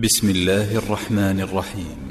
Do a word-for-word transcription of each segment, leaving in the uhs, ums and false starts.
بسم الله الرحمن الرحيم.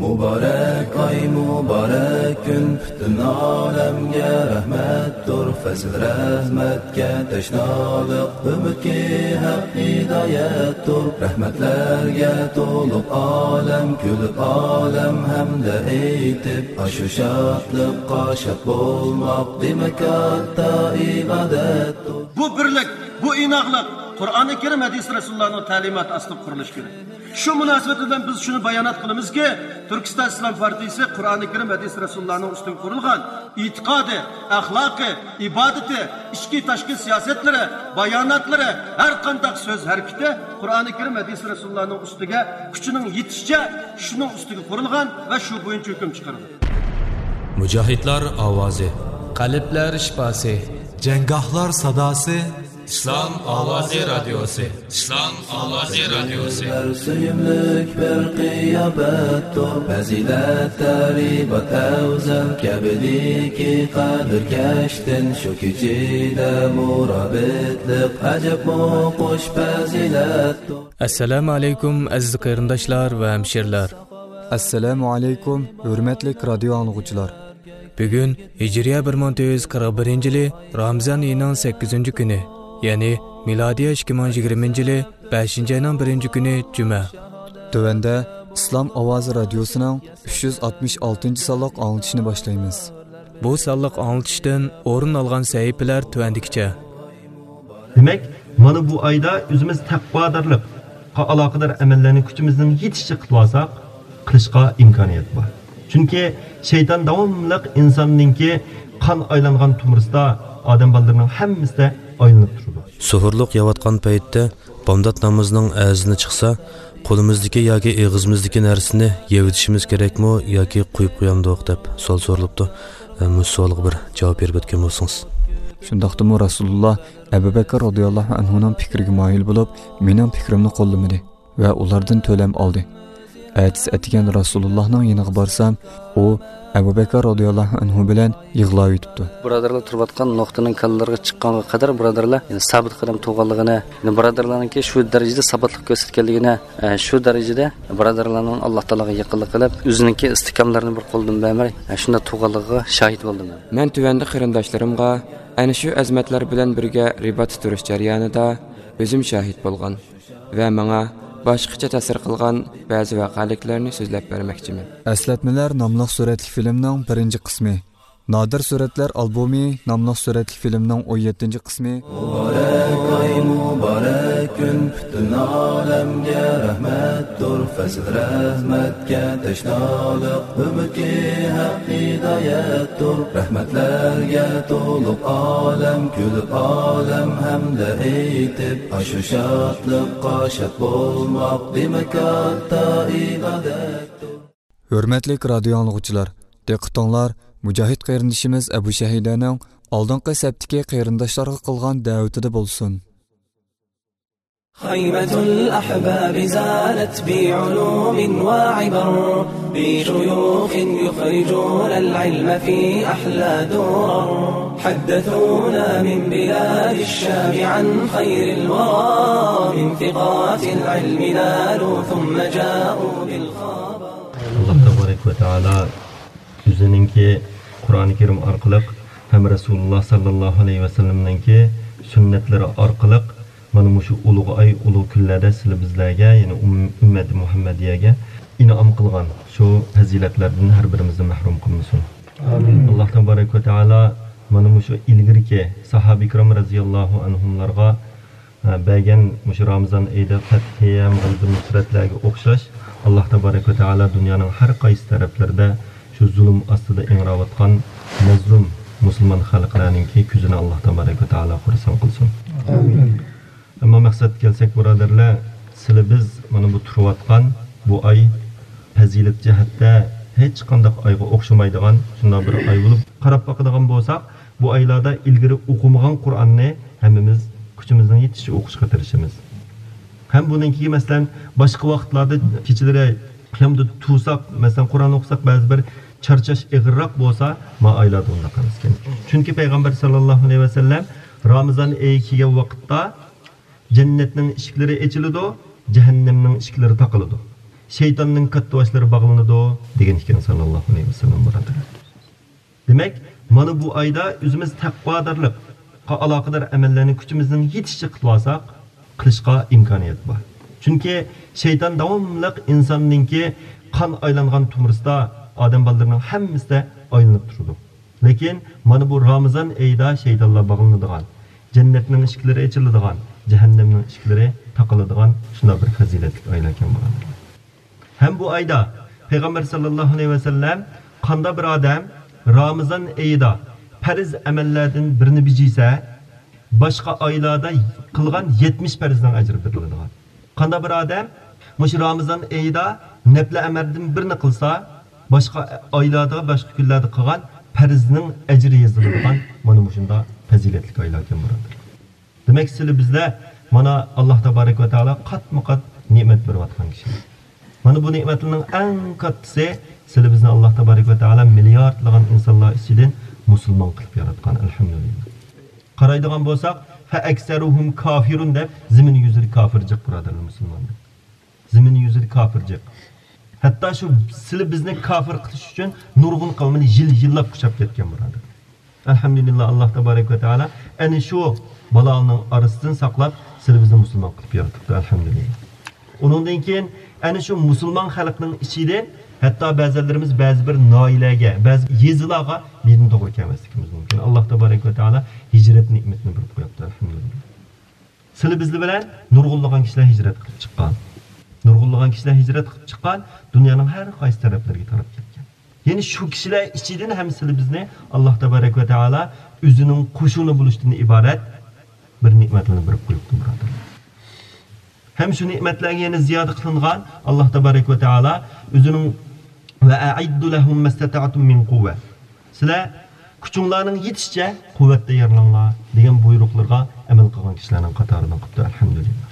مۇبارەك ئاي، مۇبارەك كۈن، پۈتۈن ئالەمگە رەھمەتتۇر. پەزىل رەھمەتكە تەشنالىق، ئۈمىدكى ھەق ھىدايەتتۇر. رەھمەتلەرگە تولۇپ ئالەم، كۈلۈپ ئالەم ھەمدە ئېيتىپ، ئاشۇ شادلىققا شاد بولماق، دېمەك، كاتتا ئىبادەتتۇر. بۇ بىرلىك، بۇ ئىناقلىق قۇرئانى كەرىم، ھەدىس رەسۇلۇللانىڭ تەلىماتى ئاستىدا قۇرۇلۇشى كېرەك. شۇ مۇناسىۋەت بىلەن بىز شۇنى بايانات قىلىمىزكى، تۈركىستان ئىسلام پارتىيىسى قۇرئانى كەرىم، ھەدىس رەسۇلۇللانىڭ ئۈستىگە قۇرۇلغان ئېتىقادى، ئەخلاقى، ئىبادىتى، ئىچكى، تاشقى سىياسەتلىرى، باياناتلىرى، ھەر قانداق سۆز ھەرىكىتى قۇرئانى كەرىم، ھەدىس رەسۇلۇللانىڭ ئۈستىگە كۈچىنىڭ يېتىشىچە شۇنىڭ ئۈستىگە قۇرۇلغان ۋە شۇ بويىچە ھۆكۈم چىقىرىدۇ. مۇجاھىدلار ئاۋازى. قەلبلەر شىپاسى. جەڭگاھلار ساداسى. ئىسلام ئاۋازى رادىيوسى. ئىسلام ئاۋازى رادىيوسى. سۆيۈملۈك بىر قىياپەتتۇر، پەزىلەت تەرىبات ئەۋزەل، كەبىدىكى قەدىركەشتىن شۇ كېچىدە مۇرابىتلىق ئەجەبمۇ خۇش پەزىلەتتۇر. ئەسسالامۇ ئەلەيكۇم، ئەزىز قېرىنداشلار ۋە ھەمشىرىلەر. ئەسسالامۇ ئەلەيكۇم، ھۆرمەتلىك رادىيو ئاڭلىغۇچىلار. بۈگۈن ھىجرىيە بىر مىڭ تۆت يۈز قىرىق بىرىنچى يىلى رامىزان ئېيىنىڭ سەككىزىنچى كۈنى، يەنى مىلادىيە ئىككى مىڭ يىگىرمىنچى يىلى بەشىنچى ئاينىڭ بىرىنچى كۈنى جۈمە. تۆۋەندە ئىسلام ئاۋازى رادىيوسىنىڭ ئۈچ يۈز ئاتمىش ئالتىنچى سانلىق ئاڭلىتىشىنى باشلايمىز. بۇ سانلىق ئاڭلىتىشتىن ئورۇن ئالغان سەھىپىلەر تۆۋەندىكىچە. دېمەك، مانا بۇ ئايدا ئۆزىمىز تەقۋادارلىققا ئالاقىدار ئەمەللەرنى كۈچىمىزنىڭ يېتىشىچە قىلىۋالساق، قىلىشقا ئىمكانىيەت بار. چۈنكى شەيتان داۋاملىق ئىنساننىڭكى قان ئايلانغان تومۇرىسىدا، ئادەم بالىلىرىنىڭ ھەممىسىدە ئايلىنىپ تۇرىدۇ. سۇھۇرلۇق يەۋاتقان پەيتتە، بامدات نامىزىنىڭ ئەزىنى چىقسا، قولىمىزدىكى ياكى ئېغىزىمىزدىكى نەرسىنى يەۋېتىشىمىز كېرەكمۇ ياكى قويۇپ قويامدۇق دەپ سوئال سورىلىپتۇ. مۇشۇ سوئالغا بىر جاۋاب بېرىپ ئۆتكەن بولسىڭىز. شۇنداقتىمۇ رەسۇلۇللا ئەبۇ بەكىر رازىياللاھۇ ئەنھۇنىڭ پىكرىگە مايىل بولۇپ، مېنىڭ پىكرىمنى قوللىمىدى ۋە ئۇلاردىن تۆلەم ئالدى. ئەتىسى ئەتىگەن رەسۇلۇللاھنىڭ يېنىغا بارسام، ئۇ ئەبۇ بەكىر رازىياللاھۇ ئەنھۇ بىلەن يىغلاۋېتىپتۇ. بۇرادەرلەر تۇرۇۋاتقان نۇقتىنىڭ كاللىلىرىغا چىققانغا قەدەر بۇرادەرلەر، يەنى سابىت قەدەم تۇرغانلىقىنى، يەنى بۇرادەرلەرنىڭكى شۇ دەرىجىدە ساباتلىق كۆرسەتكەنلىكىنى، ئە، شۇ دەرىجىدە بۇرادەرلەرنىڭ ئاللا تائالاغا يېقىنلىق قىلىپ، ئۆزىنىڭكى ئىستىھكاملىرىنى بىر قولدىن بەرمەي، ئە، شۇنداق تۇرغانلىقىغا شاھىت بولدۇم مەن. مەن تۆۋەندە قېرىنداشلىرىمغا ئەنە شۇ ئەزىمەتلەر بىلەن بىرگە رىباتتا تۇرۇش جەريانىدا ئۆزۈم شاھىت بولغان ۋە ماڭا باشقىچە تەسىر قىلغان بەزى ۋەقەلىكلەرنى سۆزلەپ بەرمەكچىمەن. ئەسلەتمىلەر ناملىق سۈرەتلىك فىلىمنىڭ بىرىنچى قىسمى، نادىر سۈرەتلەر ئالبومى ناملىق سۈرەتلىك فىلىمنىڭ ئون يەتتىنچى قىسمى. مۇبارەك ئاي، مۇبارەك كۈن، پۈتۈن ئالەمگە رەھمەتتۇر، پەزىل رەھمەتكە تەشنالىق، ئۈمىدكى ھەق ھىدايەتتۇر. رەھمەتلەرگە تولۇپ ئالەم، كۈلۈپ ئالەم ھەمدە ئېيتىپ، ئاشۇ شادلىققا شاد بولماق، دېمەك، كاتتا ئىبادەتتۇر. ھۆرمەتلىك رادىيو ئاڭلىغۇچىلار، دىققىتىڭلار مۇجاھىد قېرىندىشىمىز ئەبۇ شەھىدەنىڭ ئالدىنقى سەپتىكى قېرىنداشلارغا قىلغان دەۋىتىدە بولسۇن. خيمة الأحباب زانت بعلوم وعبر، بشيوخ يخرجون العلم في أحلى درر. حدثونا من بلاد الشام عن خير الورى، من ثقات العلم نالوا ثم جاءوا بالخبر. ئاللا تەبارەك ۋە تائالا ئۆزىنىڭكى قۇرئانى كەرىم ئارقىلىق ھەم رەسۇلۇللا ساللاللاھۇ ئەلەيھى ۋەسەللەمنىڭكى سۈننەتلىرى ئارقىلىق مانا مۇشۇ ئۇلۇغ ئاي، ئۇلۇغ كۈنلەردە سىلى بىزلەرگە، يەنى ئۈم-، ئۈممەتى مۇھەممەدىيەگە ئىنئام قىلغان شۇ پەزىلەتلەردىن ھەر بىرىمىزنى مەھرۇم قىلمىسۇن. ئامىن. ئاللا تەبارەك ۋە تائالا مانا مۇشۇ ئىلگىرىكى ساھابە كىرام رەزىياللاھۇ ئەنھۇملارغا بەرگەن مۇشۇ رامىزان ئېيىدا پەتھى ھەم غەلىبە نۇسرەتلەرگە ئوخشاش، ئاللا تەبارەك ۋە تائالا دۇنيانىڭ ھەر قايسى تەرەپلىرىدە شۇ زۇلۇم ئاستىدا ئىڭراۋاتقان مەزلۇم مۇسۇلمان خەلقلەرنىڭكى كۆزىنى ئاللا تەبارەك ۋە تائالا خۇرسەن قىلسۇن. ئامىن. ئەمما مەقسەتكە كەلسەك، بۇرادەرلەر، سىلى بىز مانا بۇ تۇرۇۋاتقان بۇ ئاي پەزىلەت جەھەتتە ھېچقانداق ئايغا ئوخشىمايدىغان شۇنداق بىر ئاي بولۇپ، قاراپ باقىدىغان بولساق، بۇ ئايلاردا ئىلگىرى ئوقۇمىغان قۇرئاننى ھەممىمىز كۈچىمىزنىڭ يېتىشىچە ئوقۇشقا تىرىشىمىز. ھەم بۇنىڭكى، مەسىلەن، باشقا ۋاقىتلاردا كېچىلىرى قىيامدا تۇرساق، مەسىلەن، قۇرئان ئوقۇساق، بەزى بىر چارچاش ئېغىرراق بولسا، ما ئايلاردا ئۇنداق ئەمەسكەن. چۈنكى پەيغەمبەر ساللاللاھۇ ئەلەيھى ۋەسەللەم رامىزان ئېيى كەلگەن ۋاقىتتا جەننەتنىڭ ئىشىكلىرى ئېچىلىدۇ، جەھەننەمنىڭ ئىشىكلىرى تاقىلىدۇ، شەيتاننىڭ كاتتىباشلىرى باغلىنىدۇ، دېگەن ئىكەن، ساللاللاھۇ ئەلەيھى ۋەسەللەم، بۇرادەرلەر. دېمەك، مانا بۇ ئايدا ئۆزىمىز تەقۋادارلىققا ئالاقىدار ئەمەللەرنى كۈچىمىزنىڭ يېتىشىچە قىلىۋالساق، قىلىشقا ئىمكانىيەت بار. چۈنكى شەيتان داۋاملىق ئىنساننىڭكى قان ئايلانغان تومۇرىسىدا ئادەم بالىلىرىنىڭ ھەممىسىدە ئايلىنىپ تۇرىدۇ. لېكىن مانا بۇ رامىزان ئېيىدا شەيتانلار باغلىنىدىغان، جەننەتنىڭ ئىشىكلىرى ئېچىلىدىغان، جەھەننەمنىڭ ئىشىكلىرى تاقىلىدىغان شۇنداق بىر پەزىلەتلىك ئايلار ئىكەن، بۇرادەرلەر. ھەم بۇ ئايدا پەيغەمبەر ساللاللاھۇ ئەلەيھى ۋەسەللەم، قانداق بىر ئادەم رامىزان ئېيىدا پەرز ئەمەللەردىن بىرىنى بېجىسە، باشقا ئايلاردا قىلغان يەتمىش پەرزنىڭ ئەجرى بېرىلىدىغان. قانداق بىر ئادەم مۇشۇ رامىزان ئېيىدا نەپلە ئەمەلدىن بىرنى قىلسا، باشقا ئايلاردا، باشقا كۈنلەردە قىلغان پەرزنىڭ ئەجرى يېزىلىدىغان مانا مۇشۇنداق پەزىلەتلىك ئايلار ئىكەن، بۇرادەرلەر. دېمەك، سىلى بىزلەر مانا ئاللاھ تابارەك ۋە تائالا قاتمۇ قات نېمەت بېرىۋاتقان كىشىلەر. مانا بۇ نېمەتلەرنىڭ ئەڭ كاتتىسى، سىلى بىزنى ئاللاھ تابارەك ۋە تائالا مىلياردلىغان ئىنسانلار ئىچىدىن مۇسۇلمان قىلىپ ياراتقان، ئەلھەمدۇلىللاھ. قارايدىغان بولساق، فەئەكسەرۇھۇم كافىرۇن دەپ، زېمىن يۈزىدە كافىر جىق، بۇرادەرلەر، مۇسۇلمانلار. زېمىن يۈزىدە كافىر جىق. ھەتتا شۇ سىلى بىزنى كافىر قىلىش ئۈچۈن نۇرغۇن قەۋمىنى يىل يىللاپ قۇچاپ كەتكەن، بۇرادەر. ئەلھەمدۇلىللاھ، ئاللاھ تابارەك ۋە تائالا ئەنە شۇ بالانىڭ ئارىسىدىن ساقلاپ، سىلى بىزنى مۇسۇلمان قىلىپ يارىتىپتۇ، ئەلھەمدۇلىللاھ. ئۇنىڭدىن كېيىن ئەنە شۇ مۇسۇلمان خەلقنىڭ ئىچىدىن ھەتتا بەزىلىرىمىز بەزى بىر ناھىيەلەرگە، بەزى يېزىلارغا دىندىن توغرا كەلمەسلىكىمىز مۇمكىن. ئاللاھ تابارەك ۋە تائالا ھىجرەت نېمىتىنى بېرىپ قويۇپتۇ، ئەلھەمدۇلىللاھ. سىلى بىزلى بىلەن نۇرغۇنلىغان كىشىلەر ھىجرەت قىلىپ چىققان. نۇرغۇنلىغان كىشىلەر ھىجرەت قىلىپ چىققان، دۇنيانىڭ ھەر قايسى تەرەپلىرىگە تاراپ كەتكەن. يەنى شۇ كىشىلەر ئىچىدىن ھەم سىلى بىزنى ئاللاھ تابارەك ۋە تائالا ئۆزىنىڭ قوشۇنى بولۇشتىن ئىبارەت بىر نېمەتلەرنى بېرىپ قويۇپتۇ، بۇرادەرلەر. ھەم شۇ نېمەتلەرگە يەنە زىيادە قىلىنغان، ئاللاھ تابارەك ۋە تائالا ئۆزىنىڭ، ۋە ئەئىددۇ لەھۇم مەستەتەئتۇم مىن قۇۋۋە. سىلەر كۈچۈڭلارنىڭ يېتىشىچە قۇۋۋەت تەييارلاڭلار، دېگەن بۇيرۇقلىرىغا ئەمەل قىلغان كىشىلەرنىڭ قاتارىدىن قىپتۇ، ئەلھەمدۇلىللاھ.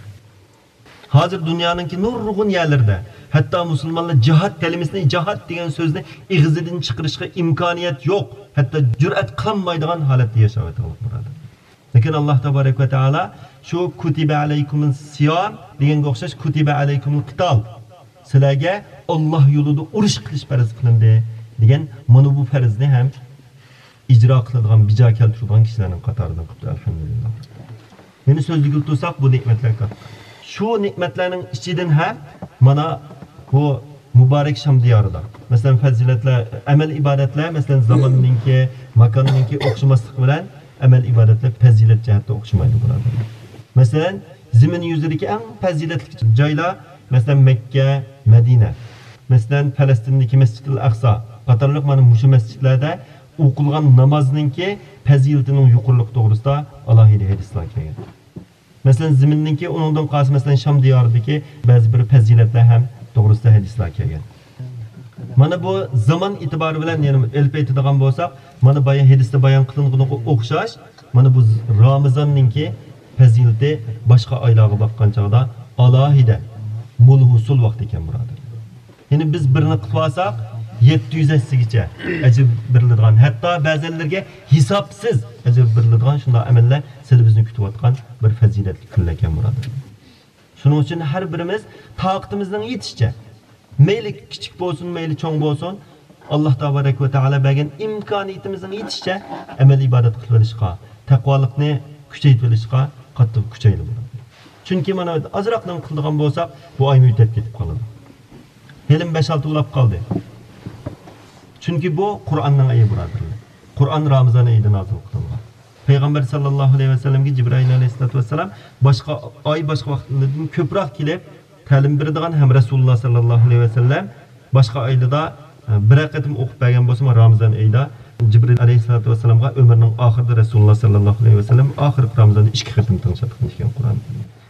ھازىر دۇنيانىڭكى نۇرغۇن يەرلىرىدە، ھەتتا مۇسۇلمانلار جىھاد كەلىمىسىنى، جىھاد دېگەن سۆزنى ئېغىزىدىن چىقىرىشقا ئىمكانىيەت يوق، ھەتتا جۈرئەت قىلالمايدىغان ھالەتتە ياشاۋاتىدۇ، بۇرادەر. لېكىن ئاللاھ تابارەك ۋە تائالا شۇ كۇتىبە ئەلەيكۇمۇس سىيام دېگەنگە ئوخشاش، كۇتىبە ئەلەيكۇمۇل قىتال، سىلەرگە ئاللاھ يولىدا ئۇرۇش قىلىش پەرز قىلىندى، دېگەن مانا بۇ پەرزنى ھەم ئىجرا قىلىدىغان، بىجا كەلتۈرىدىغان كىشىلەرنىڭ قاتارىدىن قىپتۇ، ئەلھەمدۇلىللاھ. يەنە سۆزلىگىلى تۇرساق، بۇ نېمەتلەر كاتتا. شۇ نېمەتلەرنىڭ ئىچىدىن ھەم مانا بۇ مۇبارەك شام دىيارىدا، مەسىلەن، پەزىلەتلەر، ئەمەل ئىبادەتلەر، مەسىلەن، زاماننىڭكى، ماكاننىڭكى ئوخشىماسلىقى بىلەن ئەمەل ئىبادەتلەر پەزىلەت جەھەتتە ئوخشىمايدۇ، بۇرادەرلەر. مەسىلەن، زېمىن يۈزىدىكى ئەڭ پەزىلەتلىك جايلار، مەسىلەن، مەككە، مەدىنە، مەسىلەن، پەلەستىندىكى مەسجىدىل ئەقسا قاتارلىق مانا مۇشۇ مەسجىدلەردە ئوقۇلغان نامازنىڭكى پەزىلىتىنىڭ يۇقىرىلىقى توغرىسىدا ئالاھىدە ھەدىسلەر كەلگەن. مەسىلەن، زېمىننىڭكى، ئۇنىڭدىن قالسا، مەسىلەن، شام دىيارىدىكى بەزى بىر پەزىلەتلەر ھەم توغرىسىدا ھەدىسلەر كەلگەن. مانا بۇ زامان ئېتىبارى بىلەن يەنە ئېلىپ ئېيتىدىغان بولساق، مانا بايا ھەدىستە بايان قىلىنغىنىغا ئوخشاش، مانا بۇ رامىزاننىڭكى پەزىلىتى باشقا ئايلارغا باققان چاغدا ئالاھىدە مول ھوسۇل ۋاقتى ئىكەن، بۇرادەر. يەنى بىز بىرنى قىلىۋالساق، يەتتە يۈز ھەسسىگىچە ئەجىر بېرىلىدىغان، ھەتتا بەزەنلىرىگە ھېسابسىز ئەجىر بېرىلىدىغان شۇنداق ئەمەللەر سىلى بىزنى كۈتۈۋاتقان بىر پەزىلەتلىك كۈنلەر ئىكەن، بۇرادەر. شۇنىڭ ئۈچۈن ھەر بىرىمىز تاقىتىمىزنىڭ يېتىشىچە، مەيلى كىچىك بولسۇن، مەيلى چوڭ بولسۇن، ئاللاھ تابارەك ۋە تائالا بەرگەن ئىمكانىيىتىمىزنىڭ يېتىشىچە ئەمەل ئىبادەت قىلىۋېلىشقا، تەقۋالىقنى كۈچەيتىۋېلىشقا قاتتىق كۈچەيلى، بۇرادەر. چۈنكى مانا ئازراقلا قىلىدىغان بولساق، بۇ ئايمۇ ئۆتۈپ كېتىپ قالىدۇ. ھېلىمۇ بەش-ئالتە ئۇلاپ قالدى. چۈنكى بۇ قۇرئاننىڭ ئېيى، بۇرادەرلەر. قۇرئان رامىزان ئېيىدا نازىل قىلىنغان. پەيغەمبەر ساللاللاھۇ ئەلەيھى ۋەسەللەمگە جىبرىئىل ئەلەيھىسسالاتۇ ۋەسسالام باشقا ئاي، باشقا ۋاقىتلاردىن كۆپرەك كېلىپ، تەلىم بېرىدىغان ھەم رەسۇلۇللاھ ساللاللاھۇ ئەلەيھى ۋەسەللەم باشقا ئايلىدا، ئە، بىرەر قېتىم ئوقۇپ بەرگەن بولسىمۇ، رامىزان ئېيىدا جىبرىئىل ئەلەيھىسسالاتۇ ۋەسسالامغا ئۆمرىنىڭ ئاخىرىدا رەسۇلۇللاھ ساللاللاھۇ ئەلەيھى ۋەسەللەم ئاخىرقى رامىزاندا ئىككى قېتىم تىڭشاتقان ئىكەن قۇرئان.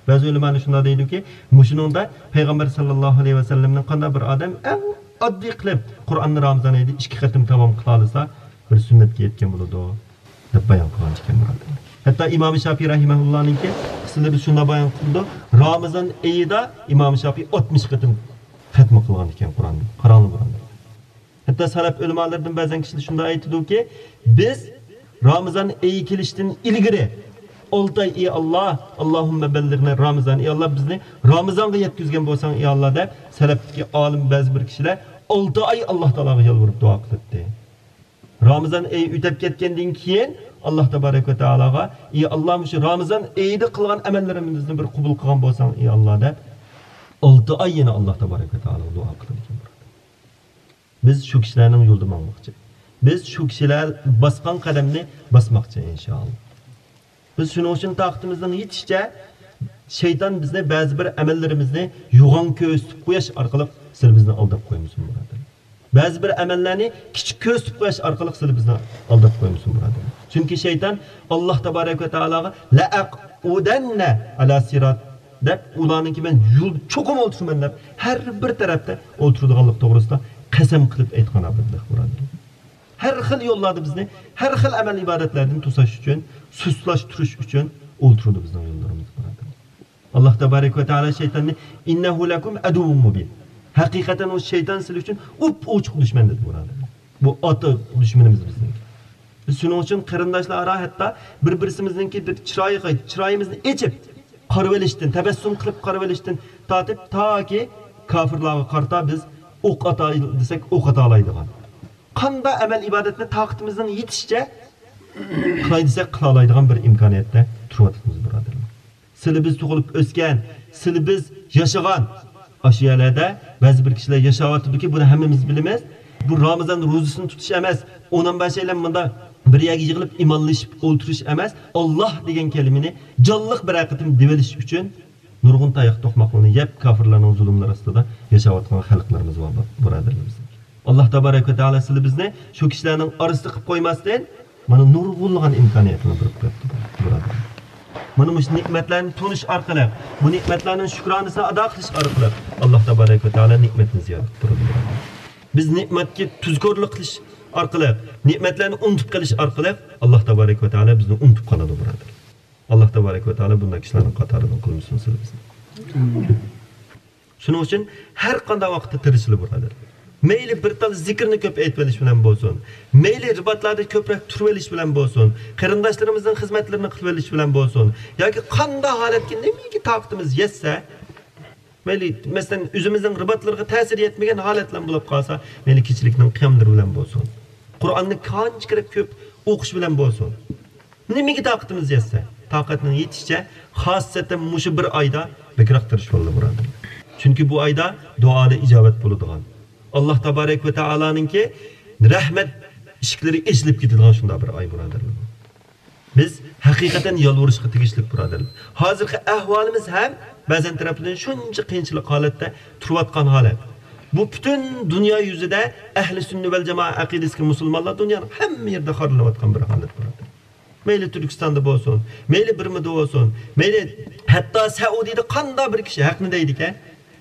بەزى ئۆلىمالار شۇنداق دەيدۇكى، مۇشۇنىڭدا پەيغەمبەر ساللاللاھۇ ئەلەيھى ۋەسەللەمنىڭ قانداق بىر ئادەم ئەڭ ئاددىي قىلىپ قۇرئاننى رامىزان ئېيىدا ئىككى قېتىم تامام قىلالىسا، بىر سۈننەتكە يەتكەن بولىدۇ، دەپ بايان قىلغان ئىكەن، بۇرادەر. ھەتتا ئىمام شافىي رەھىمەھۇللانىڭكى قىسسىلىرى شۇنداق بايان قىلىدۇ، رامىزان ئېيىدا ئىمام شافىي ئاتمىش قېتىم خەتمە قىلغان ئىكەن قۇرئاننى. قاراڭلار، بۇرادەر. ھەتتا سەلەف ئۆلىمالىرىدىن بەزەن كىشىلەر شۇنداق ئېيتىدۇكى، بىز رامىزان ئېيى كېلىشتىن ئىلگىرى ئالتە ئاي، ئى ئاللا، ئاللاھۇممە بەللىغنە رامىزان، ئى ئاللا، بىزنى رامىزانغا يەتكۈزگەن بولساڭ، ئى ئاللا، دەپ سەلەپتىكى ئالىم بەزى بىر كىشىلەر ئالتە ئاي ئاللا تائالاغا يالۋۇرۇپ دۇئا قىلىپتى. رامىزان ئېيى ئۆتۈپ كەتكەندىن كېيىن ئاللا تەبارەك ۋە تائالاغا، ئى ئاللا، مۇشۇ رامىزان ئېيىدا قىلغان ئەمەللىرىمىزنى بىر قوبۇل قىلغان بولساڭ، ئى ئاللا، دەپ ئالتە ئاي يەنە ئاللا تەبارەك ۋە تائالاغا دۇئا قىلىدىكەن. بىز شۇ كىشىلەرنىڭ يولىدا ماڭماقچى. بىز شۇ كىشىلەر باسقان قەدەمنى باسماقچى، ئىنشائاللا. بىز شۇنىڭ ئۈچۈن تاقىتىمىزنىڭ يېتىشىچە، شەيتان بىزنى بەزى بىر ئەمەللىرىمىزنى يوغان كۆرسىتىپ قويۇش ئارقىلىق سىلى بىزنى ئالداپ قويمىسۇن، بۇرادەر. بەزى بىر ئەمەللەرنى كىچىك كۆرسىتىپ قويۇش ئارقىلىق سىلى بىزنى ئالداپ قويمىسۇن، بۇرادەر. چۈنكى شەيتان ئاللا تەبارەك ۋە تائالاغا لەئەقئۇدەننە ئەلا سىرات دەپ، ئۇلارنىڭكى مەن يول چوقۇم ئولتۇرىمەن دەپ، ھەر بىر تەرەپتە ئولتۇرىدىغانلىق توغرىسىدا قەسەم قىلىپ ئېيتقان ئابىدلىق، بۇرادەر. ھەر خىل يوللاردا بىزنى، ھەر خىل ئەمەل ئىبادەتلەردىن توساش ئۈچۈن، سۇسلاشتۇرۇش ئۈچۈن ئولتۇرىدۇ بىزنىڭ يوللىرىمىزدا، بۇرادەر. ئاللا تەبارەك ۋە تائالا شەيتاننى، ئىننەھۇ لەكۇم ئەدۇۋۋۇم مۇبىن. ھەقىقەتەن ئۇ شەيتان سىلى ئۈچۈن ئوپئوچۇق دۈشمەن دېدى، بۇرادەر. بۇ ئاتا دۈشمىنىمىز بىزنىڭكى. بىز شۇنىڭ ئۈچۈن قېرىنداشلار ئارا ھەتتا بىر-بىرسىمىزنىڭكى بىر چىرايىغا، چىرايىمىزنى ئېچىپ قارىۋېلىشتىن، تەبەسسۇم قىلىپ قارىۋېلىشتىن تارتىپ، تاكى كاپىرلارغا قارىتا بىز ئوق ئاتاي دېسەك، ئوق ئاتالايدىغان. قاندا ئەمەل ئىبادەتنى تاقىتىمىزنىڭ يېتىشىچە قىلاي دېسەك، قىلالايدىغان بىر ئىمكانىيەتتە تۇرۇۋاتىمىز، بۇرادەرلەر. سىلى بىز تۇغۇلۇپ ئۆسكەن، سىلى بىز ياشىغان ئاشۇ يەرلەردە بەزى بىر كىشىلەر ياشاۋاتىدۇكى، بۇنى ھەممىمىز بىلىمىز. بۇ رامىزان روزىسىنى تۇتۇش ئەمەس، ئون ئون بەش ئايلام مۇندا بىر يەرگە يىغىلىپ ئىمانلىشىپ ئولتۇرۇش ئەمەس، ئاللا دېگەن كەلىمىنى جانلىق بىر قېتىم دېۋېلىش ئۈچۈن نۇرغۇن تاياق توقماقلىرىنى يەپ، كاپىرلارنىڭ زۇلۇملىرى ئاستىدا ياشاۋاتقان خەلقلىرىمىز بار، بۇرادەرلىرىمىز. ئاللا تەبارەك ۋە تائالا سىلى بىزنى شۇ كىشىلەرنىڭ ئارىسىدا قىلىپ قويماستىن، مانا نۇرغۇنلىغان ئىمكانىيەتنى بېرىپ بېرىپتۇ، بۇرادەر. مانا مۇشۇ نېمەتلەرنى تونۇش ئارقىلىق، بۇ نېمەتلەرنىڭ شۈكرانىسىنى ئادا قىلىش ئارقىلىق ئاللا تەبارەك ۋە تائالا نېمەتنى زىيادە قىلىپ تۇرىدۇ، بۇرادەر. بىز نېمەتكە تۇزكورلۇق قىلىش ئارقىلىق، نېمەتلەرنى ئۇنتۇپ قېلىش ئارقىلىق ئاللا تەبارەك ۋە تائالا بىزنى ئۇنتۇپ قالىدۇ، بۇرادەر. ئاللا تەبارەك ۋە تائالا بۇنداق كىشىلەرنىڭ قاتارىدىن قىلمىسۇن سىلى بىزنى. شۇنىڭ ئۈچۈن ھەر قانداق ۋاقىتتا تىرىشىلى، بۇرادەر. مەيلى بىر تال زىكىرنى كۆپ ئېيتىۋېلىش بىلەن بولسۇن، مەيلى رىباتلاردا كۆپرەك تۇرۇۋېلىش بىلەن بولسۇن، قېرىنداشلىرىمىزنىڭ خىزمەتلىرىنى قىلىۋېلىش بىلەن بولسۇن، ياكى قانداق ھالەتكە نېمىگە تاقىتىمىز يەتسە، مەيلى، مەسىلەن، ئۆزىمىزنىڭ رىباتلىرىغا تەسىرى يەتمىگەن ھالەتلەر بولۇپ قالسا، مەيلى كېچىلىكنىڭ قىياملىرى بىلەن بولسۇن، قۇرئاننى قانچە كېرەك كۆپ ئوقۇش بىلەن بولسۇن. نېمىگە تاقىتىمىز يەتسە، تاقەتنىڭ يېتىشىچە، خاسسەتەن مۇشۇ بىر ئايدا بەكرەك تىرىشىۋالدى، بۇرادەر. چۈنكى بۇ ئايدا دۇئالار ئىجابەت بولىدىغان، ئاللا تەبارەك ۋە تائالانىڭكى رەھمەت ئىشىكلىرى ئېچىلىپ كېتىدىغان شۇنداق بىر ئاي، بۇرادەرلەر. بىز ھەقىقەتەن يالۋۇرۇشقا تېگىشلىك، بۇرادەرلەر. ھازىرقى ئەھۋالىمىز ھەم بەزەن تەرەپلىرىدىن شۇنچە قىيىنچىلىق ھالەتتە تۇرۇۋاتقان ھالەت. بۇ پۈتۈن دۇنيا يۈزىدە ئەھلى سۈننە ۋەل جامائە ئەقىدىسىدىكى مۇسۇلمانلار دۇنيانىڭ ھەممە يېرىدە خارلىنىۋاتقان بىر ھالەت، بۇرادەر. مەيلى تۈركىستاندا بولسۇن، مەيلى بىرمىدە بولسۇن، مەيلى ھەتتا سەئۇدىيىدە قانداق بىر كىشى ھەقنى دەيدىكەن،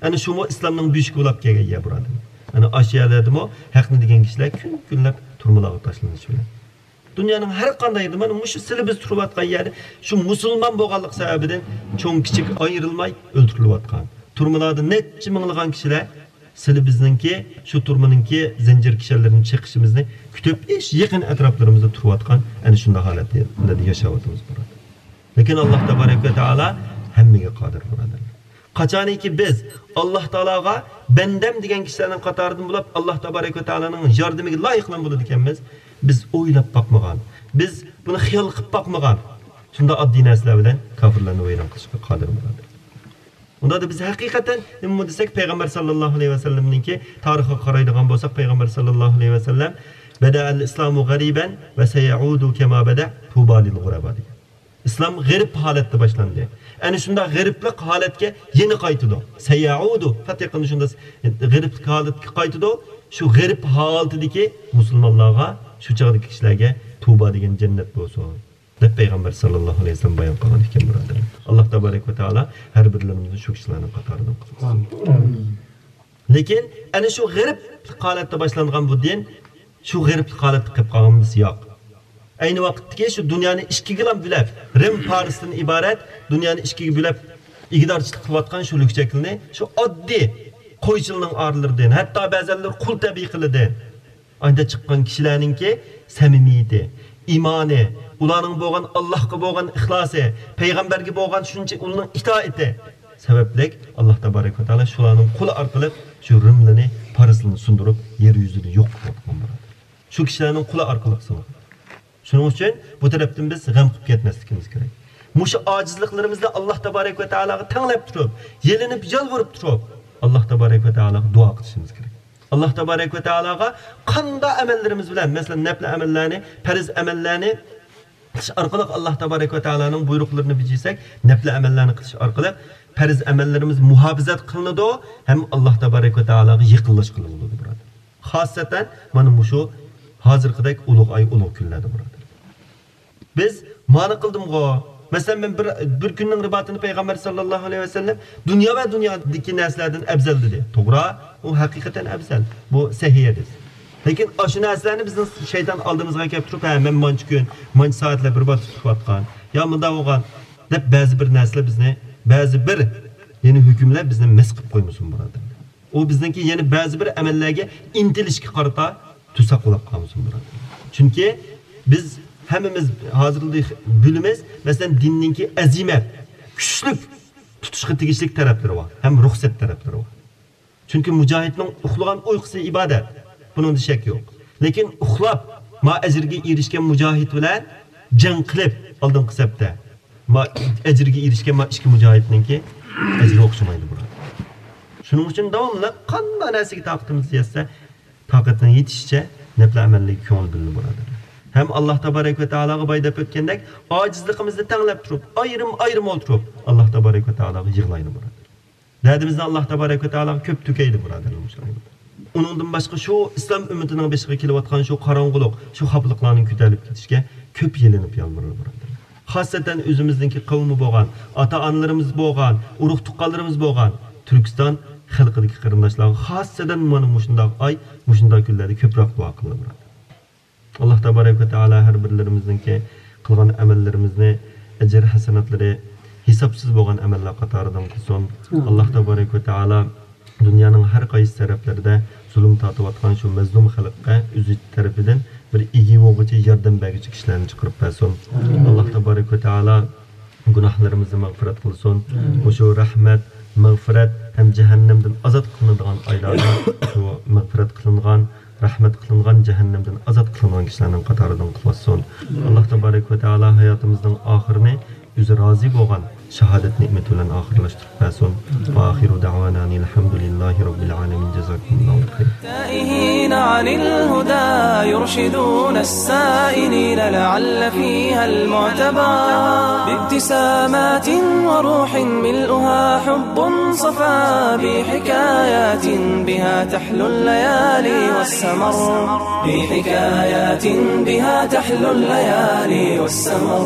ئەنە شۇمۇ ئىسلامنىڭ بۆشۈكى بولاپ كەلگەن يەر، بۇرادەر. ئەنە ئاشۇ يەرلەردىمۇ ھەقنى دېگەن كىشىلەر كۈن كۈنلەپ تۈرمىلەرگە تاشلىنىش بىلەن. دۇنيانىڭ ھەر قانداق يېرىدە، مانا مۇشۇ سىلى بىز تۇرۇۋاتقان يەردە، شۇ مۇسۇلمان بولغانلىق سەۋەبىدىن چوڭ كىچىك ئايرىلماي ئۆلتۈرۈلۈۋاتقان، تۈرمىلەردە نەچچە مىڭلىغان كىشىلەر سىلى بىزنىڭكى شۇ تۈرمىنىڭكى زەنجىر كىشەنلىرىنى چېقىشىمىزنى كۈتۈپ، ھېچ يېقىن ئەتراپلىرىمىزدا تۇرۇۋاتقان ئەنە شۇنداق ھالەتلەردە ياشاۋاتىمىز، بۇرادەر. لېكىن ئاللا تەبارەك ۋە تائالا ھەممىگە قادىر، بۇرادەرلەر. قاچانكى بىز ئاللا تائالاغا بەندەم دېگەن كىشىلەرنىڭ قاتارىدىن بولۇپ، ئاللا تەبارەك ۋە تائالانىڭ ياردىمىگە لايىقلان بولىدىكەنمىز، بىز ئويلاپ باقمىغان، بىز بۇنى خىيال قىلىپ باقمىغان شۇنداق ئاددىي نەرسىلەر بىلەن كاپىرلارنى ۋەيران قىلىشقا قادىر، بۇرادەر. ئۇنداقتا بىز ھەقىقەتەن نېمە دېسەك، پەيغەمبەر ساللاللاھۇ ئەلەيھى ۋەسەللەمنىڭكى تارىخىغا قارايدىغان بولساق، پەيغەمبەر ساللاللاھۇ ئەلەيھى ۋەسەللەم، بەدەئەل ئىسلامۇ غەرىبەن ۋە سەيەئۇدۇ كەما بەدە، تۇبا لىل غۇرەبا، دېگەن. ئىسلام غېرىب ھالەتتە باشلاندى. ئەنە شۇنداق غېرىبلىق ھالەتكە يەنە قايتىدۇ. سەيەئۇدۇ، پەت يېقىندا شۇنداق غېرىبلىق ھالەتكە قايتىدۇ. شۇ غېرىب ھالىتىدىكى مۇسۇلمانلارغا، شۇ چاغدىكى كىشىلەرگە تۇبا دېگەن جەننەت بولسۇن، دەپ پەيغەمبەر ساللاللاھۇ ئەلەيھى ۋەسەللەم بايان قىلغان ئىكەن، بۇرادەرلەر. ئاللا تەبارەك ۋە تائالا ھەر بىرلىرىمىزنى شۇ كىشىلەرنىڭ قاتارىدىن قىلسۇن. ئامىن. لېكىن ئەنە شۇ غېرىبلىق ھالەتتە باشلانغان بۇ دىن شۇ غېرىبلىق ھالەتتە قېلىپ قالغىنىمىز ياق. ئەينى ۋاقىتتىكى شۇ دۇنيانى ئىككىگىلا بۆلەپ، رىم پارسدىن ئىبارەت دۇنيانى ئىككىگە بۆلەپ، ئىگىدارچىلىق قىلىۋاتقان شۇ لۈكچەكلىنى شۇ ئاددىي قويچىلىنىڭ ئارىلىرىدىن، ھەتتا بەزەنلىرى قۇل تەبىئىي قىلىدىن ئاندىن چىققان كىشىلەرنىڭكى سەمىمىيىتى، ئىمانى، ئۇلارنىڭ بولغان ئاللاھقا بولغان ئىخلاسى، پەيغەمبەرگە بولغان شۇنچە ئۇلارنىڭ ئىتائىتى سەۋەبلىك، ئاللاھ تەبارەك ۋە تائالا شۇلارنىڭ قولى ئارقىلىق شۇ رىملىنى، پارسلىنى سۇندۇرۇپ، يەر يۈزىدىن يوق قىلىۋاتقان بولىدۇ. شۇ كىشىلەرنىڭ قولى ئارقىلىق سۇنغان. شۇنىڭ ئۈچۈن بۇ تەرەپتىن بىز غەم قىلىپ كەتمەسلىكىمىز كېرەك. مۇشۇ ئاجىزلىقلىرىمىزنى ئاللاھ تەبارەك ۋە تائالاغا تەڭلەپ تۇرۇپ، يېلىنىپ، يالۋۇرۇپ تۇرۇپ، ئاللاھ تەبارەك ۋە تائالاغا دۇئا قىلىشىمىز كېرەك. ئاللاھ تەبارەك ۋە تائالاغا قانداق ئەمەللىرىمىز بىلەن، مەسىلەن، نەپلى ئەمەللەرنى، پەرز ئەمەللەرنى قىلىش ئارقىلىق ئاللاھ تەبارەك ۋە تائالانىڭ بۇيرۇقلىرىنى بېجىرسەك، نەپلى ئەمەللەرنى قىلىش ئارقىلىق پەرز ئەمەللىرىمىز مۇھاپىزەت قىلىنىدۇ ھەم ئاللاھ تەبارەك ۋە تائالاغا يېقىنلاشقىلى بولىدۇ، بۇرادەر. خاسسەتەن مانا مۇشۇ ھازىرقىدەك ئۇلۇغ ئاي، ئۇلۇغ كۈنلەردە، بۇرادەر. بىز مانا قىلدىمغۇ؟ مەسىلەن، مەن بىر، بىر كۈننىڭ رىباتىنى پەيغەمبەر ساللاللاھۇ ئەلەيھى ۋەسەللەم دۇنيا ۋە دۇنيادىكى نەرسىلەردىن ئەۋزەل دېدى. توغرا، ئۇ ھەقىقەتەن ئەۋزەل. بۇ سەھىھ ھەدىس. لېكىن ئاشۇ نەرسىلەرنى بىزنىڭ شەيتان ئالدىمىزغا كەلتۈرۈپ، ھە، مەن مانچە كۈن، مانچە سائەتلەر بىر بار تۇتۇۋاتقان، يا مۇنداق بولغان، دەپ بەزى بىر نەرسىلەر بىزنى، بەزى بىر، يەنى ھۆكۈملەر بىزنى مەس قىلىپ قويمىسۇن، بۇرادەر. ئۇ بىزنىڭكى يەنە بەزى بىر ئەمەللەرگە ئىنتىلىشكە قارىتا توساق بولاپ قالمىسۇن، بۇرادەر. چۈنكى بىز ھەممىمىز ھازىرلا بىلىمىز، مەسىلەن، دىننىڭكى ئەزىمەت، كۈچلۈك تۇتۇشقا تېگىشلىك تەرەپلىرى بار ھەم رۇخسەت تەرەپلىرى بار. چۈنكى مۇجاھىدنىڭ ئۇخلىغان ئۇيقۇسى ئىبادەت. بۇنىڭدا شەك يوق. لېكىن ئۇخلاپ، ما ئەجىرگە ئېرىشكەن مۇجاھىد بىلەن جەڭ قىلىپ، ئالدىنقى سەپتە، ما ئەجىرگە ئېرىشكەن ما ئىككى مۇجاھىدنىڭكى ئەجرى ئوخشىمايدۇ، بۇرادەر. شۇنىڭ ئۈچۈن داۋاملىق قانداق نەرسىگە تاقىتىمىز يەتسە، تاقەتنىڭ يېتىشىچە نەپلى ئەمەللەرگە كۆڭۈل بۆلىدۇ، بۇرادەر. ھەم ئاللاھ تەبارەك ۋە تائالاغا باي دەپ ئۆتكەندەك، ئاجىزلىقىمىزنى تەڭلەپ تۇرۇپ، ئايرىم-ئايرىم ئولتۇرۇپ، ئاللاھ تەبارەك ۋە تائالاغا يىغلايلى، بۇرادەر. دەردىمىزنى ئاللاھ تەبارەك ۋە تائالاغا كۆپ تۆكەيلى، بۇرادەرلەر، مۇشۇ ئايدا. ئۇنىڭدىن باشقا شۇ ئىسلام ئۈممىتىنىڭ بېشىغا كېلىۋاتقان شۇ قاراڭغۇلۇق، شۇ خاپىلىقلارنىڭ كۆتەرىلىپ كېتىشىگە كۆپ يېلىنىپ يالۋۇرايلى، بۇرادەرلەر. خاسسەتەن ئۆزىمىزنىڭكى قەۋمى بولغان، ئاتا-ئانىلىرىمىز بولغان، ئۇرۇق-تۇغقانلىرىمىز بولغان تۈركىستان خەلقىدىكى قېرىنداشلارغا خاسسەتەن مانا مۇشۇنداق ئاي، مۇشۇنداق كۈنلەردە كۆپرەك دۇئا قىلىڭلار، بۇرادەر. ئاللاھ تەبارەك ۋە تائالا ھەر بىرلىرىمىزنىڭكى قىلغان ئەمەللىرىمىزنى، ئەجىر ھەسەناتلىرى ھېسابسىز بولغان ئەمەللەر قاتارىدىن قىلسۇن. ئاللاھ تەبارەك ۋە تائالا دۇنيانىڭ ھەر قايسى تەرەپلىرىدە زۇلۇم تارتىۋاتقان شۇ مەزلۇم خەلققە ئۆزى تەرىپىدىن بىر ئىگە بولغۇچى، ياردەم بەرگۈچى كىشىلەرنى چىقىرىپ بەرسۇن. ئاللاھ تەبارەك ۋە تائالا گۇناھلىرىمىزنى مەغپىرەت قىلسۇن. مۇشۇ رەھمەت، مەغپىرەت ھەم جەھەننەمدىن ئازاد قىلىنىدىغان ئايلاردا شۇ مەغپىرەت قىلىنغان، رەھمەت قىلىنغان، جەھەننەمدىن ئازاد قىلىنغان كىشىلەرنىڭ قاتارىدىن قىلىۋاتسۇن. ئاللاھ تەبارەك ۋە تائالا ھاياتىمىزنىڭ ئاخىرىنى ئۆزى رازى بولغان شاھادەت نېمىتى بىلەن ئاخىرلاشتۇرۇپ بەرسۇن. وآخر دعوانا أن الحمد لله رب العالمين. جزاكم الله خيرا. تائهين عن الهدى يرشدون السائلين لعل فيها المعتبر. بابتسامات وروح ملؤها حب صفا بحكايات بها تحلو الليالي والسمر. بحكايات بها تحلو الليالي والسمر.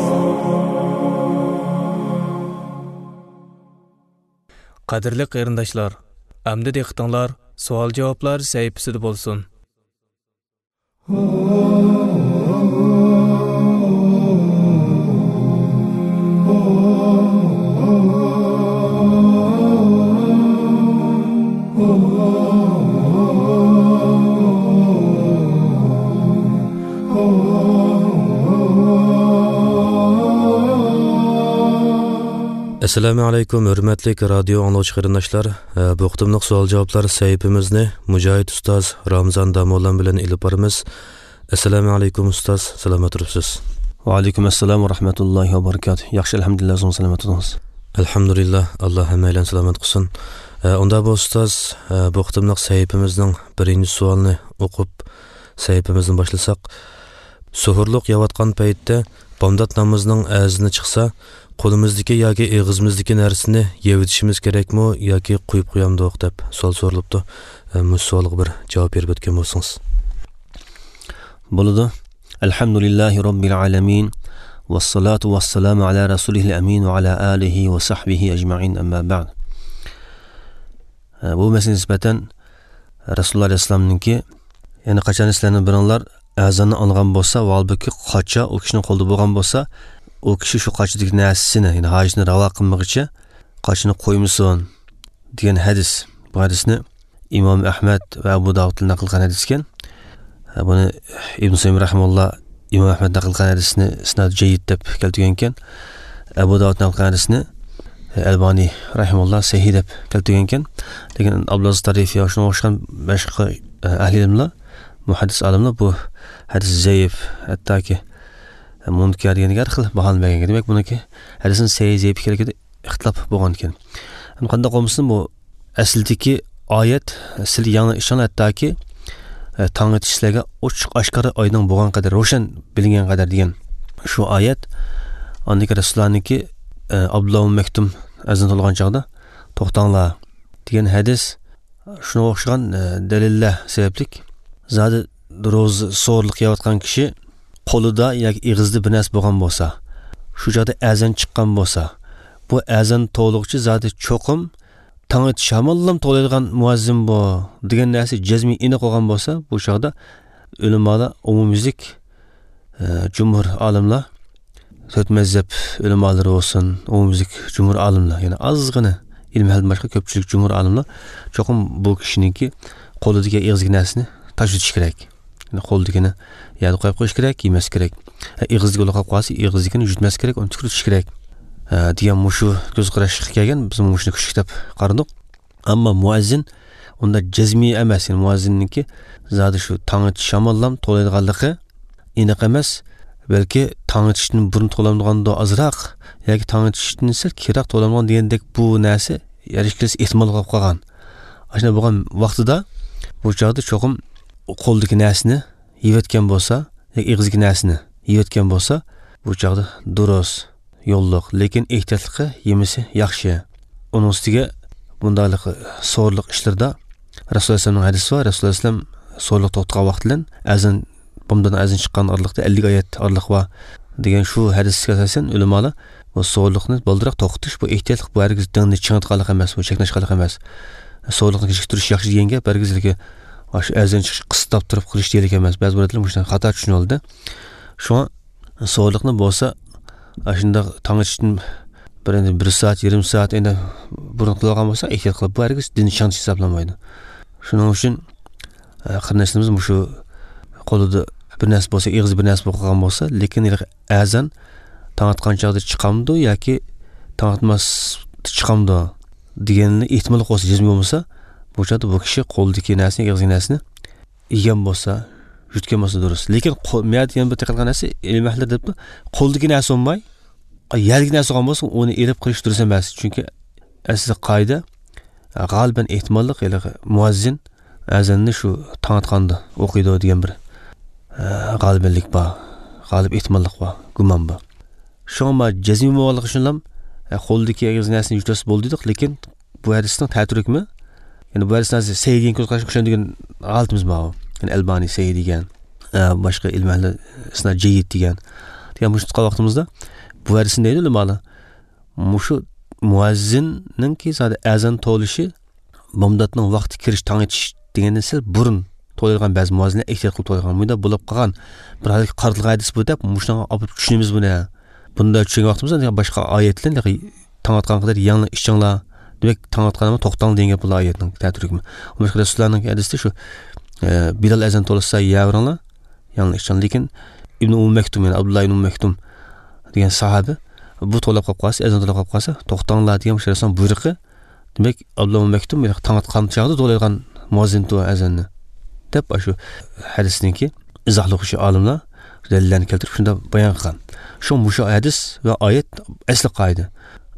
قەدىرلىك قېرىنداشلار، ئەمدى دىققىتىڭلار سوئال-جاۋابلار سەھىپىسىدە بولسۇن. ئەسسالامۇ ئەلەيكۇم، ھۆرمەتلىك رادىيو ئاڭلىغۇچى قېرىنداشلار. ئە، بۇ قېتىملىق سوئال-جاۋابلار سەھىپىمىزنى مۇجاھىد ئۇستاز رامزان داموللام بىلەن ئېلىپ بارىمىز. ئەسسالامۇ ئەلەيكۇم ئۇستاز، سالامەت تۇرۇپسىز؟ ۋەئەلەيكۇم ئەسسالام ۋە رەھمەتۇللاھى ۋە بەرىكاتۇھ. ياخشى، ئەلھەمدۇلىللا، ئۆزىڭىز سالامەت تۇرۇڭىز. ئەلھەمدۇلىللا، ئاللا ھەممەيلەن سالامەت قىلسۇن. ئە، ئۇندا بۇ ئۇستاز، ئە، بۇ قېتىملىق سەھىپىمىزنىڭ بىرىنچى سوئالىنى ئوقۇپ، سەھىپىمىزنى باشلىساق، سوھۇرلۇق يەۋاتقان پەيتتە بامدات نامىزىنىڭ ئەزىنى چىقسا، قولىمىزدىكى ياكى ئېغىزىمىزدىكى نەرسىنى يەۋېتىشىمىز كېرەكمۇ ياكى قويۇپ قويامدۇق دەپ سوئال سورىلىپتۇ. ئە، مۇشۇ سوئالغا بىر جاۋاب بېرىپ ئۆتكەن بولسىڭىز. بولىدۇ. الحمد لله رب العالمين، والصلاة والسلام على رسوله الأمين وعلى آله وصحبه أجمعين، أما بعد. ئە، بۇ مەسىلىگە نىسبەتەن رەسۇلۇللا ئەلەيھىسسالامنىڭكى، يەنى قاچان سىلەرنىڭ بىرىڭلار ئەزاننى ئاڭلىغان بولسا، ۋە ھالبۇكى قاچا ئۇ كىشىنىڭ قولىدا بولغان بولسا، ئۇ كىشى شۇ قاچىدىكى نەرسىسىنى، يەنى ھاجىتىنى راۋا قىلمىغىچە قاچىنى قويمىسۇن، دېگەن ھەدىس. بۇ ھەدىسنى ئىمام ئەھمەد ۋە ئەبۇ داۋۇد نەقىل قىلغان ھەدىس ئىكەن. بۇنى ئىبن سەيمىيە رەھىمەھۇللا ئىمام ئەھمەد نەقىل قىلغان ھەدىسنى ئىسنادى جەييىد دەپ كەلتۈرگەنكەن. ئەبۇ داۋۇد نەقىل قىلغان ھەدىسنى ئەلبانى رەھىمۇللا سەھىھ دەپ كەلتۈرگەنكەن. لېكىن ئابدۇلئەزىز تارىفى ۋە شۇنىڭغا ئوخشىغان باشقا ئەھلى ئىلىملار، مۇھەددىس ئالىملار بۇ ھەدىس زەئىپ، ھەتتاكى مۇنكەر دېگەن ھەر خىل باھانى بەرگەن. دېمەك، بۇنىڭكى ھەدىسنىڭ سەھىھ زەئىپ ئىكەنلىكىدە ئىختىلاپ بولغان ئىكەن. ئەمما قانداق بولمىسۇن، بۇ ئەسلىدىكى ئايەت، سىلەر يەڭلار ئىچىڭلار ھەتتاكى، ئە، تاڭ ئېتىش سىلەرگە ئوچۇق ئاشكارا ئايدىڭ بولغان قەدەر، روشەن بىلىنگەن قەدەر دېگەن شۇ ئايەت. ئاندىن كېيىن رەسۇلۇللانىڭكى، ئە، ئابدۇللا ئۇم مەكتۇم ئەزان توۋلىغان چاغدا، توختاڭلار دېگەن ھەدىس، شۇنىڭغا ئوخشىغان، ئە، دەلىللەر سەۋەبلىك زادى روزا سورۇلۇق يەۋاتقان كىشى قولىدا ياكى ئېغىزىدا بىر نەرسە بولغان بولسا، شۇ چاغدا ئەزان چىققان بولسا، بۇ ئەزان توۋلىغۇچى زادى چوقۇم تاڭ ئېتىش ھامانلام توۋلايدىغان مۇئەززىن بۇ دېگەن نەرسە جەزمىي ئېنىق بولغان بولسا، بۇ چاغدا ئۆلىمالار ئومۇميۈزلۈك، ئە، جۇمھۇر ئالىملار، تۆت مەزھەپ ئۆلىمالىرى بولسۇن، ئومۇميۈزلۈك جۇمھۇر ئالىملار، يەنى ئازغىنە ئىلىم ئەھلىدىن باشقا كۆپچىلىك جۇمھۇر ئالىملار چوقۇم بۇ كىشىنىڭكى قولىدىكى، ئېغىزىدىكى نەرسىنى تاشلىتىش كېرەك. يەنى قولىدىكىنى يەردە قويۇپ قويۇش كېرەك، يېمەس كېرەك. ئە، ئېغىزىدىكى بولۇپ قالسا، ئېغىزىدىكىنى يۇتماس كېرەك، ئۇنى تۈكۈرۈۋېتىش كېرەك، ئە، دېگەن مۇشۇ كۆز قاراشقا كەلگەن. بىز مۇشۇنى كۈچلۈك دەپ قارىدۇق. ئەمما مۇئەززىن ئۇنداق جەزمىي ئەمەس. يەنى مۇئەززىننىڭكى زادى شۇ تاڭ ئېتىش شاماللام توۋلايدىغانلىقى ئېنىق ئەمەس. بەلكى تاڭ ئېتىشتىن بۇرۇن توۋلامدىغاندۇ ئازراق ياكى تاڭ ئېتىشتىن سەل كېيىنرەك توۋلامدىغان دېگەندەك بۇ نەرسە ھەر ئىككىلىسى ئېھتىمال بولۇپ قالغان. ئاشۇنداق بولغان ۋاقتىدا بۇ چاغدا چوقۇم قولىدىكى نەرسىنى يەۋەتكەن بولسا، ياكى ئېغىزدىكى نەرسىنى يەۋەتكەن بولسا، بۇ چاغدا دۇرۇس، يوللۇق، لېكىن ئېھتىياتلىقى يېمىسى ياخشى. ئۇنىڭ ئۈستىگە بۇنداقلىق سورۇنلۇق ئىشلىرىدا رەسۇلۇللاھ ئەلەيھىسسالامنىڭ ھەدىسى بار. رەسۇلۇللاھ ئەلەيھىسسالام سورۇنلۇق توختىغان ۋاقتى بىلەن ئەزان، بامداتنىڭ ئەزان چىققان ئارىلىقتا ئەللىك ئايەت ئارىلىق بار دېگەن شۇ ھەدىسكە ئاساسەن ئۆلىمالار بۇ سورۇنلۇقنى بالدۇرراق توختىتىش، بۇ ئېھتىياتلىق، بۇ ھەرگىز دىننى چىڭىتقانلىق ئەمەس، بۇ چەكلەشكەنلىك ئەمەس. سورۇنلۇقنى كېچىكتۈرۈش ياخشى دېگەن گەپ ھەرگىز ئاشۇ ئەزان چىقىش قىستاپ تۇرۇپ قىلىش دېگەنلىك ئەمەس. بەزى بىر ئادەملەر مۇشۇنداق خاتا چۈشىنىۋالىدۇ. شۇڭا سورۇنلۇقنى بولسا ئاشۇنداق تاڭ ئېتىشتىن بىر، بىر سائەت، يېرىم سائەت ئەندى بۇرۇن قىلىۋالغان بولسا، ئېھتىيات قىلىپ، بۇ ھەرگىز دىننى چىڭىتىش ھېسابلانمايدۇ. شۇنىڭ ئۈچۈن، ئە، قېرىنداشلىرىمىز مۇشۇ قولىدا بىر نەرسە بولسا، ئېغىزى بىر نەرسە بولۇپ قالغان بولسا، لېكىن ھېلىقى ئەزان تاڭ ئاتقان چاغدا چىقامدۇ ياكى تاڭ ئاتماس چىقامدۇ دېگەننى ئېھتىماللىق بولسا، جەزمىي بولمىسا، بۇ چاغدا بۇ كىشى قولىدىكى نەرسىنى، ئېغىزىدىكى نەرسىنى يېگەن بولسا، يۇتقان بولسا دۇرۇس. لېكىن قو-، مۇ يەردە يەنە بىر دىققەت قىلغان نەرسە، ئىلىم ئەھلىلىرى دەپتۇ، قولدىكى نەرسە بولماي، يەردىكى نەرسە بولغان بولسا، ئۇنى ئېلىپ قىلىش دۇرۇس ئەمەس. چۈنكى ئەسلى قائىدە، غالىبەن ئېھتىماللىق، ھېلىقى مۇئەززىن ئەزاننى شۇ تاڭ ئاتقاندا ئوقۇيدۇ دېگەن بىر، ئە، غالىبەنلىك بار، غالىب ئېھتىماللىق بار، گۇمان بار. شۇڭا ما جەزمىي بولغانلىقى ئۈچۈنلا، ئە، قولدىكى ئېغىز نەرسىنى يۇتۇۋەتسە بولدى دېدۇق، لېكىن بۇ ھەدىسنىڭ تەتۈرى ھۆكمى، يەنى بۇ ھەدىسنى ھازىر سەھىھ دېگەن كۆز قاراشقا ئىشىنىدىغان ھالىتىمىز ماۋۇ. يەنى ئەلبانى سەھىھ دېگەن، ئە، باشقا ئىلىم ئەھلى ئىسناد جەييىد دېگەن. دېگەن مۇشۇ تۇتقان ۋاقتىمىزدا بۇ ھەدىسنى دەيدۇ ئۆلىمالار. مۇشۇ مۇئەززىننىڭكى زادى ئەزان توۋلىشى، بامداتنىڭ ۋاقتى كىرىش، تاڭ ئېتىش دېگەندىن سەل بۇرۇن توۋلايدىغان بەزى مۇئەززىنلەر ئېھتىيات قىلىپ توۋلايدىغان. مۇنداق بولۇپ قالغان بىر ھالەتكە قارىتىلغان ھەدىس بۇ دەپ، مۇشۇنىڭغا ئاپىرىپ چۈشىنىمىز بۇنى. بۇنداق چۈشەنگەن ۋاقتىمىزدا باشقا ئايەت بىلەن، تاڭ ئاتقان قەدەر يەڭلار ئىچىڭلار. دېمەك، تاڭ ئاتقان ئەمما توختاڭ دېگەن گەپ بۇ ئايەتنىڭ تەتۈرى ھۆكمى. باشقا رەسۇلۇللانىڭ ھەدىسىدە شۇ، ئە، بىلال ئەزان توۋلىسا يەۋېرىڭلار، يەڭلار ئىچىڭلار. لېكىن ئىبنى ئۇممۇ مەكتۇم، يەنى ئابدۇللا ئىبنى ئۇممۇ مەكتۇم دېگەن ساھابە، بۇ توۋلاپ قاپ قالسا، ئەزان توۋلاپ قاپ قالسا، توختاڭلار دېگەن مۇشۇ رەسۇلۇللانىڭ بۇيرۇقى. دېمەك، ئابدۇللا ئۇممۇ مەكتۇم تاڭ ئاتقان چاغدا توۋلايدىغان مۇئەززىنتۇ ئەزاننى دەپ، ئاشۇ ھەدىسنىڭكى ئىزاھلىغۇچى ئالىملار دەلىللەرنى كەلتۈرۈپ شۇنداق بايان قىلغان. شۇ مۇشۇ ھەدىس ۋە ئايەت ئەسلى قائىدە.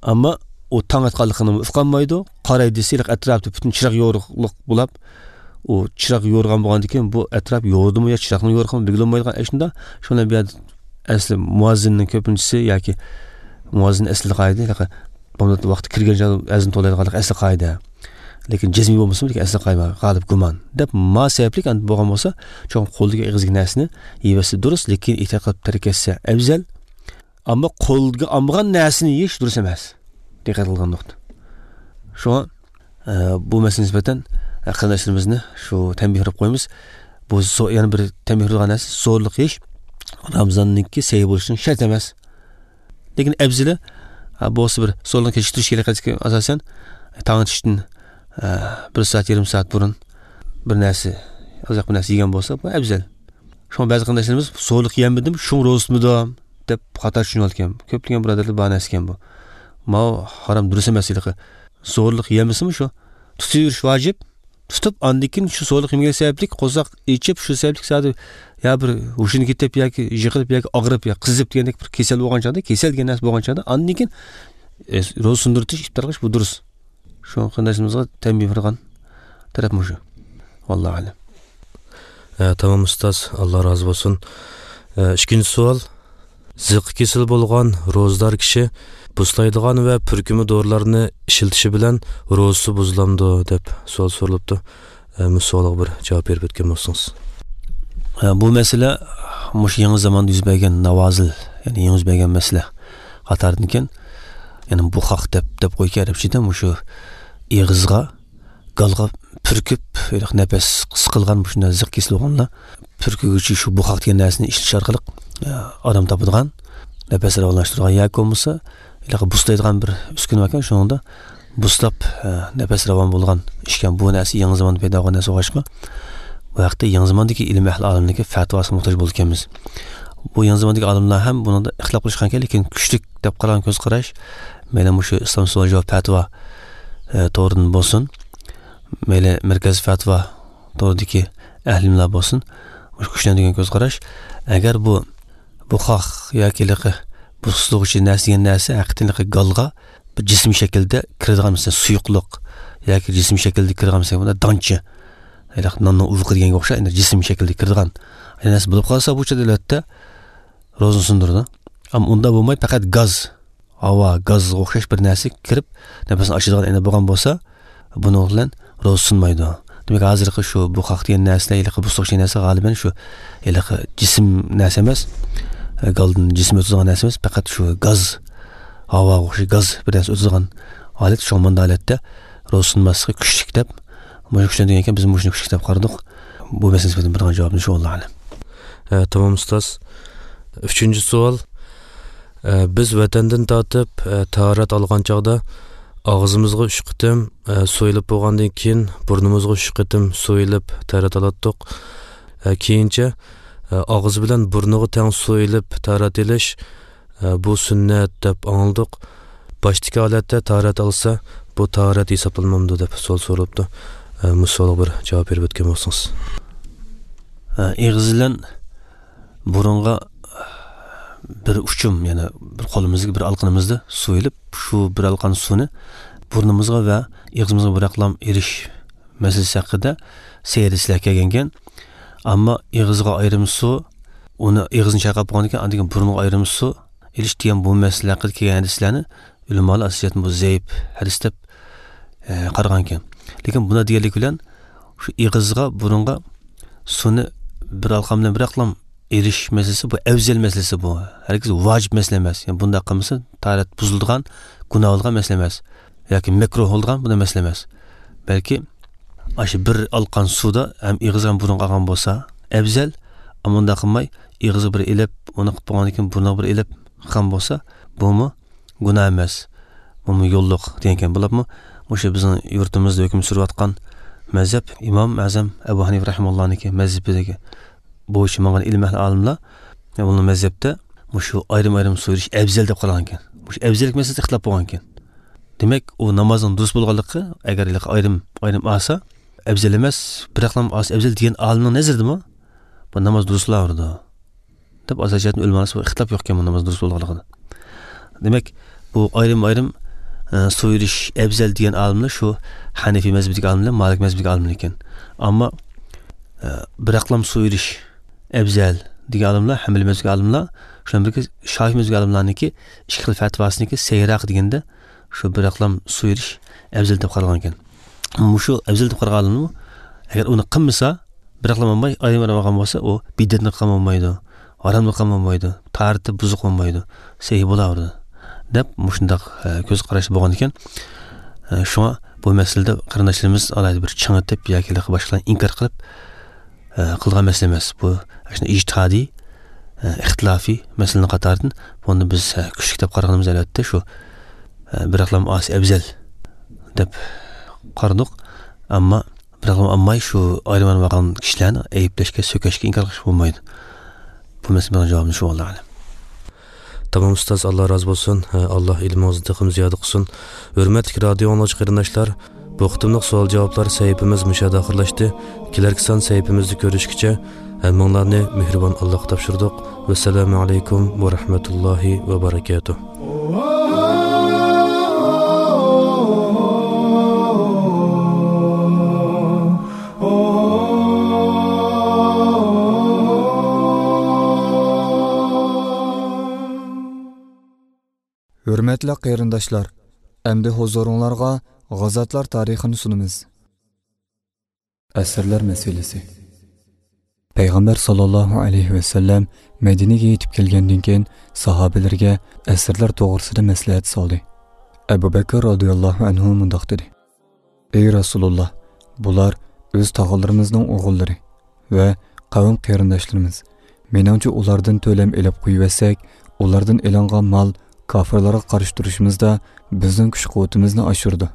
ئەمما ئۇ تاڭ ئاتقانلىقىنى ئۇقالمايدۇ. قاراي دېسە، ئەتراپتا پۈتۈن چىراغ يورۇقلۇق بولۇپ، ئۇ چىراغ يورۇغان بولغاندىن كېيىن، بۇ ئەتراپ يورۇدىمۇ يا چىراغنىڭ يورۇقىمۇ بىلگىلى بولمايدىغان ئىشنىدا، شۇنىڭ بىلەن بۇ يەردە ئەسلى مۇئەززىننىڭ كۆپىنچىسى ياكى مۇئەززىن ئەسلىدە قائىدە، بامدات ۋاقتى كىرگەن چاغدا ئەزان توۋلايدىغانلىق ئەسلى قائىدە. لېكىن جەزمىي بولمىسىمۇ، لېكىن ئەسلى قائىدە غالىب گۇمان دەپ ما سەۋەبلىك ئەندى بولغان بولسا، چوقۇم قولدىكى ئېغىزدىكى نەرسىنى يېۋەتسە دۇرۇس، لېكىن ئېھتىيات قىلىپ تەرك ئەتسە ئەۋزەل. ئەمما قولغا ئالمىغان نەرسىنى يېيىش دۇرۇس ئەمەس. دىققەت قىلغان نۇقتا. شۇڭا، ئە، بۇ مەسىلىگە نىسبەتەن، ئە، قېرىنداشلىرىمىزنى شۇ تەنبىھ بېرىپ قويىمىز. بۇ زو-، يەنە بىر تەنبىھ بېرىدىغان نەرسە، زورلۇق يېيىش رامىزاننىڭكى سەھىھ بولۇشىنىڭ شەرتى ئەمەس. لېكىن ئەۋزىلى، ئە، بولسا بىر زورلۇق كېچىكتۈرۈش كېرەك ئاساسەن، تاڭ ئېتىشتىن، ئە، بىر سائەت، يېرىم سائەت بۇرۇن بىر نەرسە، ئازراق بىر نەرسە يېگەن بولسا، بۇ ئەۋزەل. شۇڭا بەزى قېرىنداشلىرىمىز زورلۇق يېمىدىم، شۇڭا روزا تۇتمىدىم دەپ خاتا چۈشىنىۋالىدىكەن. كۆپلىگەن بۇرادەرلەر بار نەرسە ئىكەن بۇ. ماۋۇ ھارام، دۇرۇس ئەمەس ھېلىقى. زورلۇق يېمىسىمۇ شۇ، تۇتۇۋېرىش ۋاجىپ. تۇتۇپ، ئاندىن كېيىن شۇ زورلۇق يېمىگەن سەۋەبلىك قورساق ئېچىپ، شۇ سەۋەبلىك زادى يا بىر ھوشىنى كېتىپ ياكى يىقىلىپ ياكى ئاغرىپ يا قىزىپ دېگەندەك بىر كېسەل بولغان چاغدا، كېسەل دېگەن نەرسە بولغان چاغدا، ئاندىن كېيىن، ئە، روزا سۇندۇرۇۋېتىش، ئىپتار قىلىش، بۇ دۇرۇس. شۇ قېرىنداشلىرىمىزغا تەنبىھ بېرىدىغان تەرەپ مۇشۇ. ۋاللاھۇ ئەلەم. ئە، تامام ئۇستاز، ئاللا رازى بولسۇن. ئە، ئىككىنچى سوئال. زىققا كېسىلى بولغان روزىدار كىشى بۇسلايدىغان ۋە پۈركۈمە دورىلارنى ئىشلىتىشى بىلەن روزىسى بۇزۇلامدۇ دەپ سوئال سورىلىپتۇ. ئە، مۇشۇ سوئالغا بىر جاۋاب بېرىپ ئۆتكەن بولسىڭىز. ئە، بۇ مەسىلە مۇشۇ يېڭى زاماندا يۈز بەرگەن ناۋازىل، يەنى يېڭى يۈز بەرگەن مەسىلە قاتارىدىكەن. يەنى بۇخاق دەپ، دەپ قويىدىكەن ئەرەبچىدە، مۇشۇ ئېغىزغا گالغا پۈركۈپ، ھېلىقى نەپەس قىسقىلغان مۇشۇنداق زىق كېسىلى بولغانلار پۈركۈگۈچى شۇ بۇخاق دېگەن نەرسىنى ئىشلىتىش ئارقىلىق، ئە، ئارام تاپىدىغان، نەپەس راۋانلاشتۇرىدىغان ياكى بولمىسا ھېلىقى بۇسلايدىغان بىر ئۈسكۈنە باركەن، شۇنىڭدا بۇسلاپ، ئە، نەپەس راۋان بولغان ئىشكەن. بۇ نەرسە يېڭى زاماندا پەيدا بولغان نەرسە بولغاچقا، بۇ ھەقتە يېڭى زاماندىكى ئىلمىي ئەھلى ئالىمنىڭكى پەتىۋاسىغا موھتاج بولىدىكەنمىز. بۇ يېڭى زاماندىكى ئالىملار ھەم بۇنىڭدا ئىختىلاپ قىلىشقانكەن، لېكىن كۈچلۈك دەپ قارىغان كۆز قاراش، مەيلى مۇشۇ ئىسلام سوئال جاۋاب پەتىۋا، ئە، تورىدىن بولسۇن، مەيلى مەركەز پەتىۋا تورىدىكى ئەھلىملار بولسۇن، مۇشۇ كۈچلەندۈرگەن كۆز قاراش، ئەگەر بۇ بۇخاق ياكى ھېلىقى بۇسلىغۇچى نەرسە دېگەن نەرسە ھەقىقەتەن ھېلىقى گالغا بىر جىسىم شەكلىدە كىرىدىغان، مەسىلەن، سۇيۇقلۇق ياكى جىسىم شەكلىدە كىرىدىغان، مەسىلەن، بۇنداق دانچە، ھېلىقى ناننىڭ ئۇۋىقى دېگەنگە ئوخشاش، يەنى جىسىم شەكلىدە كىرىدىغان نەرسە بولۇپ قالسا، بۇ چاغدا ئەلۋەتتە روزىنى سۇندۇرىدۇ. ئەمما ئۇنداق بولماي، پەقەت گاز، ھاۋا، گازغا ئوخشاش بىر نەرسە كىرىپ، نەپەسنى ئاچىدىغان ئەينەك بولغان بولسا، بۇنىڭ بىلەن روزا سۇنمايدۇ. دېمەك، ھازىرقى شۇ بۇخاق دېگەن نەرسىلەر، ھېلىقى بۇسلۇق دېگەن نەرسە غالىبەن شۇ ھېلىقى جىسىم نەرسە ئەمەس، گالدىن جىسىم ئۆتىدىغان نەرسە ئەمەس، پەقەت شۇ گاز، ھاۋاغا ئوخشاش گاز بىر نەرسە ئۆتىدىغان ھالەت. شۇڭا مۇنداق ھالەتتە روزا سۇنماسلىقى كۈچلۈك دەپ، مۇشۇ كۈچلەندۈرگەنكەن، بىز مۇشۇنى كۈچلۈك دەپ قارىدۇق. بۇ مەسىلە نىسبەتەن بېرىدىغان جاۋابىمىز شۇ، ۋاللاھۇ ئەلەم. ئە، تامام ئۇستاز. ئۈچىنچى سوئال. ئە، بىز ۋەتەندىن تارتىپ، ئە، تاھارەت ئالغان چاغدا ئاغزىمىزغا ئۈچ قېتىم، ئە، سۇ ئېلىپ بولغاندىن كېيىن بۇرنىمىزغا ئۈچ قېتىم سۇ ئېلىپ تاھارەت ئالاتتۇق. ئە، كېيىنچە، ئە، ئاغزى بىلەن بۇرنىغا تەڭ سۇ ئېلىپ تاھارەت ئېلىش، ئە، بۇ سۈننەت دەپ ئاڭلىدۇق. باشتىكى ھالەتتە تاھارەت ئالسا، بۇ تاھارەت ھېسابلانمامدۇ دەپ سوئال سورىلىپتۇ. ئە، مۇشۇ سوئالغا بىر جاۋاب بېرىپ ئۆتكەن بولسىڭىز. ئە، ئېغىز بىلەن بۇرۇنغا بىر ئۇچۇم، يەنى بىر قولىمىزدىكى بىر ئالقىنىمىزدا سۇ ئېلىپ، شۇ بىر ئالقان سۇنى بۇرنىمىزغا ۋە ئېغىزىمىزغا بىراقلام ئېلىش مەسىلىسى ھەققىدە سەيرىسلەر كەلگەنكەن. ئەمما ئېغىزغا ئايرىم سۇ، ئۇنى ئېغىزنى چايقاپ بولغاندىن كېيىن، ئاندىن كېيىن بۇرۇنغا ئايرىم سۇ ئېلىش دېگەن بۇ مەسىلە ھەققىدە كەلگەن ھەدىسلەرنى ئۆلىمالار ئاساسىيەتتىن بۇ زەئىپ ھەدىس دەپ، ئە، قارىغانكەن. لېكىن بۇنداق دېگەنلىك بىلەن، شۇ ئېغىزغا، بۇرۇنغا سۇنى بىر ئالقان بىلەن بىراقلام ئېلىش مەسىلىسى بۇ ئەۋزەل مەسىلىسى بۇ. ھەرگىز ۋاجىپ مەسىلە ئەمەس. يەنى بۇنداق قىلمىسا تاھارەت بۇزۇلىدىغان، گۇناھ بولىدىغان مەسىلە ئەمەس. ياكى مەكرۇھ بولىدىغان بۇنداق مەسىلە ئەمەس. بەلكى ئاشۇ بىر ئالقان سۇدا ھەم ئېغىز ھەم بۇرۇنغا ئالغان بولسا ئەۋزەل، ئەمما ئۇنداق قىلماي ئېغىزغا بىر ئېلىپ، ئۇنى قىلىپ بولغاندىن كېيىن بۇرنىغا بىر ئېلىپ قىلغان بولسا، بۇمۇ گۇناھ ئەمەس. بۇمۇ يوللۇق دېگەنكەن. بولۇپمۇ مۇشۇ بىزنىڭ يۇرتىمىزدا ھۆكۈم سۈرۈۋاتقان مەزھەپ ئىمام ئەزەم ئەبۇ ھەنىفە رەھىمەھۇللانىڭكى مەزھىپىدىكى بويىچە ماڭغان ئىلىم ئەھلى ئالىملار، يەنى بۇنىڭ مەزھەپتە مۇشۇ ئايرىم-ئايرىم سۇ ئېلىش ئەۋزەل دەپ قارالغانكەن. مۇشۇ ئەۋزەللىك مەسىلىسىدە ئىختىلاپ بولغانكەن. دېمەك، ئۇ نامازنىڭ دۇرۇس بولغانلىقى، ئەگەر ھېلىقى ئايرىم-ئايرىم ئالسا، ئەۋزەل ئەمەس، بىراقلا ئالسا ئەۋزەل دېگەن ئالىمنىڭ نەزىرىدىمۇ بۇ ناماز دۇرۇس بولاۋېرىدۇ. دەپ ئاساسىي جەھەتتىن ئۆلىمالار ئىختىلاپ يوقكەن بۇ ناماز دۇرۇس بولىدىغانلىقىدا. دېمەك، بۇ ئايرىم-ئايرىم، ئە، سۇ ئېلىش ئەۋزەل دېگەن ئالىملار شۇ ھەنىفىي مەزھىپىدىكى ئالىملار، مالىك مەزھىپىدىكى ئالىملار ئىكەن. ئەمما، ئە، بىراقلام سۇ ئېلىش ئەۋزەل دېگەن ئالىملار، ھەنبەلىي مەزھىپىدىكى ئالىملار، شۇنىڭ بىلەن بىرگە شافىي مەزھىپىدىكى ئالىملارنىڭكى ئىككى خىل پەتىۋاسىنىڭكى سەھىھراق دېگەندە، شۇ بىراقلام سۇ ئېلىش ئەۋزەل دەپ قارالغان ئىكەن. مۇشۇ ئەۋزەل دەپ قارىغانلىرىمۇ، ئەگەر ئۇنى قىلمىسا، بىراقلا بولماي، ئايرىم-ئايرىم ئالغان بولسا، ئۇ بىدئەتنى قىلغان بولمايدۇ، ھارامنى قىلغان بولمايدۇ، تاھارىتى بۇزۇق بولمايدۇ، سەھىھ بولاۋېرىدۇ، دەپ مۇشۇنداق، ئە، كۆز قاراشتا بولغان ئىكەن. ئە، شۇڭا بۇ مەسىلىدە قېرىنداشلىرىمىز ئالاھىدە بىر چىڭىتىپ ياكى باشقىلارنى ئىنكار قىلىپ، ئە، قىلغان مەسىلە ئەمەس. بۇ ئىجتىھادىي، ئە، ئىختىلاپىي مەسىلىنىڭ قاتارىدىن. بۇنى بىز، ئە، كۈچلۈك دەپ قارىغىنىمىز ئەلۋەتتە شۇ، ئە، بىراقلام ئالسا ئەۋزەل دەپ قارىدۇق. ئەمما بىراق ئالماي شۇ ئايرىم بارغان كىشىلەرنى ئەيىبلەشكە، سۆكۈشكە، ئىنكار قىلىشقا بولمايدۇ. بۇ مەسىلە مېنىڭ جاۋابىم شۇ، ۋاللاھۇ ئەلەم. تامام ئۇستاز، ئاللا رازى بولسۇن. ھە، ئاللا ئىلمىڭىزنى تېخىمۇ زىيادە قىلسۇن. ھۆرمەتلىك رادىيو ئاڭلىغۇچى قېرىنداشلار، بۇ قېتىملىق سوئال-جاۋابلار سەھىپىمىز مۇشۇ يەردە ئاخىرلاشتى. كېلەركى سان سەھىپىمىزدە كۆرۈشكىچە، ھەممىڭلارنى مېھرىبان ئاللاغا تاپشۇردۇق. ۋەسسالامۇ ئەلەيكۇم ۋە رەھمەتۇللاھى ۋە بەرەكاتۇھ. ھۆرمەتلىك قېرىنداشلار، ئەمدى ھۇزۇرۇڭلارغا غازاتلار تارىخىنى سۇنىمىز. ئەسىرلەر مەسىلىسى. پەيغەمبەر ساللاللاھۇ ئەلەيھى ۋەسەللەم مەدىنىگە يېتىپ كەلگەندىن كېيىن، ساھابىلىرىگە ئەسىرلەر توغرىسىدا مەسلىھەت سالدى. ئەبۇ بەكىر رازىياللاھۇ ئەنھۇ مۇنداق دېدى: ئەي رەسۇلۇللا، بۇلار ئۆز تاغىلىرىمىزنىڭ ئوغۇللىرى ۋە قەۋم قېرىنداشلىرىمىز. مېنىڭچە، ئۇلاردىن تۆلەم ئېلىپ قويۇۋەتسەك، ئۇلاردىن ئېلىنغان مال كاپىرلارغا قارشى تۇرۇشىمىزدا بىزنىڭ كۈچ-قۇۋۋىتىمىزنى ئاشۇرىدۇ.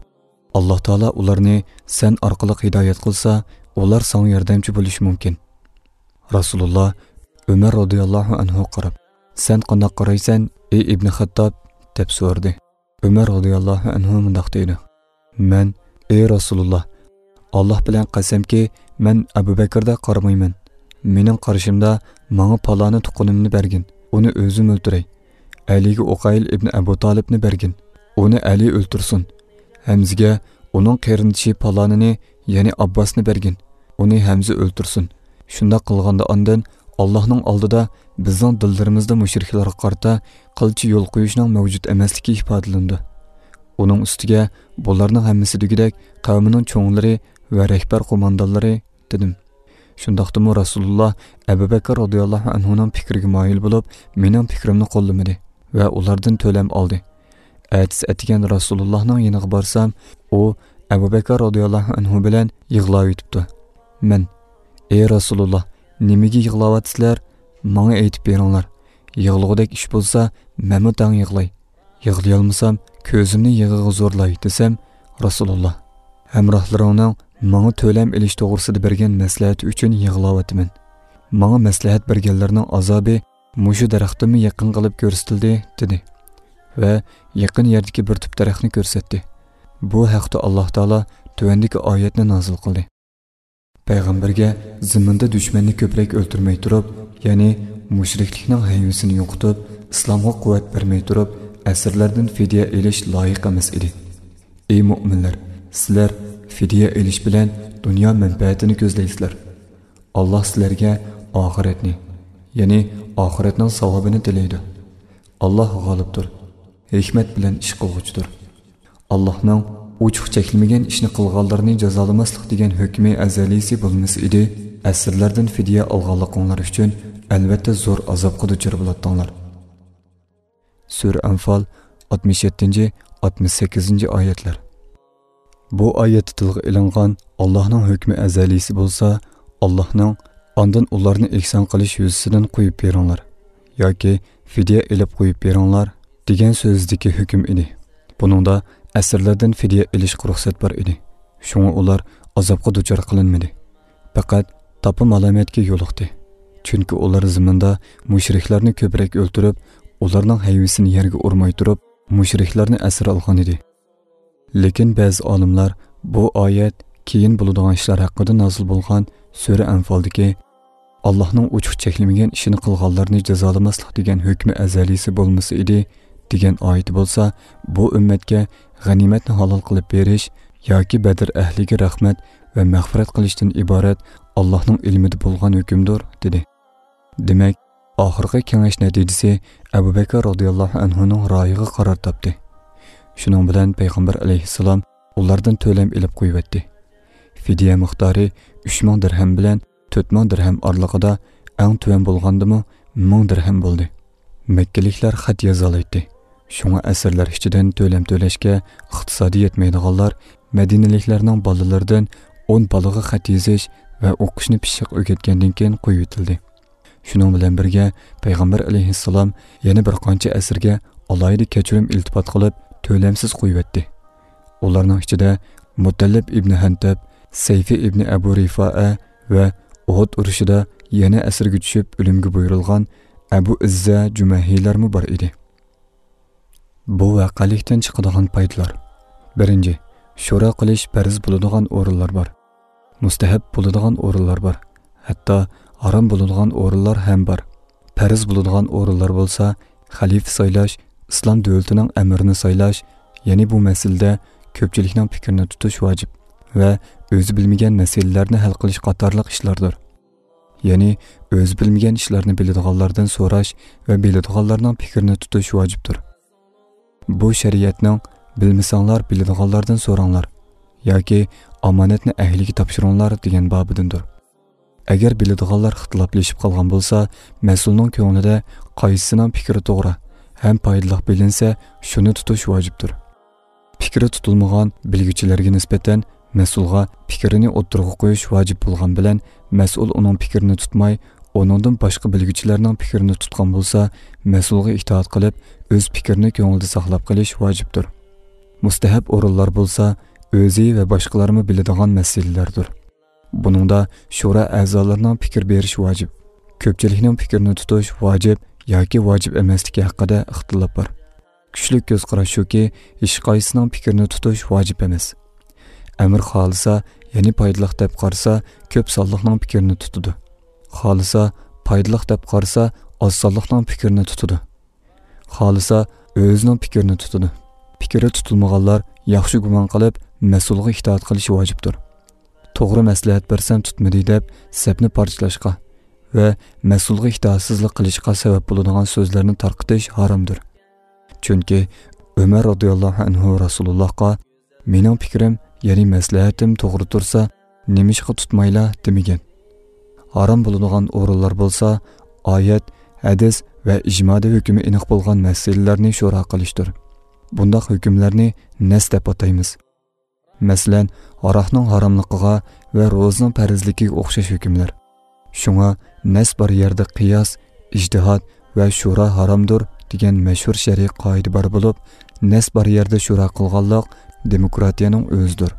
ئاللا تائالا ئۇلارنى سەن ئارقىلىق ھىدايەت قىلسا، ئۇلار ساڭا ياردەمچى بولۇشى مۇمكىن. رەسۇلۇللا ئۆمەر رازىياللاھۇ ئەنھۇغا قاراپ، سەن قانداق قارايسەن، ئەي ئىبنى خەتتاب؟ دەپ سورىدى. ئۆمەر رازىياللاھۇ ئەنھۇ مۇنداق دېدى: مەن، ئەي رەسۇلۇللا، ئاللا بىلەن قەسەمكى، مەن ئەبۇ بەكىردەك قارىمايمەن. مېنىڭ قارىشىمدا ماڭا پالانى تۇغقىنىمنى بەرگىن، ئۇنى ئۆزۈم ئۆلتۈرەي. ئەلىگە ئۇقەيل ئىبنى ئەبۇ تالىپنى بەرگىن، ئۇنى ئەلى ئۆلتۈرسۇن. ھەمزىگە ئۇنىڭ قېرىندىشى پالانىنى، يەنى ئابباسنى بەرگىن، ئۇنى ھەمزە ئۆلتۈرسۇن. شۇنداق قىلغاندا ئاندىن ئاللاھنىڭ ئالدىدا بىزنىڭ دىللىرىمىزدا مۇشرىكلارغا قارىتا قىلچە يول قويۇشنىڭ مەۋجۇت ئەمەسلىكى ئىپادىلىنىدۇ. ئۇنىڭ ئۈستىگە بۇلارنىڭ ھەممىسى دېگۈدەك قەۋمىنىڭ چوڭلىرى ۋە رەھبەر قوماندانلىرى، دېدىم. شۇنداقتىمۇ رەسۇلۇللا ئەبۇ بەكىر رازىياللاھۇ ئەنھۇنىڭ پىكرىگە مايىل بولۇپ، مېنىڭ پىكرىمنى قوللىمىدى ۋە ئۇلاردىن تۆلەم ئالدى. ئەتىسى ئەتىگەن رەسۇلۇللاھنىڭ يېنىغا بارسام، ئۇ ئەبۇ بەكىر رازىياللاھۇ ئەنھۇ بىلەن يىغلاۋېتىپتۇ. مەن، ئەي رەسۇلۇللا، نېمىگە يىغلاۋاتىسىلەر؟ ماڭا ئېيتىپ بېرىڭلار. يىغلىغۇدەك ئىش بولسا، مەنمۇ تەڭ يىغلاي. يىغلىيالمىسام، كۆزۈمنى يىغىغا زورلاي، دېسەم، رەسۇلۇللا، ھەمراھلىرىڭنىڭ ماڭا تۆلەم ئېلىش توغرىسىدا بەرگەن مەسلىھەتى ئۈچۈن يىغلاۋاتىمەن. ماڭا مەسلىھەت بەرگەنلەرنىڭ ئازابى مۇشۇ دەرەختىنمۇ يېقىن قىلىپ كۆرسىتىلدى، دېدى. ۋە يېقىن يەردىكى بىر تۈپ دەرەخنى كۆرسەتتى. بۇ ھەقتە ئاللا تائالا تۆۋەندىكى ئايەتنى نازىل قىلدى. پەيغەمبەرگە زېمىندا دۈشمەننى كۆپرەك ئۆلتۈرمەي تۇرۇپ، يەنى مۇشرىكلىكنىڭ ھەيۋىسىنى يوقىتىپ، ئىسلامغا قۇۋۋەت بەرمەي تۇرۇپ، ئەسىرلەردىن فىدىيە ئېلىش لايىق ئەمەس ئىدى. ئەي مۆمىنلەر، سىلەر فىدىيە ئېلىش بىلەن دۇنيا مەنپەئەتىنى كۆزلەيسىلەر. ئاللا سىلەرگە ئاخىرەتنى، يەنى ئاخىرەتنىڭ ساۋابىنى تىلەيدۇ. ئاللا غالىبتۇر، ھېكمەت بىلەن ئىش قىلغۇچىدۇر. ئاللانىڭ ئوچۇق چەكلىمىگەن ئىشنى قىلغانلارنى جازالىماسلىق دېگەن ھۆكمى ئەزەلىيسى بولمىسا ئىدى، ئەسىرلەردىن فىدىيە ئالغانلىقىڭلار ئۈچۈن ئەلۋەتتە زور ئازابقا دۇچار بولاتتىڭلار. سۈرە ئەنفال، ئاتمىش يەتتىنچى، ئاتمىش سەككىزىنچى ئايەتلەر. بۇ ئايەتتە تىلغا ئېلىنغان ئاللانىڭ ھۆكمى ئەزەلىيسى بولسا، ئاللانىڭ «ئاندىن ئۇلارنى ئېھسان قىلىش يۈزىسىدىن قويۇپ بېرىڭلار» ياكى «فىدىيە ئېلىپ قويۇپ بېرىڭلار» دېگەن سۆزىدىكى ھۆكۈم ئىدى. بۇنىڭدا ئەسىرلەردىن فىدىيە ئېلىشقا رۇخسەت بار ئىدى. شۇڭا ئۇلار ئازابقا دۇچار قىلىنمىدى. پەقەت تاپا مالامەتكە يولۇقتى. چۈنكى ئۇلار زېمىندا مۇشرىكلارنى كۆپرەك ئۆلتۈرۈپ، ئۇلارنىڭ ھەيۋىسىنى يەرگە ئۇرماي تۇرۇپ، مۇشرىكلارنى ئەسىر ئالغان ئىدى. لېكىن بەزى ئالىملار بۇ ئايەت كېيىن بولىدىغان ئىشلار ھەققىدە نازىل بولغان سۈرە ئەنفالدىكى «ئاللانىڭ ئوچۇق چەكلىمىگەن ئىشىنى قىلغانلارنى جازالىماسلىق دېگەن ھۆكمى ئەزەلىيسى بولمىسا ئىدى» دېگەن ئايىتى بولسا، بۇ ئۈممەتكە غەنىيمەتنى ھالال قىلىپ بېرىش ياكى بەدر ئەھلىگە رەھمەت ۋە مەغپىرەت قىلىشتىن ئىبارەت ئاللانىڭ ئىلمىدە بولغان ھۆكۈمدۇر، دېدى. دېمەك، ئاخىرقى كېڭەش نەتىجىسى ئەبۇ بەكىر رازىياللاھۇ ئەنھۇنىڭ رايىغا قارار تاپتى. شۇنىڭ بىلەن پەيغەمبەر ئەلەيھىسسالام ئۇلاردىن تۆلەم ئېلىپ قويۇۋەتتى. فىدىيە مىقدارى ئۈچ مىڭ دىرھەم بىلەن تۆت مىڭ دىرھەم ئارىلىقىدا، ئەڭ تۆۋەن بولغاندىمۇ مىڭ دىرھەم بولدى. مەككىلىكلەر خەت يازالايتتى. شۇڭا ئەسىرلەر ئىچىدىن تۆلەم تۆلەشكە ئىقتىسادى يەتمەيدىغانلار مەدىنىلىكلەرنىڭ بالىلىرىدىن ئون بالىغا خەت يېزىش ۋە ئوقۇشنى پىششىق ئۆگەتكەندىن كېيىن قويۇۋېتىلدى. شۇنىڭ بىلەن بىرگە، پەيغەمبەر ئەلەيھىسسالام يەنە بىر قانچە ئەسىرگە ئالاھىدە كەچۈرۈم ئىلتىپات قىلىپ، تۆلەمسىز قويۇۋەتتى. ئۇلارنىڭ ئىچىدە مۇتەللىپ ئىبنى ھەنتەب، سەيفى ئىبنى ئەبۇ رىفائە ۋە ئۇھۇد ئۇرۇشىدا يەنە ئەسىرگە چۈشۈپ ئۆلۈمگە بۇيرۇلغان ئەبۇ ئىززە جۇمەھىلەرمۇ بار ئىدى. بۇ ۋەقەلىكتىن چىقىدىغان پايدىلار. بىرىنچى، شورا قىلىش پەرز بولىدىغان ئورۇنلار بار. مۇستەھەب بولىدىغان ئورۇنلار بار. ھەتتا ھارام بولىدىغان ئورۇنلار ھەم بار. پەرز بولىدىغان ئورۇنلار بولسا، خەلىپە سايلاش، ئىسلام دۆلىتىنىڭ ئەمىرىنى سايلاش، يەنى بۇ مەسىلىدە كۆپچىلىكنىڭ پىكرىنى تۇتۇش ۋاجىپ ۋە ئۆزى بىلمىگەن مەسىلىلەرنى ھەل قىلىش قاتارلىق ئىشلاردۇر. يەنى ئۆزى بىلمىگەن ئىشلارنى بىلىدىغانلاردىن سوراش ۋە بىلىدىغانلارنىڭ پىكرىنى تۇتۇش ۋاجىپتۇر. بۇ شەرىئەتنىڭ «بىلمىسەڭلار، بىلىدىغانلاردىن سوراڭلار» ياكى «ئامانەتنى ئەھلىگە تاپشۇرۇڭلار» دېگەن بابىدىندۇر. ئەگەر بىلىدىغانلار ئىختىلاپلىشىپ قالغان بولسا، مەسئۇلنىڭ كۆڭلىدە قايسىسىنىڭ پىكرى توغرا ھەم پايدىلىق بىلىنسە، شۇنى تۇتۇش ۋاجىپتۇر. پىكرى تۇتۇلمىغان بىلگۈچىلەرگە نىسبەتەن مەسئۇلغا پىكرىنى ئوتتۇرىغا قويۇش ۋاجىپ بولغان بىلەن، مەسئۇل ئۇنىڭ پىكرىنى تۇتماي، ئۇنىڭدىن باشقا بىلگۈچىلەرنىڭ پىكرىنى تۇتقان بولسا، مەسئۇلغا ئىتائەت قىلىپ، ئۆز پىكرىنى كۆڭلىدە ساقلاپ قېلىش ۋاجىپتۇر. مۇستەھەب ئورۇنلار بولسا ئۆزى ۋە باشقىلارمۇ بىلىدىغان مەسىلىلەردۇر. بۇنىڭدا شورا ئەزالىرىنىڭ پىكىر بېرىشى ۋاجىپ. كۆپچىلىكنىڭ پىكرىنى تۇتۇش ۋاجىپ ياكى ۋاجىپ ئەمەسلىكى ھەققىدە ئىختىلاپ بار. كۈچلۈك كۆز قاراش شۇكى، ھېچقايسىنىڭ پىكرىنى تۇتۇش ۋاجىپ ئەمەس. ئەمىر خالىسا، يەنى پايدىلىق دەپ قارىسا، كۆپ سانلىقنىڭ پىكرىنى تۇتىدۇ. خالىسا، پايدىلىق دەپ قارىسا، ئاز سانلىقنىڭ پىكرىنى تۇتىدۇ. خالىسا، ئۆزىنىڭ پىكرىنى تۇتىدۇ. پىكرى تۇتۇلمىغانلار ياخشى گۇمان قىلىپ، مەسئۇلغا ئىتائەت قىلىشى ۋاجىپتۇر. توغرا مەسلىھەت بەرسەم تۇتمىدى دەپ، سەپنى پارچىلاشقا ۋە مەسئۇلغا ئىتائەتسىزلىك قىلىشقا سەۋەب بولىدىغان سۆزلەرنى تارقىتىش ھارامدۇر. چۈنكى ئۆمەر رازىياللاھۇ ئەنھۇ رەسۇلۇللاھقا، «مېنىڭ پىكرىم، يەنى مەسلىھەتىم توغرا تۇرسا، نېمىشقا تۇتمايلا؟» دېمىگەن. ھارام بولىدىغان ئورۇنلار بولسا، ئايەت، ھەدىس ۋە ئىجمادا ھۆكمى ئېنىق بولغان مەسىلىلەرنى شورا قىلىشتۇر. بۇنداق ھۆكۈملەرنى نەس دەپ ئاتايمىز. مەسىلەن، ھاراقنىڭ ھاراملىقىغا ۋە روزىنىڭ پەرزلىكىگە ئوخشاش ھۆكۈملەر. شۇڭا نەس بار يەردە قىياس، ئىجتىھاد ۋە شورا ھارامدۇر دېگەن مەشھۇر شەرئىي قائىدە بار بولۇپ، نەس بار يەردە شورا قىلغانلىق دېموكراتىيەنىڭ ئۆزىدۇر.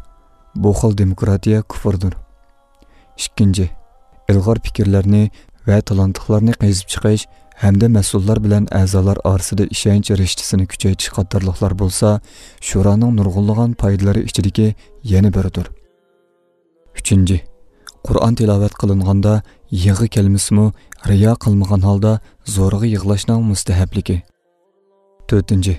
بۇ خىل دېموكراتىيە كۇفۇردۇر. ئىككىنچى، ئىلغار پىكىرلەرنى ۋە تالانتلىقلارنى قېزىپ چىقىش ھەمدە مەسئۇللار بىلەن ئەزالار ئارىسىدا ئىشەنچ رىشتىسىنى كۈچەيتىش قاتارلىقلار بولسا، شورانىڭ نۇرغۇنلىغان پايدىلىرى ئىچىدىكى يەنە بىرىدۇر. ئۈچىنچى، قۇرئان تىلاۋەت قىلىنغاندا يىغا كەلمىسىمۇ، رىيا قىلمىغان ھالدا زورىغا يىغلاشنىڭ مۇستەھەپلىكى. تۆتىنچى،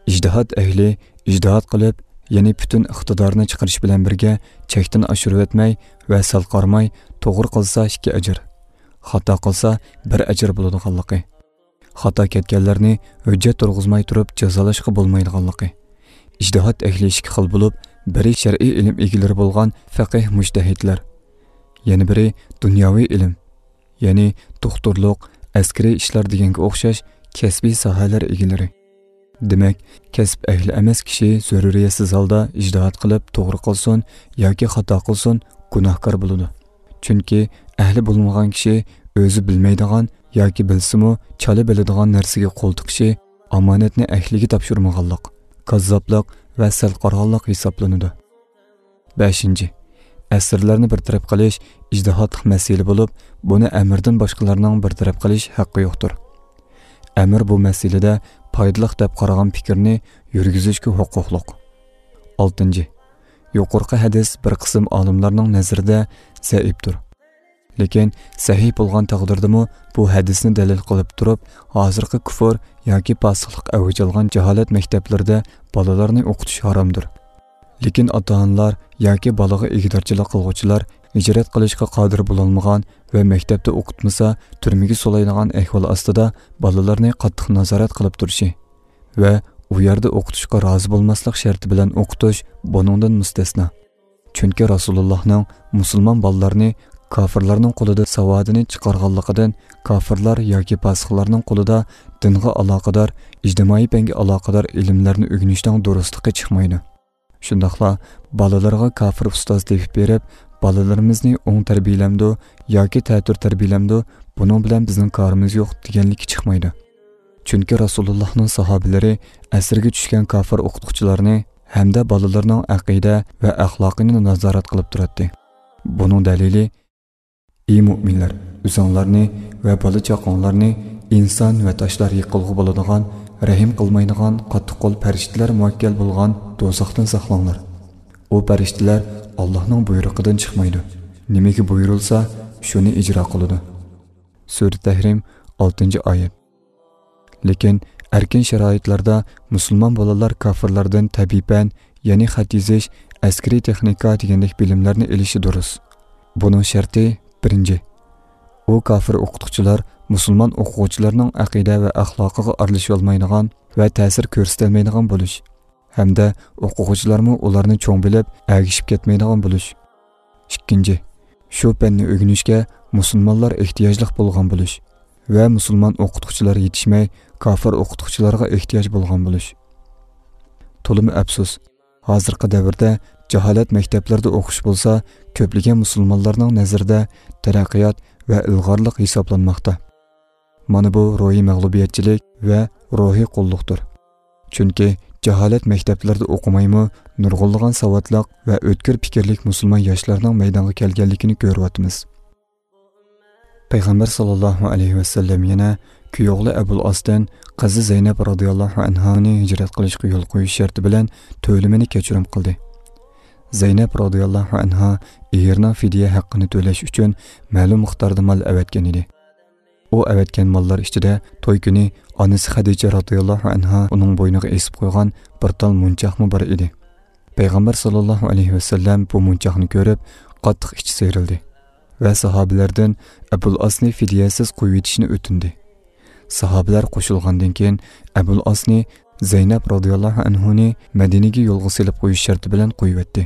ئىجتىھاد ئەھلى ئىجتىھاد قىلىپ، يەنى پۈتۈن ئىقتىدارنى چىقىرىش بىلەن بىرگە چەكتىن ئاشۇرۇۋەتمەي ۋە سەل قارىماي، توغرا قىلسا ئىككى ئەجىر، خاتا قىلسا بىر ئەجىر بولىدىغانلىقى، خاتا كەتكەنلەرنى ھۆججەت تۇرغۇزماي تۇرۇپ جازالاشقا بولمايدىغانلىقى. ئىجتىھاد ئەھلى ئىككى خىل بولۇپ، بىرى شەرئىي ئىلىم ئىگىلىرى بولغان فەقىھ مۇجتەھىدلەر، يەنە بىرى دۇنياۋى ئىلىم، يەنى دوختۇرلۇق، ئەسكىرىي ئىشلار دېگەنگە ئوخشاش كەسپىي ساھەلەر ئىگىلىرى. دېمەك، كەسىپ ئەھلى ئەمەس كىشى زۆرۈرىيەتسىز ھالدا ئىجتىھاد قىلىپ توغرا قىلسۇن ياكى خاتا قىلسۇن، گۇناھكار بولىدۇ. چۈنكى ئەھلى بولمىغان كىشى ئۆزى بىلمەيدىغان ياكى بىلسىمۇ چالا بىلىدىغان نەرسىگە قول تىقىشى، ئامانەتنى ئەھلىگە تاپشۇرمىغانلىق، كاززاپلىق ۋە سەل قارىغانلىق ھېسابلىنىدۇ. بەشىنچى، ئەسىرلەرنى بىر تەرەپ قىلىش ئىجتىھادلىق مەسىلە بولۇپ، بۇنى ئەمىردىن باشقىلارنىڭ بىر تەرەپ قىلىش ھەققى يوقتۇر. ئەمىر بۇ مەسىلىدە پايدىلىق دەپ قارىغان پىكىرنى يۈرگۈزۈشكە ھوقۇقلۇق. ئالتىنچى، يۇقىرىقى ھەدىس بىر قىسىم ئالىملارنىڭ نەزىرىدە زەئىپتۇر. لېكىن سەھىھ بولغان تەقدىردىمۇ، بۇ ھەدىسنى دەلىل قىلىپ تۇرۇپ، ھازىرقى كۇفر ياكى پاسىقلىق ئەۋج ئالغان جاھالەت مەكتەپلىرىدە بالىلارنى ئوقۇتۇش ھارامدۇر. لېكىن ئاتا-ئانىلار ياكى بالىغا ئىگىدارچىلىق قىلغۇچىلار ھىجرەت قىلىشقا قادىر بولالمىغان ۋە مەكتەپتە ئوقۇتمىسا، تۈرمىگە سولايدىغان ئەھۋال ئاستىدا بالىلارنى قاتتىق نازارەت قىلىپ تۇرۇشى ۋە ئۇ يەردە ئوقۇتۇشقا رازى بولماسلىق شەرتى بىلەن ئوقۇتۇش بۇنىڭدىن مۇستەسنا. چۈنكى رەسۇلۇللاھنىڭ مۇسۇلمان بالىلارنى كاپىرلارنىڭ قولىدا ساۋادىنى چىقارغانلىقىدىن، كاپىرلار ياكى پاسىقلارنىڭ قولىدا دىنغا ئالاقىدار، ئىجتىمائىي پەنگە ئالاقىدار ئىلىملەرنى ئۆگىنىشنىڭ دۇرۇسلۇقى چىقمايدۇ. شۇنداقلا بالىلىرىغا كاپىر ئۇستاز تېپىپ بېرىپ، بالىلىرىمىزنى ئوڭ تەربىيەلەمدۇ ياكى تەتۈر تەربىيەلەمدۇ، بۇنىڭ بىلەن بىزنىڭ كارىمىز يوق دېگەنلىكى چىقمايدۇ. چۈنكى رەسۇلۇللاھنىڭ ساھابىلىرى ئەسىرگە چۈشكەن كاپىر ئوقۇتقۇچىلارنى ھەمدە بالىلىرىنىڭ ئەقىدە ۋە ئەخلاقىنى نازارەت قىلىپ تۇراتتى. بۇنىڭ دەلىلى، ئى مۆمىنلەر، ئۆزۈڭلارنى ۋە بالا-چاقاڭلارنى ئىنسان ۋە تاشلار يىقىلغۇ بولىدىغان، رەھىم قىلمايدىغان، قاتتىق قول پەرىشتىلەر مۇۋەككەل بولغان دوزاختىن ساقلاڭلار. ئۇ پەرىشتىلەر ئاللاھنىڭ بۇيرۇقىدىن چىقمايدۇ. نېمىگە بۇيرۇلسا، شۇنى ئىجرا قىلىدۇ. سۈرە تەھرىم، ئالتىنچى ئايەت. لېكىن ئەركىن شارائىتلاردا مۇسۇلمان بالىلار كاپىرلاردىن تەبىئىي پەن، يەنى خەت يېزىش، ئەسكىرىي تېخنىكا دېگەندەك بىلىملەرنى ئېلىشى دۇرۇس. بۇنىڭ شەرتى، بىرىنچى، ئۇ كاپىر ئوقۇتقۇچىلار مۇسۇلمان ئوقۇغۇچىلارنىڭ ئەقىدە ۋە ئەخلاقىغا ئارىلىشىۋالمايدىغان ۋە تەسىر كۆرسىتەلمەيدىغان بولۇش ھەمدە ئوقۇغۇچىلارمۇ ئۇلارنى چوڭ بىلىپ، ئەگىشىپ كەتمەيدىغان بولۇش. ئىككىنچى، شۇ پەننى ئۆگىنىشكە مۇسۇلمانلار ئېھتىياجلىق بولغان بولۇش ۋە مۇسۇلمان ئوقۇتقۇچىلار يېتىشمەي، كاپىر ئوقۇتقۇچىلارغا ئېھتىياج بولغان بولۇش. تولىمۇ ئەپسۇس، ھازىرقى دەۋردە جاھالەت مەكتەپلىرىدە ئوقۇش بولسا، كۆپلىگەن مۇسۇلمانلارنىڭ نەزىرىدە تەرەققىيات ۋە ئىلغارلىق ھېسابلانماقتا. مانا بۇ روھىي مەغلۇبىيەتچىلىك ۋە روھىي قۇللۇقتۇر. چۈنكى جاھالەت مەكتەپلىرىدە ئوقۇمايمۇ، نۇرغۇنلىغان ساۋاتلىق ۋە ئۆتكۈر پىكىرلىك مۇسۇلمان ياشلارنىڭ مەيدانغا كەلگەنلىكىنى كۆرۈۋاتىمىز. پەيغەمبەر ساللاللاھۇ ئەلەيھى ۋەسەللەم يەنە كۈيئوغلى ئەبۇل ئاستىن قىزى زەينەپ رازىياللاھۇ ئەنھانى ھىجرەت قىلىشقا يول قويۇش شەرتى بىلەن تۆلىمىنى كەچۈرۈم قىلدى. زەينەپ رازىياللاھۇ ئەنھا ئېرىنىڭ فىدىيە ھەققىنى تۆلەش ئۈچۈن مەلۇم مىقداردا مال ئەۋەتكەن ئىدى. ئۇ ئەۋەتكەن ماللار ئىچىدە توي كۈنى ئانىسى خەدىچە رازىياللاھۇ ئەنھا ئۇنىڭ بوينىغا ئېسىپ قويغان بىر تال مونچاقمۇ بار ئىدى. پەيغەمبەر ساللاللاھۇ ئەلەيھى ۋەسەللەم بۇ مونچاقنى كۆرۈپ، قاتتىق ئىچى سىيرىلدى ۋە ساھابىلەردىن ئەبۇل ئاسنى فىدىيەسىز قويۇۋېتىشنى ئۆتۈندى. ساھابىلەر قوشۇلغاندىن كېيىن، ئەبۇل ئاسنى زەينەپ رازىياللاھۇ ئەنھۇنى مەدىنىگە يولغا سېلىپ قويۇش شەرتى بىلەن قويۇۋەتتى.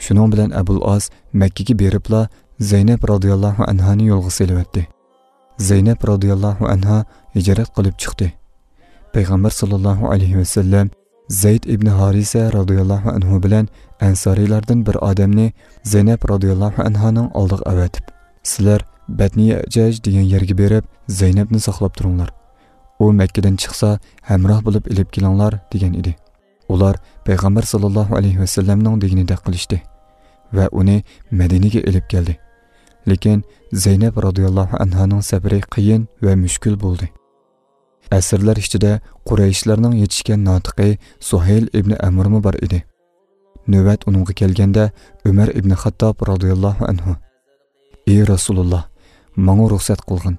شۇنىڭ بىلەن ئەبۇل ئاس مەككىگە بېرىپلا زەينەپ رازىياللاھۇ ئەنھانى يولغا سېلىۋەتتى. زەينەپ رازىياللاھۇ ئەنھا ھىجرەت قىلىپ چىقتى. پەيغەمبەر ساللاللاھۇ ئەلەيھى ۋەسەللەم زەيد ئىبنى ھارىسە رازىياللاھۇ ئەنھۇ بىلەن ئەنسارىيلاردىن بىر ئادەمنى زەينەپ رازىياللاھۇ ئەنھانىڭ ئالدىغا ئەۋەتىپ، سىلەر بەتنى يەجەج دېگەن يەرگە بېرىپ، زەينەپنى ساقلاپ تۇرۇڭلار. ئۇ مەككىدىن چىقسا، ھەمراھ بولۇپ ئېلىپ كېلىڭلار، دېگەن ئىدى. ئۇلار پەيغەمبەر ساللاللاھۇ ئەلەيھى ۋەسەللەمنىڭ دېگىنىدەك قىلىشتى ۋە ئۇنى مەدىنىگە ئېلىپ كەلدى. لېكىن زەينەپ رازىياللاھۇ ئەنھانىڭ سەپىرى قىيىن ۋە مۈشكۈل بولدى. ئەسىرلەر ئىچىدە قۇرەيشلەرنىڭ يېتىشكەن ناتىقى سۇھەيل ئىبنى ئەمرمۇ بار ئىدى. نۆۋەت ئۇنىڭغا كەلگەندە، ئۆمەر ئىبنى خاتتاب رازىياللاھۇ ئەنھۇ، ئى رەسۇلۇللا، ماڭا رۇخسەت قىلغىن،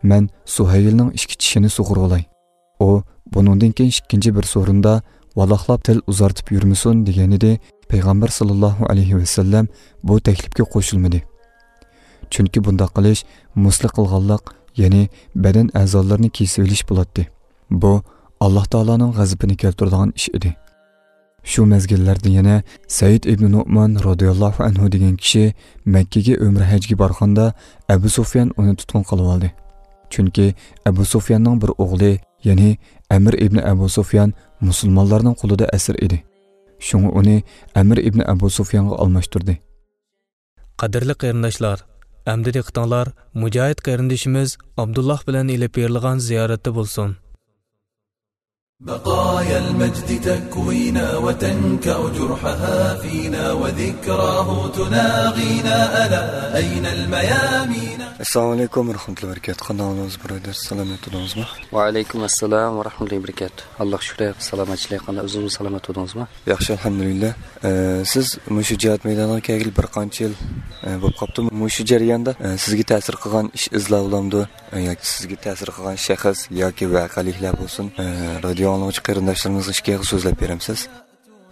مەن سۇھەيلنىڭ ئىككى چىشىنى سۇغۇرغۇلاي. ئۇ بۇنىڭدىن كېيىن ئىككىنچى بىر سورۇندا ۋالاقلاپ تىل ئۇزارتىپ يۈرمىسۇن، دېگەنىدى. پەيغەمبەر ساللاللاھۇ ئەلەيھى ۋەسەللەم بۇ تەكلىپكە قوشۇلمىدى. چۈنكى بۇنداق قىلىش مۇسلى قىلغانلىق، يەنى بەدەن ئەزالىرىنى كېسىۋېلىش بولاتتى. بۇ، ئاللاھ تائالانىڭ غەزىپىنى كەلتۈرىدىغان ئىش ئىدى. شۇ مەزگىللەردە يەنە سەئىد ئىبنى نۇئمان رازىياللاھۇ ئەنھۇ دېگەن كىشى مەككىگە ئۆمرە ھەجگە بارغاندا، ئەبۇ سۇفيان ئۇنى تۇتقۇن قىلىۋالدى. چۈنكى ئەبۇ سۇفياننىڭ بىر ئوغلى، يەنى ئەمىر ئىبنى ئەبۇ سۇفيان مۇسۇلمانلارنىڭ قولىدا ئەسىر ئىدى. شۇڭا ئۇنى ئەمىر ئىبنى ئەبۇ سۇفيانغا ئالماشتۇردى. قەدىرلىك قېرىنداشلار، ئەمدى دىققىتىڭلار مۇجاھىد قېرىندىشىمىز ئابدۇللاھ بىلەن ئېلىپ بېرىلغان زىيارەتتە بولسۇن. بقايا المجد تكوينا وتنكأ جرحها فينا وذكراه تناغينا، ألا أين الميامين؟ ئەسسالامۇ ئەلەيكۇم ۋە رەھمەتۇللاھى ۋە بەرىكاتۇھ. قانداق ئەھۋالىڭىز، بۇرادەر؟ سالامەت تۇردىڭىزمۇ؟ ۋەئەلەيكۇم ئەسسالام ۋە رەھمەتۇللاھى ۋە بەرىكاتۇھ. ئاللاھقا شۈكرى، سالامەتچىلىك. قانداق، ئۆزىڭىزمۇ سالامەت تۇردىڭىزمۇ؟ ياخشى، ئەلھەمدۇلىللا. ئە، سىز مۇشۇ جىھاد مەيدانىغا كەلگىلى بىر قانچە يىل، ئە، بولۇپ قاپتۇ. مۇشۇ جەرياندا، ئە، سىزگە تەسىر قىلغان ئىش ئىزلار بولامدۇ؟ ئە، ياكى سىزگە تەسىر قىلغان شەخس ياكى ۋەقەلىكلەر بولسۇن، ئە، رادىيو ئاڭلىغۇچى قېرىنداشلىرىمىزغا ئىككى ئېغىز سۆزلەپ بېرەمسىز؟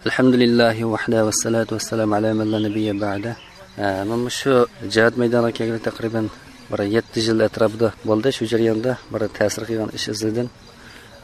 ئەلھەمدۇلىللاھى ۋەھدە ۋەسسالاتۇ ۋەسسالامۇ ئەلا مەن لا نەبىييە بەئدە. ئە، مەن مۇشۇ جىھاد مەيدانىغا كەلگىلى تەقرىبەن بىر يەتتە يىل ئەتراپىدا بولدى. شۇ جەرياندا بىر تەسىر قىلغان ئىش ئىزلىدىم.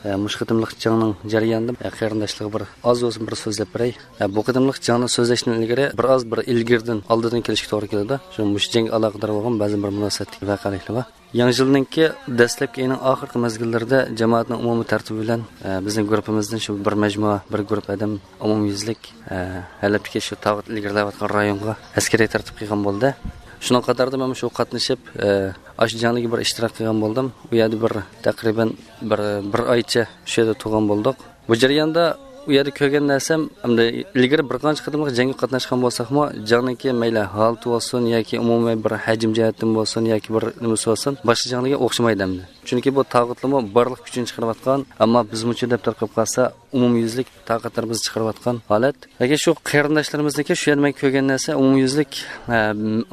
ئە، مۇشۇ قېتىملىق جەڭنىڭ جەريانىدا، ئە، قېرىنداشلارغا بىر ئاز بولسۇن بىر سۆزلەپ بېرەي. ئە، بۇ قېتىملىق جەڭنى سۆزلەشتىن ئىلگىرى بىر ئاز بىر ئىلگىرىدىن، ئالدىدىن كېلىشكە توغرا كېلىدۇ. شۇ مۇشۇ جەڭگە ئالاقىدار بولغان بەزى بىر مۇناسىۋەتلىك ۋەقەلىكلەر بار. يېڭى يىلنىڭكى دەسلەپكى ئېيىنىڭ ئاخىرقى مەزگىللىرىدە جامائەتنىڭ ئومۇمىي تەرتىپى بىلەن، ئە، بىزنىڭ گۇرۇپپىمىزدىن شۇ بىر مەجمۇئە، بىر گۇرۇپ ئادەم ئومۇميۈزلۈك، ئە، ھەلەبتىكى شۇ تاغۇت ئىلگىرىلەۋاتقان رايونغا ئەسكىرىي تەرتىپ قىلغان بولدى. شۇنىڭغا قاتاردا مەن شۇ قاتنىشىپ، ئە، ئاشۇ جەڭلىككە بىر ئىشتىراك قىلغان بولدۇم. ئۇ يەردە بىر تەقرىبەن بىر، بىر ئايچە شۇ يەردە تۇرغان بولدۇق. بۇ جەرياندا ئۇ يەردە كۆرگەن نەرسەم، ئەمدى ئىلگىرى بىر قانچە قېتىملىق جەڭگە قاتناشقان بولساقمۇ، جەڭنىڭكى مەيلى ھالىتى بولسۇن ياكى ئۇمۇمىي بىر ھەجىم جەھەتتىن بولسۇن ياكى بىر نېمىسى بولسۇن، باشقا جەڭلەرگە ئوخشىمايدۇ ئەمدى. چۈنكى بۇ تاغۇتلىرىمۇ بارلىق كۈچىنى چىقىرىۋاتقان، ئەمما بىزمۇچۇ دەپ تارقىپ قالسا، ئومۇميۈزلۈك تاقەتلىرىمىزنى چىقىرىۋاتقان ھالەت. لېكىن شۇ قېرىنداشلىرىمىزنىڭكى شۇ يەردە مەن كۆرگەن نەرسە ئومۇميۈزلۈك، ئە،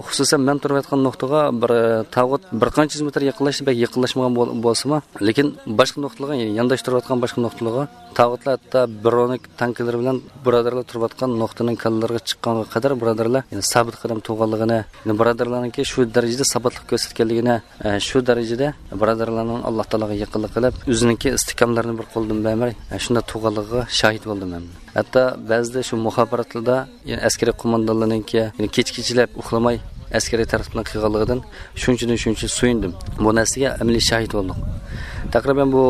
خۇسۇسەن مەن تۇرۇۋاتقان نۇقتىغا بىر، ئە، تاغۇت بىر قانچە يۈز مېتىر يېقىنلاشتى، بەك يېقىنلاشمىغان بول-، بولسىمۇ، لېكىن باشقا نۇقتىلارغا، يەنى يانداش تۇرۇۋاتقان باشقا نۇقتىلارغا تاغۇتلار ھەتتا برونېك تانكىلىرى بىلەن بۇرادەرلەر تۇرۇۋاتقان نۇقتىنىڭ كاللىلىرىغا چىققانغا قەدەر بۇرادەرلەر، يەنى سابىت قەدەم تۇرغانلىقىنى، يەنى بۇرادەرلەرنىڭكى شۇ دەرىجىدە ساباتلىق كۆرسەتكەنلىكىنى، ئە، شۇ دەرىجىدە بۇرادەرلەرنىڭ ئاللا تائالاغا يېقىنلىق قىلىپ، ئۆزىنىڭكى ئىستىھكاملىرىنى بىر قولدىن بەرمەي، ئە، شۇنداق تۇرغانلىقىغا شاھىت بولدۇم مەن. ھەتتا بەزىدە شۇ مۇخابىراتلاردا، يەنى ئەسكىرىي قوماندانلارنىڭكى، يەنى كېچە-كېچىلەپ ئۇخلىماي ئەسكىرىي تەرتىپنى قىلغانلىقىدىن شۇنچىدىن شۇنچە سۆيۈندۈم. بۇ نەرسىگە ئەمەلىي شاھىت بولدۇق. تەقرىبەن بۇ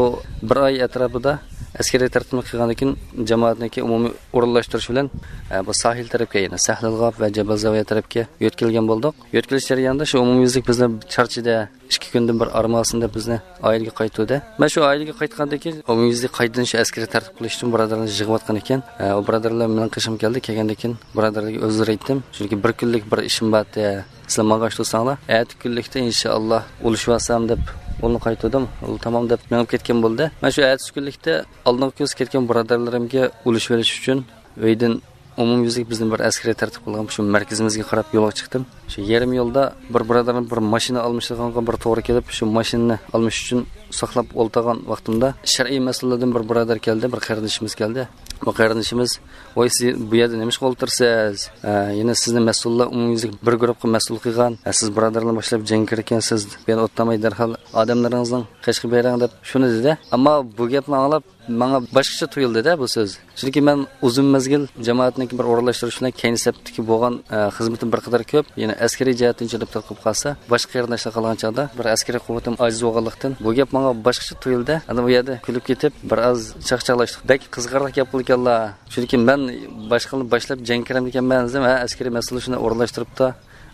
بىر ئاي ئەتراپىدا ئەسكىرىي تەرتىپنى قىلغاندىن كېيىن، جامائەتنىڭكى ئومۇمىي ئورۇنلاشتۇرۇش بىلەن، ئە، بۇ ساھىل تەرەپكە، يەنى سەھلىلغاپ ۋە جەبەل زاۋىيە تەرەپكە يۆتكەلگەن بولدۇق. يۆتكىلىش جەريانىدا شۇ ئومۇميۈزلۈك بىزنى چارچىدى، ئىككى كۈندىن بىر ئارمىغان دەپ بىزنى ئائىلىگە قايتۇردى. مەن شۇ ئائىلىگە قايتقاندىن كېيىن ئومۇميۈزلۈك قايتىدىن شۇ ئەسكىرىي تەرتىپ قىلىش ئۈچۈن بۇرادەرلەرنى يىغىۋاتقان ئىكەن. ئە، ئۇ بۇرادەرلەر مېنىڭ قېشىمغا كەلدى. كەلگەندىن كېيىن بۇرادەرلەرگە ئۆزلىرى ئېيتتىم. چۈنكى بىر كۈنلۈك بىر ئىشىم بار ئىدى. سىلەر ماڭغاچ تۇرساڭلار، ئەتە كۈنلۈكتە ئىنشائاللا ئۇلىشىۋالسام دەپ ئۇلنى قايتۇردۇم. ئۇ تامام دەپ مېڭىپ كەتكەن بولدى. مەن شۇ ئەتىسى كۈنلۈكتە ئالدىنقى كۈنسى كەتكەن بۇرادەرلىرىمگە ئۇلىشىۋېلىش ئۈچۈن ئۆيدىن ئومۇميۈزلۈك بىزنى بىر ئەسكىرىي تەرتىپ قىلغان شۇ مەركىزىمىزگە قاراپ يولغا چىقتىم. شۇ يېرىم يولدا بىر بۇرادەرنىڭ بىر ماشىنا ئالمىشىدىغانغا بىر توغرا كېلىپ، شۇ ماشىنىنى ئالمىش ئۈچۈن ساقلاپ ئولتۇرغان ۋاقتىمدا، شەرئىي مەسئۇللاردىن بىر بۇرادەر كەلدى، بىر قېرىندىشىمىز كەلدى. بۇ قېرىندىشىمىز، «ۋاي، سىز بۇ يەردە نېمىشقا ئولتۇرىسىز؟ ئە، يەنە سىزنى مەسئۇللار ئومۇميۈزلۈك بىر گۇرۇپپىغا مەسئۇل قىلغان. ئە، سىز بۇرادەرلەرنى باشلاپ جەڭگە كىرىكەنسىز. بۇ يەردە ئولتۇرماي دەرھال ئادەملىرىڭىزنىڭ قېشىغا بېرىڭ» دەپ شۇنى دېدى. ئەمما بۇ گەپنى ئاڭلاپ ماڭا باشقىچە تۇيۇلدى-دە بۇ سۆز. چۈنكى مەن ئۇزۇن مەزگىل جامائەتنىڭكى بىر ئورۇنلاشتۇرۇش بىلەن كەينى سەپتىكى بولغان، ئە، خىزمىتىم بىر قەدەر كۆپ. يەنە ئەسكىرىي جەھەتتىن چېلىپ تارقىپ قالسا، باشقا قېرىنداشلار قالغان چاغدا بىر ئەسكىرىي قۇۋۋىتىم ئاجىز بولغانلىقتىن، بۇ گەپ ماڭا باشقىچە تۇيۇلدى. ئانا بۇ يەردە كۈلۈپ كېتىپ، بىر ئاز چاقچاقلاشتۇق. بەك قىزىقارلىق گەپ قىلىدىكەنلا. چۈنكى مەن باشقىلارنى باشلاپ جەڭگە كىرەمدىكەنمەن دېسەم، ھە، ئەسكىرىي مەسئۇل شۇنى ئورۇنلاشتۇرۇپتۇ.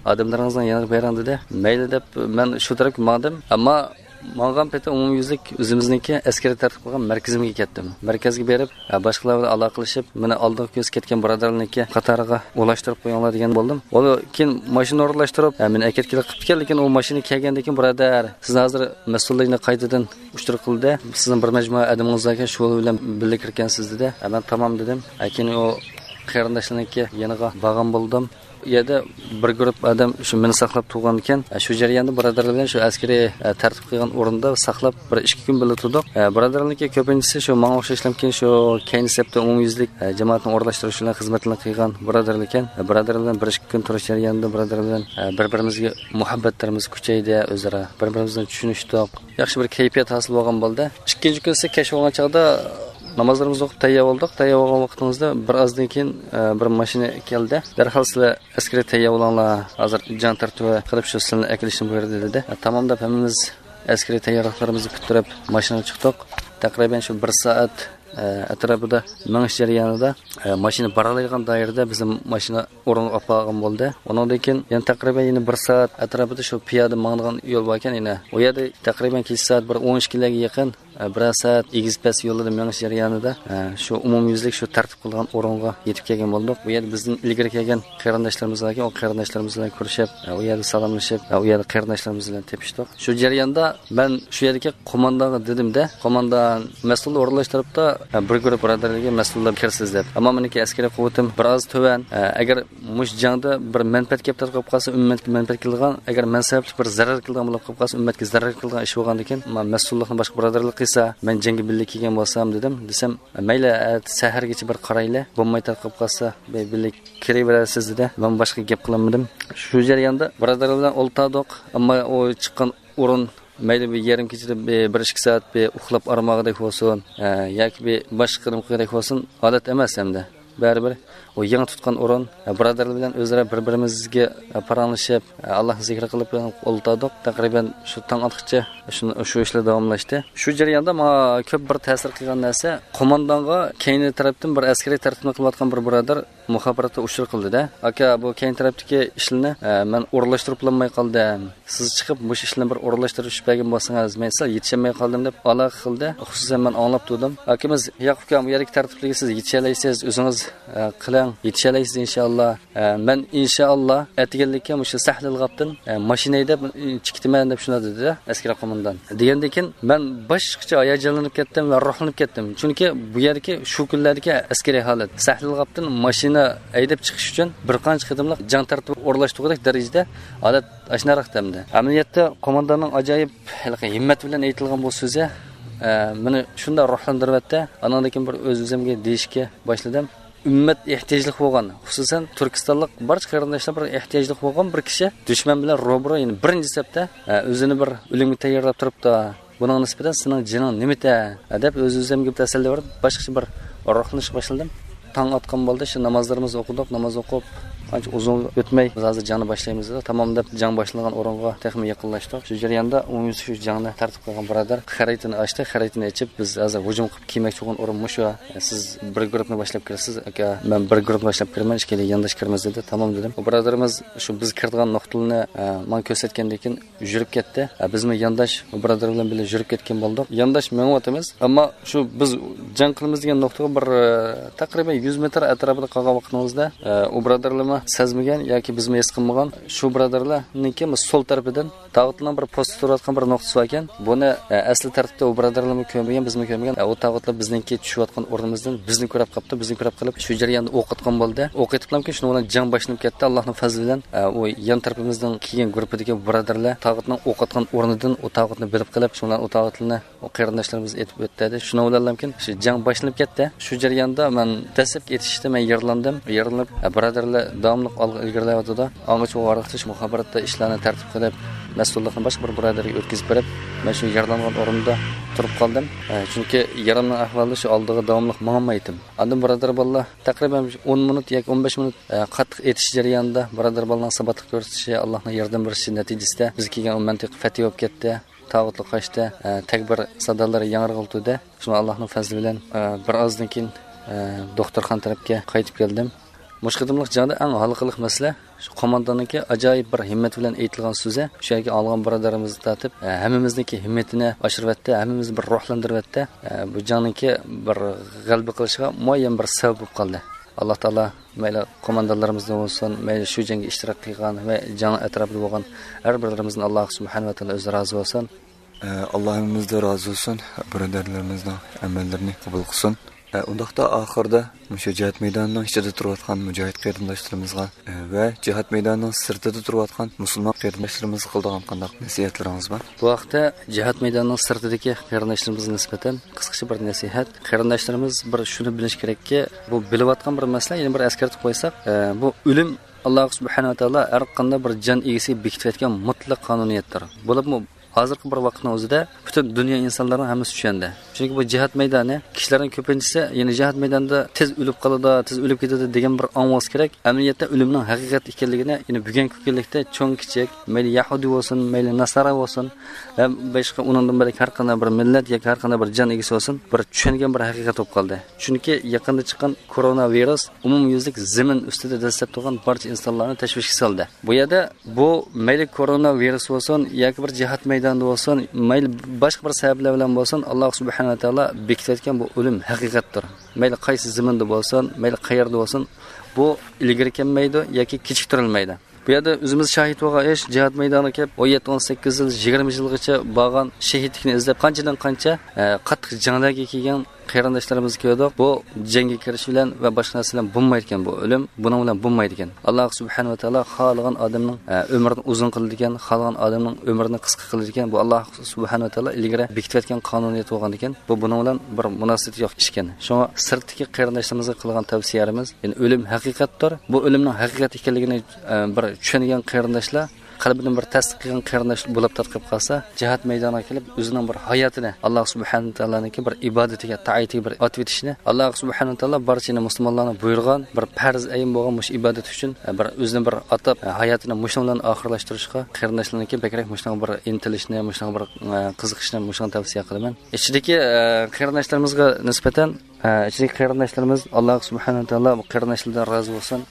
«ئادەملىرىڭىزنىڭ يېنىغا بېرىڭ» دېدى. مەيلى دەپ مەن شۇ تەرەپكە ماڭدىم. ئەمما ماڭغان پېتى ئومۇميۈزلۈك ئۆزىمىزنىڭكى ئەسكىرىي تەرتىپ قىلغان مەركىزىمگە كەتتىم. مەركەزگە بېرىپ، ھە، باشقىلار بىلەن ئالاقىلىشىپ، مېنى ئالدىنقى كۈنسى كەتكەن بۇرادەرلەرنىڭكى قاتارىغا ئولاشتۇرۇپ قويۇڭلار دېگەن بولدۇم. ئۇ كېيىن ماشىنا ئورۇنلاشتۇرۇپ، ھە، مېنى ئەكەتكىلى قىپتىكەن، لېكىن ئۇ ماشىنا كەلگەندىن كېيىن، بۇرادەر، سىزنى ھازىر مەسئۇللارنى قايتىدىن ئۇچۇر قىلدى. سىزنىڭ بىر مەجمۇئە ئادىمىڭىز باركەن، شۇ بىلەن بىللە كىرگەنسىز دېدى. ھە، مەن تامام دېدىم. ھە، كېيىن ئۇ قېرىنداشلىرىنىڭكى يېنىغا بارغان بولدۇم. ئۇ يەردە بىر گۇرۇپ ئادەم شۇ مېنى ساقلاپ تۇرغان ئىكەن. شۇ جەرياندا بۇرادەرلەر بىلەن شۇ ئەسكىرىي، ئە، تەرتىپ قىلغان ئورۇندا ساقلاپ، بىر ئىككى كۈن بىللە تۇردۇق. ئە، بۇرادەرلەرنىڭكى كۆپىنچىسى شۇ ماڭا ئوخشاشلامكىن، شۇ كەينى سەپتە ئومۇميۈزلۈك، ئە، جامائەتنى ئورۇنلاشتۇرۇش بىلەن خىزمەتلەرنى قىلغان بۇرادەرلەر ئىكەن. ئە، بۇرادەرلەر بىلەن بىر ئىككى كۈن تۇرۇش جەريانىدا بۇرادەرلەر بىلەن، ئە، بىر-بىرىمىزگە مۇھەببەتلىرىمىز كۈچەيدى، ئۆزئارا بىر-بىرىمىز بىلەن چۈشىنىشتۇق. ياخشى بىر كەيپىيات ھاسىل بولغان بولدى. ئىككىنچى كۈنسى كەچ بولغان چاغدا نامازلىرىمىزنى ئوقۇپ تەييار بولدۇق. تەييار بولغان ۋاقتىمىزدا بىر ئازدىن كېيىن، ئە، بىر ماشىنا كەلدى. «دەرھال سىلەر ئەسكىرىي تەييار بولۇڭلار، ھازىر جەڭ تەرتىپى قىلىپ شۇ سىلەرنى ئەكېلىشنى بۇيرۇدى» دېدى. ئە، تامام دەپ ھەممىمىز ئەسكىرىي تەييارلىقلىرىمىزنى پۈتتۈرۈپ ماشىنىغا چىقتۇق. تەقرىبەن شۇ بىر سائەت، ئە، ئەتراپىدا مېڭىش جەريانىدا، ئە، ماشىنا بارالايدىغان دائىرىدە بىزنى ماشىنا ئورۇنغا ئاپارغان بولدى. ئۇنىڭدىن كېيىن يەنە تەقرىبەن يەنە بىر سائەت ئەتراپىدا شۇ پىيادە ماڭىدىغان يول باركەن، يەنە ئۇ يەردە تەقرىبەن كېچە سائەت بىر ئون ئىككىلەرگە يېقىن، ئە، بىرەر سائەت ئېگىز-پەس يولىدا مېڭىش جەريانىدا، ئە، شۇ ئومۇميۈزلۈك شۇ تەرتىپ قىلغان ئورۇنغا يېتىپ كەلگەن بولدۇق. بۇ يەردە بىزدىن ئىلگىرى كەلگەن قېرىنداشلىرىمىز باركەن، ئۇ قېرىنداشلىرىمىز بىلەن كۆرۈشۈپ، ئە، ئۇ يەردە سالاملىشىپ، ئە، ئۇ يەردە قېرىنداشلىرىمىز بىلەن تېپىشتۇق. شۇ جەرياندا مەن شۇ يەردىكى قوماندانغا دېدىم-دە، قوماندان مەسئۇل ئورۇنلاشتۇرۇپتۇ، بىر گۇرۇپ بۇرادەرلەرگە مەسئۇللار كىرسىز دەپ. ئەمما مېنىڭكى ئەسكىرىي قۇۋۋىتىم بىر ئاز تۆۋەن. ئەگەر مۇشۇ جەڭدە بىر مەنپەئەت كەپ تارقىپ قالسا، ئۈممەتكە مەنپەئەت كېلىدىغان، ئەگەر مەن سەۋەبلىك بىر زەرەر كېلىدىغان بولۇپ قالسا، ئۈممەتكە زەرەر كېلىدىغان ئىش بولغاندىكىن، مەسئۇللۇقنى باشقا بۇرادەرلەر قىلسا، مەن جەڭگە بىللە كەلگەن بولسام دېدىم. دېسەم، مەيلى، ئەتە سەھەرگىچە بىر قارايلى، بولماي تارقىپ قالسا، بىللە كىرىۋېرەرسىز دېدى. مەن باشقا گەپ قىلالمىدىم. شۇ جەرياندا بۇرادەرلەر بىلەن ئولتۇردۇق، ئەمما ئۇ چىققان ئورۇن مەيلى بىر يېرىم كېچىدە بىر، بىر ئىككى سائەت بىر ئۇخلاپ ئارماغۇدەك بولسۇن، ئە، ياكى بىر باشقا قىلىمقىدەك بولسۇن، ھالەت ئەمەس ئەمدى. بەرىبىر ئۇ يېڭى تۇتقان ئورۇن. بۇرادەرلەر بىلەن ئۆزئارا بىر-بىرىمىزگە پاراڭلىشىپ، ئاللاھنى زىكرى قىلىپ ئولتۇردۇق. تەقرىبەن شۇ تاڭ ئاتقىچە شۇ، شۇ ئىشلار داۋاملاشتى. شۇ جەرياندا ماڭا كۆپ بىر تەسىر قىلغان نەرسە، قوماندانغا كەينى تەرەپتىن بىر ئەسكىرىي تەرتىپنى قىلىۋاتقان بىر بۇرادەر مۇخابىراتتا ئۇچۇر قىلدى-دە، «ئاكا، بۇ كەينى تەرەپتىكى ئىشلىرىنى، ئە، مەن ئورۇنلاشتۇرۇپ بولالماي قالدىم. سىز چىقىپ مۇشۇ ئىشلارنى بىر ئورۇنلاشتۇرۇپ بەرگەن بولسىڭىز، مەن سەل يېتىشەلمەي قالدىم» دەپ ئالاقە قىلدى. خۇسۇسەن مەن ئاڭلاپ تۇردۇم. «ئاكىمىز، ياق ئۇكام، بۇ يەردىكى تەرتىپلىككە سىز يېتىشەلەيسىز، ئۆزىڭىز، ئە، قىلىڭ، يېتىشەلەيسىز ئىنشائاللا. ئە، مەن ئىنشائاللا ئەتىگەنلىككە مۇشۇ سەھلىل غاپتىن، ئە، ماشىنا ھەيدەپ، ئە، چىقىتىمەن» دەپ شۇنداق دېدى ئەسكىرىي قوماندان. دېگەندىن كېيىن مەن باشقىچە ھاياجانلىنىپ كەتتىم ۋە روھلىنىپ كەتتىم. چۈنكى بۇ يەردىكى شۇ كۈنلەردىكى ئەسكىرىي ھالەت، سەھلىل غاپتىن ماشىنا ھەيدەپ چىقىش ئۈچۈن بىر قانچە قېتىملىق جەڭ تەرتىپى ئورۇنلاشتۇرغۇدەك دەرىجىدە ھالەت ئاشۇنداق ئەمدى. ئەمەلىيەتتە قومانداننىڭ ئاجايىپ ھېلىقى ھىممەت بىلەن ئېيتىلغان بۇ سۆزى، ئە، مېنى شۇنداق روھلاندۇرۇۋەتتى. ئانىڭدىن كېيىن بىر ئۆز-ئۆزۈمگە دېيىشكە باشلىدىم. ئۈممەت ئېھتىياجلىق بولغان، خۇسۇسەن تۈركىستانلىق بارچە قېرىنداشلار بىر ئېھتىياجلىق بولغان بىر كىشى دۈشمەن بىلەن روبىرو، يەنى بىرىنچى سەپتە، ئە، ئۆزىنى بىر ئۆلۈمگە تەييارلاپ تۇرۇپتۇ. بۇنىڭغا نىسبەتەن سېنىڭ جېنىڭ نېمىتە؟ دەپ ئۆز-ئۆزۈمگە تەسەللى بېرىپ، باشقىچە بىر روھلىنىشقا باشلىدىم. تاڭ ئاتقان بولدى، شۇ نامازلىرىمىزنى ئوقۇدۇق، ناماز ئوقۇپ، قانچە ئۇزۇن ئۆتمەي، بىز ھازىر جەڭنى باشلايمىز دېدۇق. تامام دەپ جەڭ باشلانغان ئورۇنغا تېخىمۇ يېقىنلاشتۇق. شۇ جەرياندا ئومۇميۈزلۈك شۇ جەڭنى تەرتىپ قىلغان بۇرادەر خەرىتىنى ئاچتى. خەرىتىنى ئېچىپ، بىز ھازىر ھۇجۇم قىلىپ كىرمەكچى بولغان ئورۇن مۇشۇ. سىز بىر گۇرۇپنى باشلاپ كىرىسىز، ئاكا، مەن بىر گۇرۇپنى باشلاپ كىرىمەن، ئىككىيلەن يانداش كىرىمىز دېدى. تامام دېدىم. ئۇ بۇرادىرىمىز شۇ بىز كىرىدىغان نۇقتىلارنى، ئە، ماڭا كۆرسەتكەندىن كېيىن يۈرۈپ كەتتى. ئە، بىزمۇ يانداش بۇرادەر بىلەن بىللە يۈرۈپ كەتكەن بولدۇق. يانداش مېڭىۋاتىمىز. ئەمما شۇ بىز جەڭ قىلىمىز دېگەن نۇقتىغا بىر، ئە، تەقرىبەن يۈز مېتىر ئەتراپىدا قالغان ۋاقتىمىزدا، ئە، ئۇ بۇرادەرلەرمۇ سەزمىگەن ياكى بىزمۇ ھېس قىلمىغان. شۇ بۇرادەرلەرنىڭكى سول تەرىپىدىن تاغۇتنىڭ بىر پوستى تۇرۇۋاتقان بىر نۇقتىسى باركەن. بۇنى، ئە، ئەسلى تەرتىپتە ئۇ بۇرادەرلەرمۇ كۆرمىگەن، بىزمۇ كۆرمىگەن. ئە، ئۇ تاغۇتلار بىزنىڭكى چۈشۈۋاتقان ئورنىمىزدىن بىزنى كۆرۈپ قاپتۇ. بىزنى كۆرۈپ قېلىپ، شۇ جەرياندا ئوق ئاتقان بولدى. ئوق ئېتىپلامكى، شۇنىڭ بىلەن جەڭ باشلىنىپ كەتتى. ئاللاھنىڭ پەزلى بىلەن، ئە، ئۇ يان تەرىپىمىزدىن كېلگەن گۇرۇپپىدىكى بۇرادەرلەر تاغۇتنىڭ ئوق ئاتقان ئورنىدىن ئۇ تاغۇتنى بىلىپ قېلىپ، شۇنىڭ بىلەن ئۇ تاغۇتلارنى ئۇ قېرىنداشلىرىمىز ئېتىپ ئۆتتى. شۇنىڭ بىلەنلامكىن شۇ جەڭ باشلىنىپ كەتتى. شۇ جەرياندا مەن دەسلەپكى ئېتىشىشتا مەن يارىلانغان. يارىلىنىپ، ئە، بۇرادەرلەر داۋاملىق ئالغا ئىلگىرىلەۋاتىدۇ. ئاڭغىچە ۋارقىرىتىش مۇخابىراتتا ئىشلارنى تەرتىپ قىلىپ، مەسئۇللۇقنى باشقا بىر بۇرادەرگە ئۆتكۈزۈپ بېرىپ، مەن شۇ يارىلانغان ئورۇندا تۇرۇپ قالدىم. ئە، چۈنكى يارامنىڭ ئەھۋالى شۇ ئالدىغا داۋاملىق ماڭالمايتتىم. ئاندىن بۇرادەر بالىلار تەقرىبەن ئون مىنۇت ياكى ئون بەش مىنۇت، ئە، قاتتىق ئېتىش جەريانىدا بۇرادەر بالىنىڭ ساباتلىق كۆرسىتىشى، ئاللاھنىڭ ياردەم بېرىشى نەتىجىسىدە بىز كەلگەن ئۇ مەنتىقە فەتھى بولۇپ كەتتى. تاغۇتلۇق قاچتى، ئە، تەكبىر سادالىرى ياڭرىغىلى تۇردى. شۇڭا ئاللاھنىڭ پەزلى بىلەن، ئە، بىر ئازدىن كېيىن، ئە، دوختۇرخانا تەرەپكە قايتىپ كەلدىم. مۇشۇ قېتىملىق جەڭدە ئەڭ ھالقىلىق مەسىلە، شۇ قومانداننىڭكى ئاجايىپ بىر ھىممەت بىلەن ئېيتىلغان سۆزى، شۇ يەرگە ئالغان بۇرادىرىمىزنى تارتىپ، ئە، ھەممىمىزنىڭكى ھىممىتىنى ئاشۇرۇۋەتتى، ھەممىمىزنى بىر روھلاندۇرۇۋەتتى. ئە، بۇ جەڭنىڭكى بىر غەلىبە قىلىشىغا مۇئەييەن بىر سەۋەب بولۇپ قالدى. ئاللاھ تائالا مەيلى قوماندانلىرىمىزدىن بولسۇن، مەيلى شۇ جەڭگە ئىشتىراك قىلغان ۋە جەڭ ئەتراپىدا بولغان ھەر بىرلىرىمىزدىن ئاللاھ سۇبھانەھۇ ۋە تائالا ئۆزى رازى بولسۇن. ئە، ئاللاھ ھەممىمىزدىن رازى بولسۇن، بۇرادەرلىرىمىزنىڭ ئەمەللىرىنى قوبۇل قىلسۇن. ئە، ئۇنداقتا ئاخىرىدا مۇشۇ جىھاد مەيدانىنىڭ ئىچىدە تۇرۇۋاتقان مۇجاھىد قېرىنداشلىرىمىزغا، ئە، ۋە جىھاد مەيدانىنىڭ سىرتىدا تۇرۇۋاتقان مۇسۇلمان قېرىنداشلىرىمىزغا قىلىدىغان قانداق نەسىھەتلىرىڭىز بار؟ بۇ ھەقتە جىھاد مەيدانىنىڭ سىرتىدىكى قېرىنداشلىرىمىزغا نىسبەتەن قىسقىچە بىر نەسىھەت. قېرىنداشلىرىمىز بىر شۇنى بىلىشى كېرەككى، بۇ بىلىۋاتقان بىر مەسىلە، يەنە بىر ئەسكەرتىپ قويساق، ئە، بۇ ئۆلۈم ئاللاھ سۇبھانەھۇ ۋە تائالا ھەر قانداق بىر جان ئىگىسىگە بېكىتىۋەتكەن مۇتلەق قانۇنىيەتتۇر. بولۇپمۇ ھازىرقى بىر ۋاقىتنىڭ ئۆزىدە پۈتۈن دۇنيا ئىنسانلىرىنىڭ ھەممىسى چۈشەندى. چۈنكى بۇ جىھاد مەيدانى، كىشىلەرنىڭ كۆپىنچىسى يەنە جىھاد مەيدانىدا تېز ئۆلۈپ قالىدۇ، تېز ئۆلۈپ كېتىدۇ دېگەن بىر ئاڭ بولسا كېرەك. ئەمەلىيەتتە ئۆلۈمنىڭ ھەقىقەت ئىكەنلىكىنى يەنە بۈگۈنكى كۈنلۈكتە چوڭ كىچىك، مەيلى يەھۇدىي بولسۇن، مەيلى ناسارا بولسۇن، ھەم باشقا ئۇنىڭدىن بۆلەك ھەر قانداق بىر مىللەت ياكى ھەر قانداق بىر جان ئىگىسى بولسۇن، بىر چۈشەنگەن بىر ھەقىقەت بولۇپ قالدى. چۈنكى يېقىندا چىققان كورونا ۋىرۇس ئومۇميۈزلۈك زېمىن ئۈستىدە دەسسەپ تۇرغان بارچە ئىنسانلارنى تەشۋىشكە سالدى. بۇ يەردە بۇ مەيلى كورونا ۋىرۇس بولسۇن، ياكى بىر جىھاد مەيدانىدا بولسۇن، مەيلى باشقا بىر سەۋەبلەر بىلەن بولسۇن، ئاللاھ سۇبھانەھۇ ۋە تائالا بېكىتىۋەتكەن بۇ ئۆلۈم ھەقىقەتتۇر. مەيلى قايسى زېمىندا بولسۇن، مەيلى قەيەردە بولسۇن، بۇ ئىلگىرى كەلمەيدۇ ياكى كېچىكتۈرۈلمەيدۇ. بۇ يەردە ئۆزىمىز شاھىت بولغان ئىش، جىھاد مەيدانىغا كېلىپ، ئون يەتتە، ئون سەككىز يىل، يىگىرمە يىلغىچە بارغان، شېھىتلىكنى ئىزدەپ، قانچىدىن قانچە، ئە، قاتتىق جەڭلەرگە كەلگەن قېرىنداشلىرىمىزنى كۆردۇق. بۇ جەڭگە كىرىش بىلەن ۋە باشقا نەرسە بىلەن بولمايدىكەن بۇ ئۆلۈم. بۇنىڭ بىلەن بولمايدىكەن. ئاللاھ سۇبھانەھۇ ۋە تائالا خالىغان ئادەمنىڭ، ئە، ئۆمرىنى ئۇزۇن قىلىدىكەن، خالىغان ئادەمنىڭ ئۆمرىنى قىسقا قىلىدىكەن. بۇ ئاللاھ سۇبھانەھۇ ۋە تائالا ئىلگىرى بېكىتىۋەتكەن قانۇنىيەت بولغاندىكىن، بۇ بۇنىڭ بىلەن بىر مۇناسىۋىتى يوق ئىشكەن. شۇڭا سىرتتىكى قېرىنداشلىرىمىزغا قىلغان تەۋسىيەمىز، يەنى ئۆلۈم ھەقىقەتتۇر. بۇ ئۆلۈمنىڭ ھەقىقەت ئىكەنلىكىنى، ئە، بىر چۈشەنگەن قېرىنداشلار قەلبىدىن بىر تەستىق قىلغان قېرىنداش بولۇپ تارتىپ قالسا، جىھاد مەيدانىغا كېلىپ، ئۆزىنىڭ بىر ھاياتىنى ئاللا سۇبھانەھۇ ۋە تائالانىڭكى بىر ئىبادىتىگە، تائىتىگە بىر ئاتىۋېتىشنى، ئاللا سۇبھانەھۇ ۋە تائالا بارچە مۇسۇلمانلارنى بۇيرۇغان بىر پەرز ئەين بولغان مۇشۇ ئىبادەت ئۈچۈن، ئە، بىر ئۆزىنى بىر ئاتاپ، ئە، ھاياتىنى مۇشۇنىڭ بىلەن ئاخىرلاشتۇرۇشقا قېرىنداشلارنىڭكى بەكرەك مۇشۇنىڭغا بىر ئىنتىلىشنى، مۇشۇنىڭغا بىر، ئە، قىزىقىشنى، مۇشۇنى تەۋسىيە قىلىمەن. ئىچىدىكى، ئە، قېرىنداشلىرىمىزغا نىسبەتەن، ئە، ئىچىدىكى قېرىنداشلىرىمىز، ئاللا سۇبھانەھۇ ۋە تائالا بۇ قېرىنداشلاردىن رازى بولسۇن.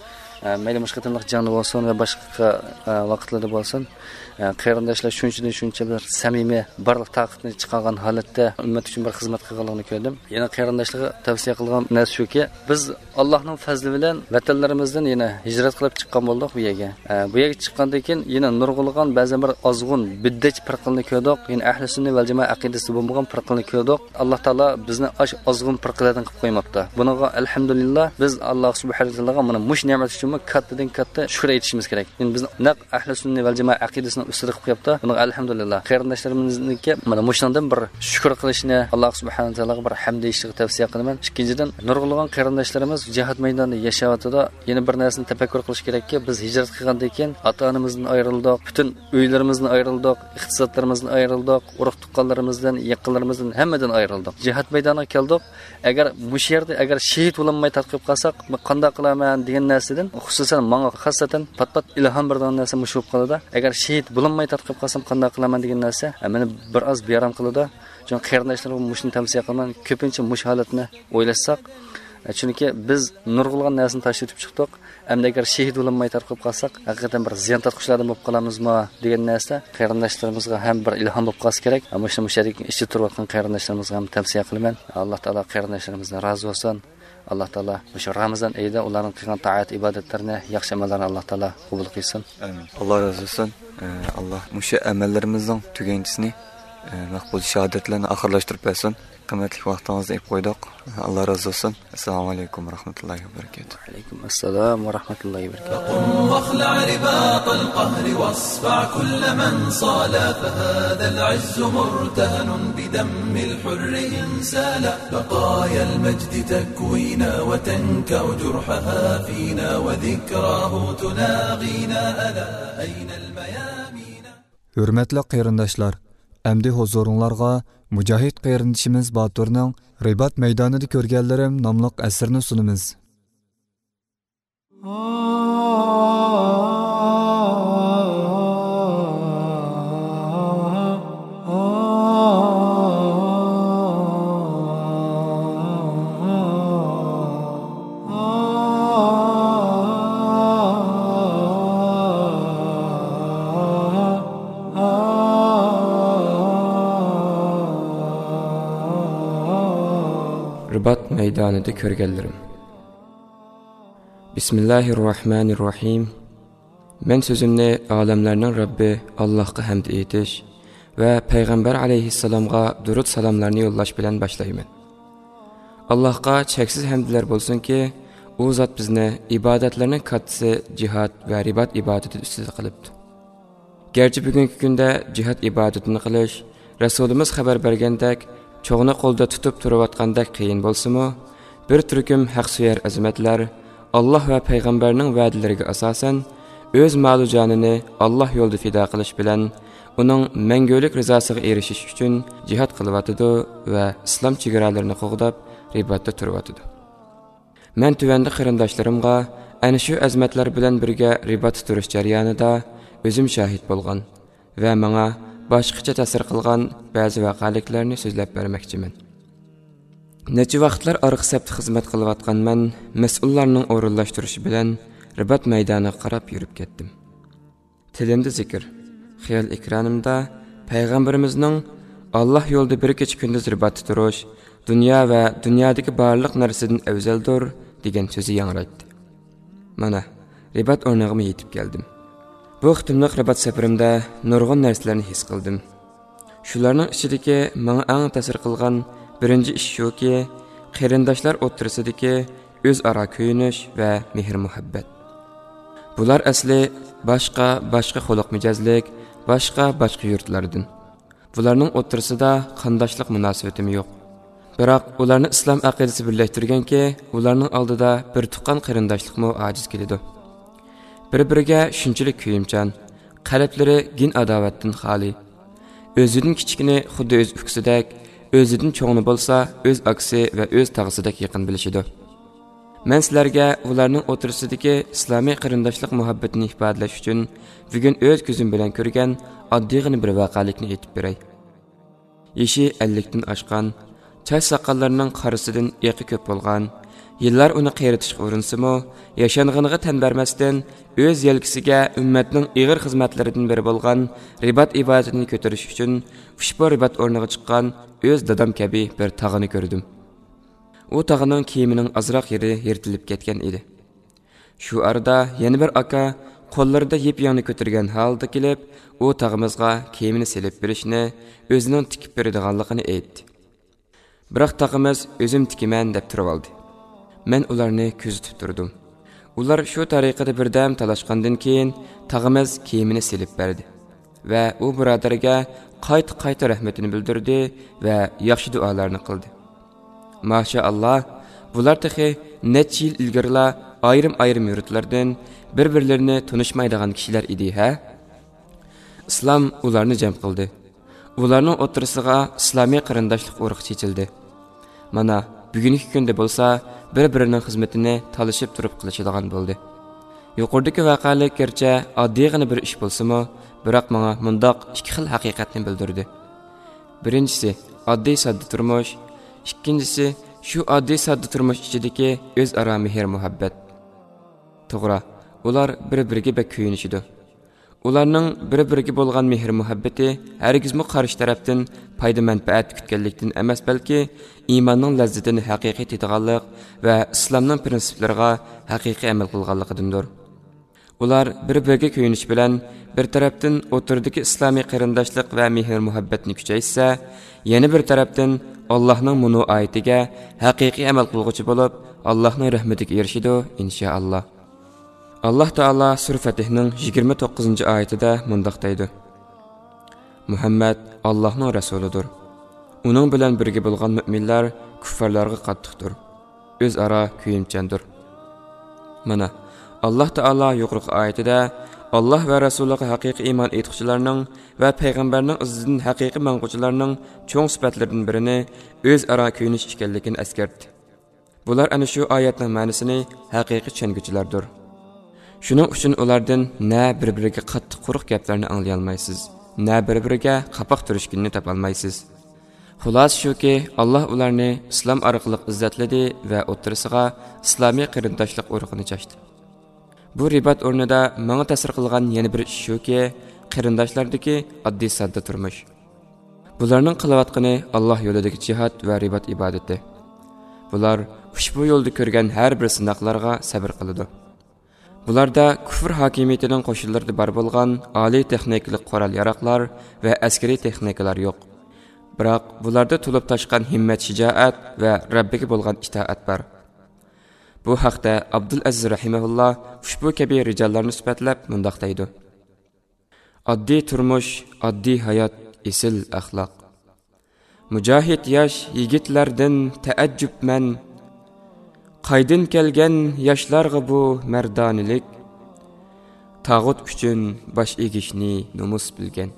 ئە، مەيلى مۇشۇ قېتىملىق جەڭدە بولسۇن ۋە باشقا، ئە، ۋاقىتلاردا بولسۇن. ئە، قېرىنداشلار شۇنچىدىن شۇنچە بىر سەمىمىي، بارلىق تاقىتىنى چىقارغان ھالەتتە ئۈممەت ئۈچۈن بىر خىزمەت قىلغانلىقىنى كۆردۈم. يەنە قېرىنداشلارغا تەۋسىيە قىلغان نەرسە شۇكى، بىز ئاللانىڭ پەزلى بىلەن ۋەتەنلىرىمىزدىن يەنە ھىجرەت قىلىپ چىققان بولدۇق بۇ يەرگە. ئە، بۇ يەرگە چىققاندىن كېيىن يەنە نۇرغۇنلىغان بەزەن بىر ئازغۇن، بىددەچ پىرقىلىنى كۆردۇق. يەنە ئەھلى سۈننە ۋەل جامائە ئەقىدىسىدە بولمىغان پىرقىلىنى كۆردۇق. ئاللا تائالا بىزنى ئاش ئازغۇن پىرقىلەردىن قىلىپ قويماپتۇ. بۇنىڭغا ئەلھەمدۇلىللا، بىز ئاللا سۇبھانەھۇ ۋە تائالاغا مانا مۇشۇ نېمەت ئۈچۈنمۇ كاتتىدىن كاتتا شۈكۈر ئېيتىشىمىز كېرەك. يەنى بىز نەق ئەھلى سۈننە ۋەل جامائە ئەقىدىسىنىڭ ئۈستىدە قىلىپ قويۇپتۇ. بۇنىڭغا ئەلھەمدۇلىللا. قېرىنداشلىرىمىزنىڭكى مانا مۇشۇنىڭدىن بىر شۈكۈر قىلىشنى، ئاللا سۇبھانەھۇ ۋە تائالاغا بىر ھەمد ئېيتىشىغا تەۋسىيە قىلىمەن. ئىككىنچىدىن، نۇرغۇنلىغان قېرىنداشلىرىمىز جىھاد مەيدانىدا ياشاۋاتىدۇ. يەنە بىر نەرسىنى تەپەككۇر قىلىش كېرەككى، بىز ھىجرەت قىلغاندىن كېيىن ئاتا-ئانىمىزدىن ئايرىلدۇق، پۈتۈن ئۆيلىرىمىزدىن ئايرىلدۇق، ئىقتىسادلىرىمىزدىن ئايرىلدۇق، ئۇرۇق-تۇغقانلىرىمىزدىن، يېقىنلىرىمىزدىن، ھەممىدىن ئايرىلدۇق. جىھاد مەيدانىغا كەلدۇق. ئەگەر مۇشۇ يەردە ئەگەر شېھىت بولالماي تارتىپ قالساق، مەن قانداق قىلارمەن دېگەن نەرسىدىن، خۇسۇسەن ماڭا خاسسەتەن پات-پات ئىلھام بېرىدىغان نەرسە مۇشۇ بولۇپ قالىدۇ. ئەگەر شېھىت بولالماي تارتىپ قالسام قانداق قىلارمەن دېگەن نەرسە، ئە، مېنى بىر ئاز بىئارام قىلىدۇ. چۈنكى قېرىنداشلارغا مۇشۇنى تەۋسىيە قىلىمەن، كۆپىنچە مۇشۇ ھالەتنى ئويلاشساق، ئە، چۈنكى بىز نۇرغۇنلىغان نەرسىنى تاشلىۋېتىپ چىقتۇق. ئەمدى ئەگەر شېھىت بولالماي تارقىلىپ قالساق، ھەقىقەتەن بىر زىيان تارتقۇچىلاردىن بولۇپ قالامىزمۇ دېگەن نەرسە قېرىنداشلىرىمىزغا ھەم بىر ئىلھام بولۇپ قالسا كېرەك. مۇشۇ، مۇشۇ يەردىكى ئىچىدە تۇرۇۋاتقان قېرىنداشلىرىمىزغا ھەم تەۋسىيە قىلىمەن. ئاللا تائالا قېرىنداشلىرىمىزدىن رازى بولسۇن. ئاللا تائالا مۇشۇ رامىزان ئېيىدا ئۇلارنىڭ قىلغان تائەت ئىبادەتلىرىنى، ياخشى ئەمەللەرنى ئاللا تائالا قوبۇل قىلسۇن. ئامىن. ئاللا رازى بولسۇن. ئە، ئاللا مۇشۇ ئەمەللىرىمىزنىڭ تۈگەنچىسىنى، ئە، مەقبۇل شاھادەت بىلەن ئاخىرلاشتۇرۇپ بەرسۇن. قىممەتلىك ۋاقتىڭىزنى ئېلىپ قويدۇق. ئاللا رازى بولسۇن. ئەسسالامۇ ئەلەيكۇم ۋە رەھمەتۇللاھى ۋە بەرىكاتۇھ. ۋەئەلەيكۇم ئەسسالام ۋە رەھمەتۇللاھى ۋە بەرىكاتۇھ. فقم واخلع رباط القهر واصفع كل من صالى، فهذا العز مرتهن بدم الحر إن سال. بقايا المجد تكوينا وتنكأ جرحها فينا، وذكراه تناغينا، ألا أين الميامين؟ ھۆرمەتلىك قېرىنداشلار، ئەمدى ھۇزۇرۇڭلارغا مۇجاھىد قېرىندىشىمىز باتۇرنىڭ رىبات مەيدانىدا كۆرگەنلىرىم ناملىق ئەسىرىنى سۇنىمىز. رىبات مەيدانىدا كۆرگەنلىرىم. بىسمىللاھىررەھمانىررەھىم. مەن سۆزۈمنى ئالەملەرنىڭ رەببى ئاللاھقا ھەمد ئېيتىش ۋە پەيغەمبەر ئەلەيھىسسالامغا دۇرۇت سالاملارنى يوللاش بىلەن باشلايمەن. ئاللاھقا چەكسىز ھەمدلەر بولسۇنكى، ئۇ زات بىزنى ئىبادەتلەرنىڭ كاتتىسى جىھاد ۋە رىبات ئىبادىتى ئۈستىدە قىلىپتۇ. گەرچە بۈگۈنكى كۈندە جىھاد ئىبادىتىنى قىلىش، رەسۇلىمىز خەۋەر بەرگەندەك، چوغنى قولدا تۇتۇپ تۇرۇۋاتقاندەك قىيىن بولسىمۇ، بىر تۈركۈم ھەقسۆيەر ئەزىمەتلەر ئاللاھ ۋە پەيغەمبەرنىڭ ۋەدىلىرىگە ئاساسەن، ئۆز مالۇ جانىنى ئاللاھ يولىدا پىدا قىلىش بىلەن، ئۇنىڭ مەڭگۈلۈك رىزاسىغا ئېرىشىش ئۈچۈن جىھاد قىلىۋاتىدۇ ۋە ئىسلام چېگرالىرىنى قوغداپ، رىباتتا تۇرۇۋاتىدۇ. مەن تۆۋەندە قېرىنداشلىرىمغا ئەنە شۇ ئەزىمەتلەر بىلەن بىرگە رىباتتا تۇرۇش جەريانىدا ئۆزۈم شاھىت بولغان ۋە ماڭا باشقىچە تەسىر قىلغان بەزى ۋەقەلىكلەرنى سۆزلەپ بەرمەكچىمەن. نەچچە ۋاقىتلار ئارقا سەپتە خىزمەت قىلىۋاتقان مەن مەسئۇللارنىڭ ئورۇنلاشتۇرۇشى بىلەن رىبات مەيدانىغا قاراپ يۈرۈپ كەتتىم. تىلىمدا زىكىر، خىيال ئېكرانىمدا پەيغەمبىرىمىزنىڭ «ئاللاھ يولىدا بىر كېچە-كۈندۈز رىباتتا تۇرۇش دۇنيا ۋە دۇنيادىكى بارلىق نەرسىدىن ئەۋزەلدۇر» دېگەن سۆزى ياڭرايتتى. مانا، رىبات ئورنىغىمۇ يېتىپ كەلدىم. بۇ قېتىملىق رىبات سەپىرىمدە نۇرغۇن نەرسىلەرنى ھېس قىلدىم. شۇلارنىڭ ئىچىدىكى ماڭا ئەڭ تەسىر قىلغان بىرىنچى ئىش شۇكى، قېرىنداشلار ئوتتۇرىسىدىكى ئۆزئارا كۆيۈنۈش ۋە مېھىر-مۇھەببەت. بۇلار ئەسلى باشقا، باشقا خۇلق-مىجەزلىك، باشقا، باشقا يۇرتلاردىن. بۇلارنىڭ ئوتتۇرىسىدا قانداشلىق مۇناسىۋىتىمۇ يوق. بىراق ئۇلارنى ئىسلام ئەقىدىسى بىرلەشتۈرگەنكى، ئۇلارنىڭ ئالدىدا بىر تۇغقان قېرىنداشلىقمۇ ئاجىز كېلىدۇ. بىر-بىرىگە شۇنچىلىك كۆيۈمچان، قەلبلىرى گىن ئاداۋەتتىن خالىي. ئۆزىدىن كىچىكنى خۇددى ئۆز ئۇكىسىدەك، ئۆزىدىن چوڭنى بولسا ئۆز ئاكىسى ۋە ئۆز تاغىسىدەك يېقىن بىلىشىدۇ. مەن سىلەرگە ئۇلارنىڭ ئوتتۇرىسىدىكى ئىسلامىي قېرىنداشلىق مۇھەببىتىنى ئىپادىلەش ئۈچۈن بۈگۈن ئۆز كۆزۈم بىلەن كۆرگەن ئاددىيغىنە بىر ۋەقەلىكنى ئېيتىپ بېرەي. يېشى ئەللىكتىن ئاشقان، چاچ ساقاللىرىنىڭ قارىسىدىن ئېقى كۆپ بولغان، يىللار ئۇنى قېرىتىشقا ئۇرۇنسىمۇ، ياشانغىنىغا تەن بەرمەستىن، ئۆز يەلكىسىگە ئۈممەتنىڭ ئېغىر خىزمەتلىرىدىن بىرى بولغان رىبات ئىبادىتىنى كۆتۈرۈش ئۈچۈن ئۇشبۇ رىبات ئورنىغا چىققان ئۆز دادام كەبى بىر تاغىنى كۆردۈم. ئۇ تاغنىڭ كىيىمىنىڭ ئازراق يېرى يىرتىلىپ كەتكەن ئىدى. شۇ ئارىدا يەنە بىر ئاكا قوللىرىدا يىپ يەڭنى كۆتۈرگەن ھالدا كېلىپ، ئۇ تاغىمىزغا كىيىمىنى سېلىپ بېرىشنى، ئۆزىنىڭ تىكىپ بېرىدىغانلىقىنى ئېيتتى. بىراق تاغىمىز ئۆزۈم تىكىمەن دەپ تۇرۇۋالدى. مەن ئۇلارنى كۆزىتىپ تۇردۇم. ئۇلار شۇ تەرىقىدە بىردەم تالاشقاندىن كېيىن، تاغىمىز كىيىمىنى سېلىپ بەردى ۋە ئۇ بۇرادەرگە قايتا-قايتا رەھمىتىنى بىلدۈردى ۋە ياخشى دۇئالارنى قىلدى. ماشائاللا، بۇلار تېخى نەچچە يىل ئىلگىرىلا ئايرىم-ئايرىم يۇرتلاردىن بىر-بىرلىرىنى تونۇشمايدىغان كىشىلەر ئىدى ھە؟ ئىسلام ئۇلارنى جەم قىلدى. ئۇلارنىڭ ئوتتۇرىسىغا ئىسلامىي قېرىنداشلىق ئۇرۇقى چېچىلدى. مانا، بۈگۈنكى كۈندە بولسا بىر-بىرىنىڭ خىزمىتىنى تالىشىپ تۇرۇپ قىلىشىدىغان بولدى. يۇقىرىدىكى ۋەقەلىك گەرچە ئاددىيغىنە بىر ئىش بولسىمۇ، بىراق ماڭا مۇنداق ئىككى خىل ھەقىقەتنى بىلدۈردى. بىرىنچىسى، ئاددىي ساددا تۇرمۇش. ئىككىنچىسى، شۇ ئاددىي ساددا تۇرمۇش ئىچىدىكى ئۆزئارا مېھىر-مۇھەببەت. توغرا، ئۇلار بىر-بىرىگە بەك كۆيۈنۈشىدۇ. ئۇلارنىڭ بىر-بىرىگە بولغان مېھىر-مۇھەببىتى ھەرگىزمۇ قارشى تەرەپتىن پايدا-مەنپەئەت كۈتكەنلىكتىن ئەمەس، بەلكى ئىماننىڭ لەززىتىنى ھەقىقىي تېتىغانلىق ۋە ئىسلامنىڭ پىرىنسىپلىرىغا ھەقىقىي ئەمەل قىلغانلىقىدىندۇر. ئۇلار بىر-بىرىگە كۆيۈنۈش بىلەن بىر تەرەپتىن ئوتتۇرىدىكى ئىسلامىي قېرىنداشلىق ۋە مېھىر-مۇھەببەتنى كۈچەيتسە، يەنە بىر تەرەپتىن ئاللاھنىڭ مۇنۇ ئايىتىگە ھەقىقىي ئەمەل قىلغۇچى بولۇپ، ئاللاھنىڭ رەھمىتىگە ئېرىشىدۇ، ئىنشائاللا. ئاللاھ تائالا سۈرە فەتھنىڭ يىگىرمە توققۇزىنچى ئايىتىدە مۇنداق دەيدۇ: مۇھەممەد ئاللاھنىڭ رەسۇلىدۇر. ئۇنىڭ بىلەن بىرگە بولغان مۆمىنلەر كۇففارلارغا قاتتىقتۇر، ئۆزئارا كۆيۈمچاندۇر. مانا، ئاللاھ تائالا يۇقىرىقى ئايىتىدە ئاللاھ ۋە رەسۇلىغا ھەقىقىي ئىمان ئېيتقۇچىلارنىڭ ۋە پەيغەمبەرنىڭ ئىزىدىن ھەقىقىي ماڭغۇچىلارنىڭ چوڭ سۈپەتلىرىدىن بىرىنى ئۆزئارا كۆيۈنۈش ئىكەنلىكىنى ئەسكەرتتى. بۇلار ئەنە شۇ ئايەتنىڭ مەنىسىنى ھەقىقىي چۈشەنگۈچىلەردۇر. شۇنىڭ ئۈچۈن ئۇلاردىن نە بىر-بىرىگە قاتتىق قۇرۇق گەپلەرنى ئاڭلىيالمايسىز، نە بىر-بىرىگە قاپاق تۈرۈشكىنىنى تاپالمايسىز. خۇلاسە شۇكى، ئاللاھ ئۇلارنى ئىسلام ئارقىلىق ئىززەتلىدى ۋە ئوتتۇرىسىغا ئىسلامىي قېرىنداشلىق ئۇرۇقىنى چاچتى. بۇ رىبات ئورنىدا ماڭا تەسىر قىلغان يەنە بىر ئىش شۇكى، قېرىنداشلاردىكى ئاددىي ساددا تۇرمۇش. بۇلارنىڭ قىلىۋاتقىنى ئاللاھ يولىدىكى جىھاد ۋە رىبات ئىبادىتى. بۇلار ئۇشبۇ يولدا كۆرگەن ھەر بىر سىناقلارغا سەبرى قىلىدۇ. بۇلاردا كۇفر ھاكىمىيىتىنىڭ قوشۇنلىرىدا بار بولغان ئالىي تېخنىكىلىق قورال-ياراغلار ۋە ئەسكىرىي تېخنىكىلار يوق. بىراق بۇلاردا تولۇپ تاشقان ھىممەت-شىجائەت ۋە رەببىگە بولغان ئىتائەت بار. بۇ ھەقتە ئابدۇلئەزىز رەھىمەھۇللا ئۇشبۇ كەبى رىجاللارنى سۈپەتلەپ مۇنداق دەيدۇ: ئاددىي تۇرمۇش، ئاددىي ھايات، ئېسىل ئەخلاق. مۇجاھىد ياش يىگىتلەردىن تەئەججۈپمەن، قايدىن كەلگەن ياشلارغا بۇ مەردانىلىك، تاغۇت ئۈچۈن باش ئېگىشنى نومۇس بىلگەن.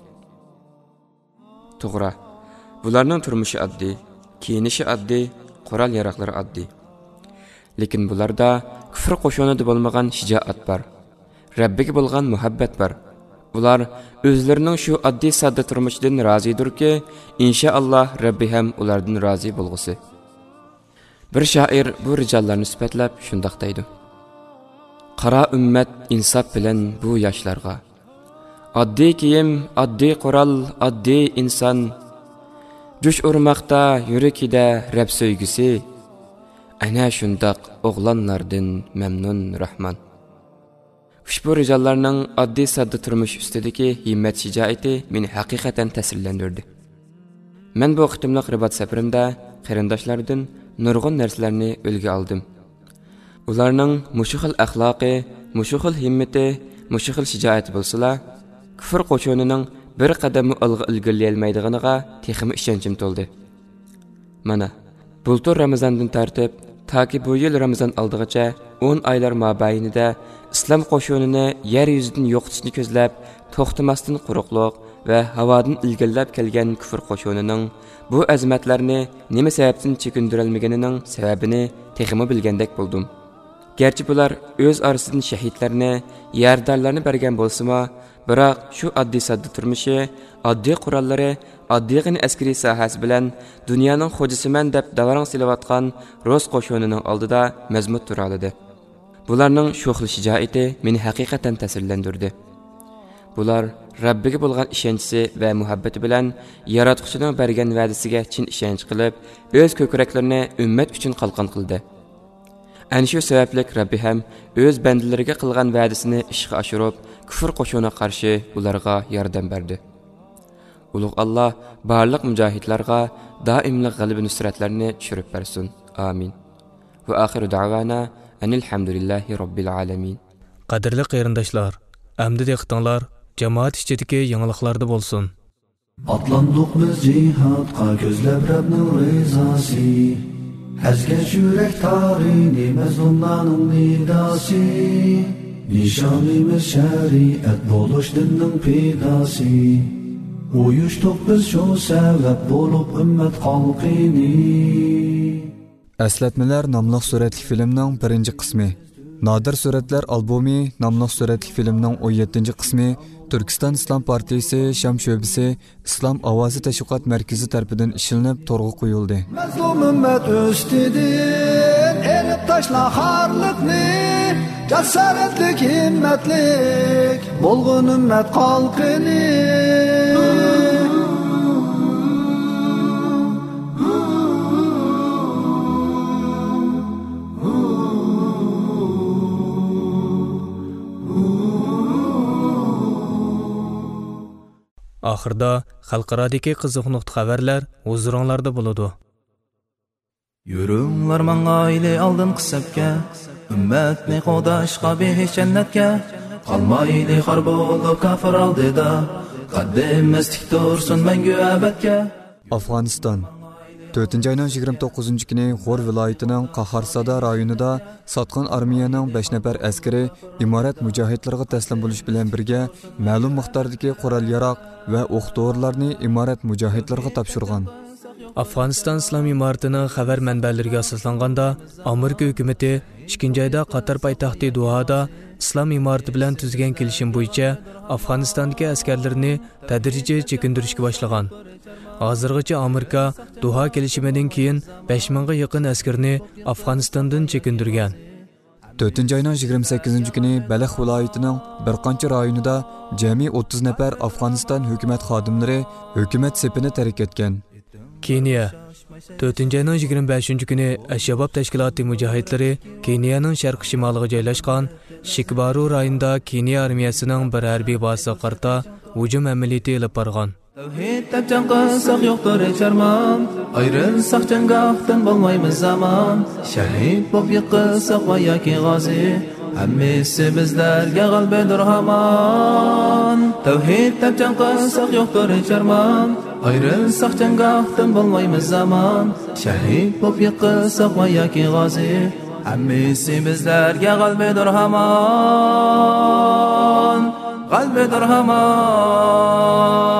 توغرا، بۇلارنىڭ تۇرمۇشى ئاددىي، كىيىنىشى ئاددىي، قورال-ياراغلىرى ئاددىي. لېكىن بۇلاردا كۇفر قوشۇنىدا بولمىغان شىجائەت بار، رەببىگە بولغان مۇھەببەت بار. ئۇلار ئۆزلىرىنىڭ شۇ ئاددىي-ساددا تۇرمۇشىدىن رازىدۇركى، ئىنشائاللا، رەببى ھەم ئۇلاردىن رازى بولغۇسى. بىر شائىر بۇ رىجاللارنى سۈپەتلەپ شۇنداق دەيدۇ: قارا ئۈممەت ئىنساپ بىلەن بۇ ياشلارغا، ئاددىي كىيىم، ئاددىي قورال، ئاددىي ئىنسان، جۇش ئۇرماقتا يۈرىكىدە رەب سۆيگۈسى، ئەنە شۇنداق ئوغلانلاردىن مەمنۇن راھمان. ئۇشبۇ رىجاللارنىڭ ئاددىي-ساددا تۇرمۇش ئۈستىدىكى ھىممەت-شىجائىتى مېنى ھەقىقەتەن تەسىرلەندۈردى. مەن بۇ قېتىملىق رىبات سەپىرىمدە قېرىنداشلاردىن نۇرغۇن نەرسىلەرنى ئۈلگە ئالدىم. ئۇلارنىڭ مۇشۇ خىل ئەخلاقى، مۇشۇ خىل ھىممىتى، مۇشۇ خىل شىجائىتى بولسىلا، كۇفر قوشۇنىنىڭ بىر قەدەممۇ ئالغا ئىلگىرىلىيەلمەيدىغىنىغا تېخىمۇ ئىشەنچىم تولدى. مانا، بۇلتۇر رامىزاندىن تارتىپ تاكى بۇ يىل رامىزان ئالدىغىچە ئون ئايلار مابەينىدە ئىسلام قوشۇنىنى يەر يۈزىدىن يوقىتىشنى كۆزلەپ، توختىماستىن قۇرۇقلۇق ۋە ھاۋادىن ئىلگىرىلەپ كەلگەن كۇفر قوشۇنىنىڭ بۇ ئەزىمەتلەرنى نېمە سەۋەبتىن چېكىندۈرەلمىگىنىنىڭ سەۋەبىنى تېخىمۇ بىلگەندەك بولدۇم. گەرچە بۇلار ئۆز ئارىسىدىن شەھىدلەرنى، يارىدارلارنى بەرگەن بولسىمۇ، بىراق شۇ ئاددىي-ساددا تۇرمۇشى، ئاددىي قوراللىرى، ئاددىيغىنە ئەسكىرىي ساھەسى بىلەن دۇنيانىڭ خوجىسىمەن دەپ داۋراڭ سېلىۋاتقان رۇس قوشۇنىنىڭ ئالدىدا مەزمۇت تۇرالىدى. بۇلارنىڭ شۇ خىل شىجائىتى مېنى ھەقىقەتەن تەسىرلەندۈردى. بۇلار رەببىگە بولغان ئىشەنچىسى ۋە مۇھەببىتى بىلەن ياراتقۇچىنىڭ بەرگەن ۋەدىسىگە چىن ئىشەنچ قىلىپ، ئۆز كۆكرەكلىرىنى ئۈممەت ئۈچۈن قالقان قىلدى. ئەنە شۇ سەۋەبلىك رەببى ھەم ئۆز بەندىلىرىگە قىلغان ۋەدىسىنى ئىشقا ئاشۇرۇپ، كۇفر قوشۇنىغا قارشى ئۇلارغا ياردەم بەردى. ئۇلۇغ ئاللا بارلىق مۇجاھىدلارغا دائىملىق غەلىبە نۇسرەتلەرنى چۈشۈرۈپ بەرسۇن. ئامىن. ۋە ئاخىرۇ دەۋانا ئەنىل ھەمدۇلىللاھى رەببىل ئالەمىن. قەدىرلىك قېرىنداشلار، ئەمدى دىققىتىڭلار جامائەت ئىچىدىكى يېڭىلىقلاردا بولسۇن. ئاتلاندۇق بىز جىھادقا كۆزلەپ رەبنىڭ رىزاسى. ئەزگەن يۈرەك تارىنى مەزلۇملارنىڭ نىداسى. نىشانىمىز شەرىئەت بولۇش دىننىڭ پىداسى. ئۇيۇشتۇق بىز شۇ سەۋەب بولۇپ ئۈممەت خەلقىنى. ئەسلەتمىلەر ناملىق سۈرەتلىك فىلىمنىڭ بىرىنچى قىسمى، نادىر سۈرەتلەر ئالبومى ناملىق سۈرەتلىك فىلىمنىڭ ئون يەتتىنچى قىسمى تۈركىستان ئىسلام پارتىيىسى شام شۆبىسى ئىسلام ئاۋازى تەشۋىقات مەركىزى تەرىپىدىن ئىشلىنىپ تورغا قويۇلدى. مەزلۇم ئۈممەت ئۈستىدىن ئېلىپ تاشلا خارلىقنى، جاسارەتلىك، ھىممەتلىك بولغىن ئۈممەت خەلقىنى. ئاخىردا خەلقئارادىكى قىزىق نۇقتا خەۋەرلەر ھۇزۇرۇڭلاردا بولىدۇ. يۈرۈڭلار ماڭايلى ئالدىنقى سەپكە، ئۈممەتنى قوغداشقا بېھىشت جەننەتكە. قالمايلى خار بولۇپ كاپىر ئالدىدا، قەددىمىز تىك تۇرسۇن مەڭگۈ ئەبەدكە. ئافغانىستان. تۆتىنچى ئاينىڭ يىگىرمە توققۇزىنچى كۈنى غور ۋىلايىتىنىڭ قاھارسادا رايونىدا ساتقىن ئارمىيەنىڭ بەش نەپەر ئەسكىرى ئىمارەت مۇجاھىدلىرىغا تەسلىم بولۇش بىلەن بىرگە، مەلۇم مىقداردىكى قورال-ياراغ ۋە ئوق-دورىلارنى ئىمارەت مۇجاھىدلىرىغا تاپشۇرغان. ئافغانىستان ئىسلام ئىمارىتىنىڭ خەۋەر مەنبەلىرىگە ئاساسلانغاندا، ئامېرىكا ھۆكۈمىتى ئىككىنچى ئايدا قاتار پايتەختى دوھادا ئىسلام ئىمارىتى بىلەن تۈزگەن كېلىشىم بويىچە ئافغانىستاندىكى ئەسكەرلىرىنى تەدرىجىي چېكىندۈرۈشكە باشلىغان. ھازىرغىچە ئامېرىكا دوھا كېلىشىمىدىن كېيىن بەش مىڭغا يېقىن ئەسكىرىنى ئافغانىستاندىن چېكىندۈرگەن. تۆتىنچى ئاينىڭ يىگىرمە سەككىزىنچى كۈنى بەلخ ۋىلايىتىنىڭ بىر قانچە رايونىدا جەمئىي ئوتتۇز نەپەر ئافغانىستان ھۆكۈمەت خادىملىرى ھۆكۈمەت سېپىنى تەرك ئەتكەن. كېنىيە. تۆتىنچى ئاينىڭ يىگىرمە بەشىنچى كۈنى ئەلشاباب تەشكىلاتى مۇجاھىدلىرى كېنىيەنىڭ شەرقىي شىمالىغا جايلاشقان شىكبارۇ رايونىدا كېنىيە ئارمىيەسىنىڭ بىر ھەربىي بازىسىغا قارىتا ھۇجۇم ئەمەلىيىتى ئېلىپ بارغان. تەۋھىد دەپ جەڭ قىلساق يوقتۇر ھېچ ئارمان، ئايرىلساق جەڭگاھتىن بولمايمىز ئامان. شەھىد بولۇپ يىقىلساق ۋە ياكى غازى، ھەممىسى بىزلەرگە غەلىبىدۇر ھامان. تەۋھىد دەپ جەڭ قىلساق يوقتۇر ھېچ ئارمان، ئايرىلساق جەڭگاھتىن بولمايمىز ئامان. شەھىد بولۇپ يىقىلساق ۋە ياكى غازى، ھەممىسى بىزلەرگە غەلىبىدۇر ھامان. غەلىبىدۇر ھامان.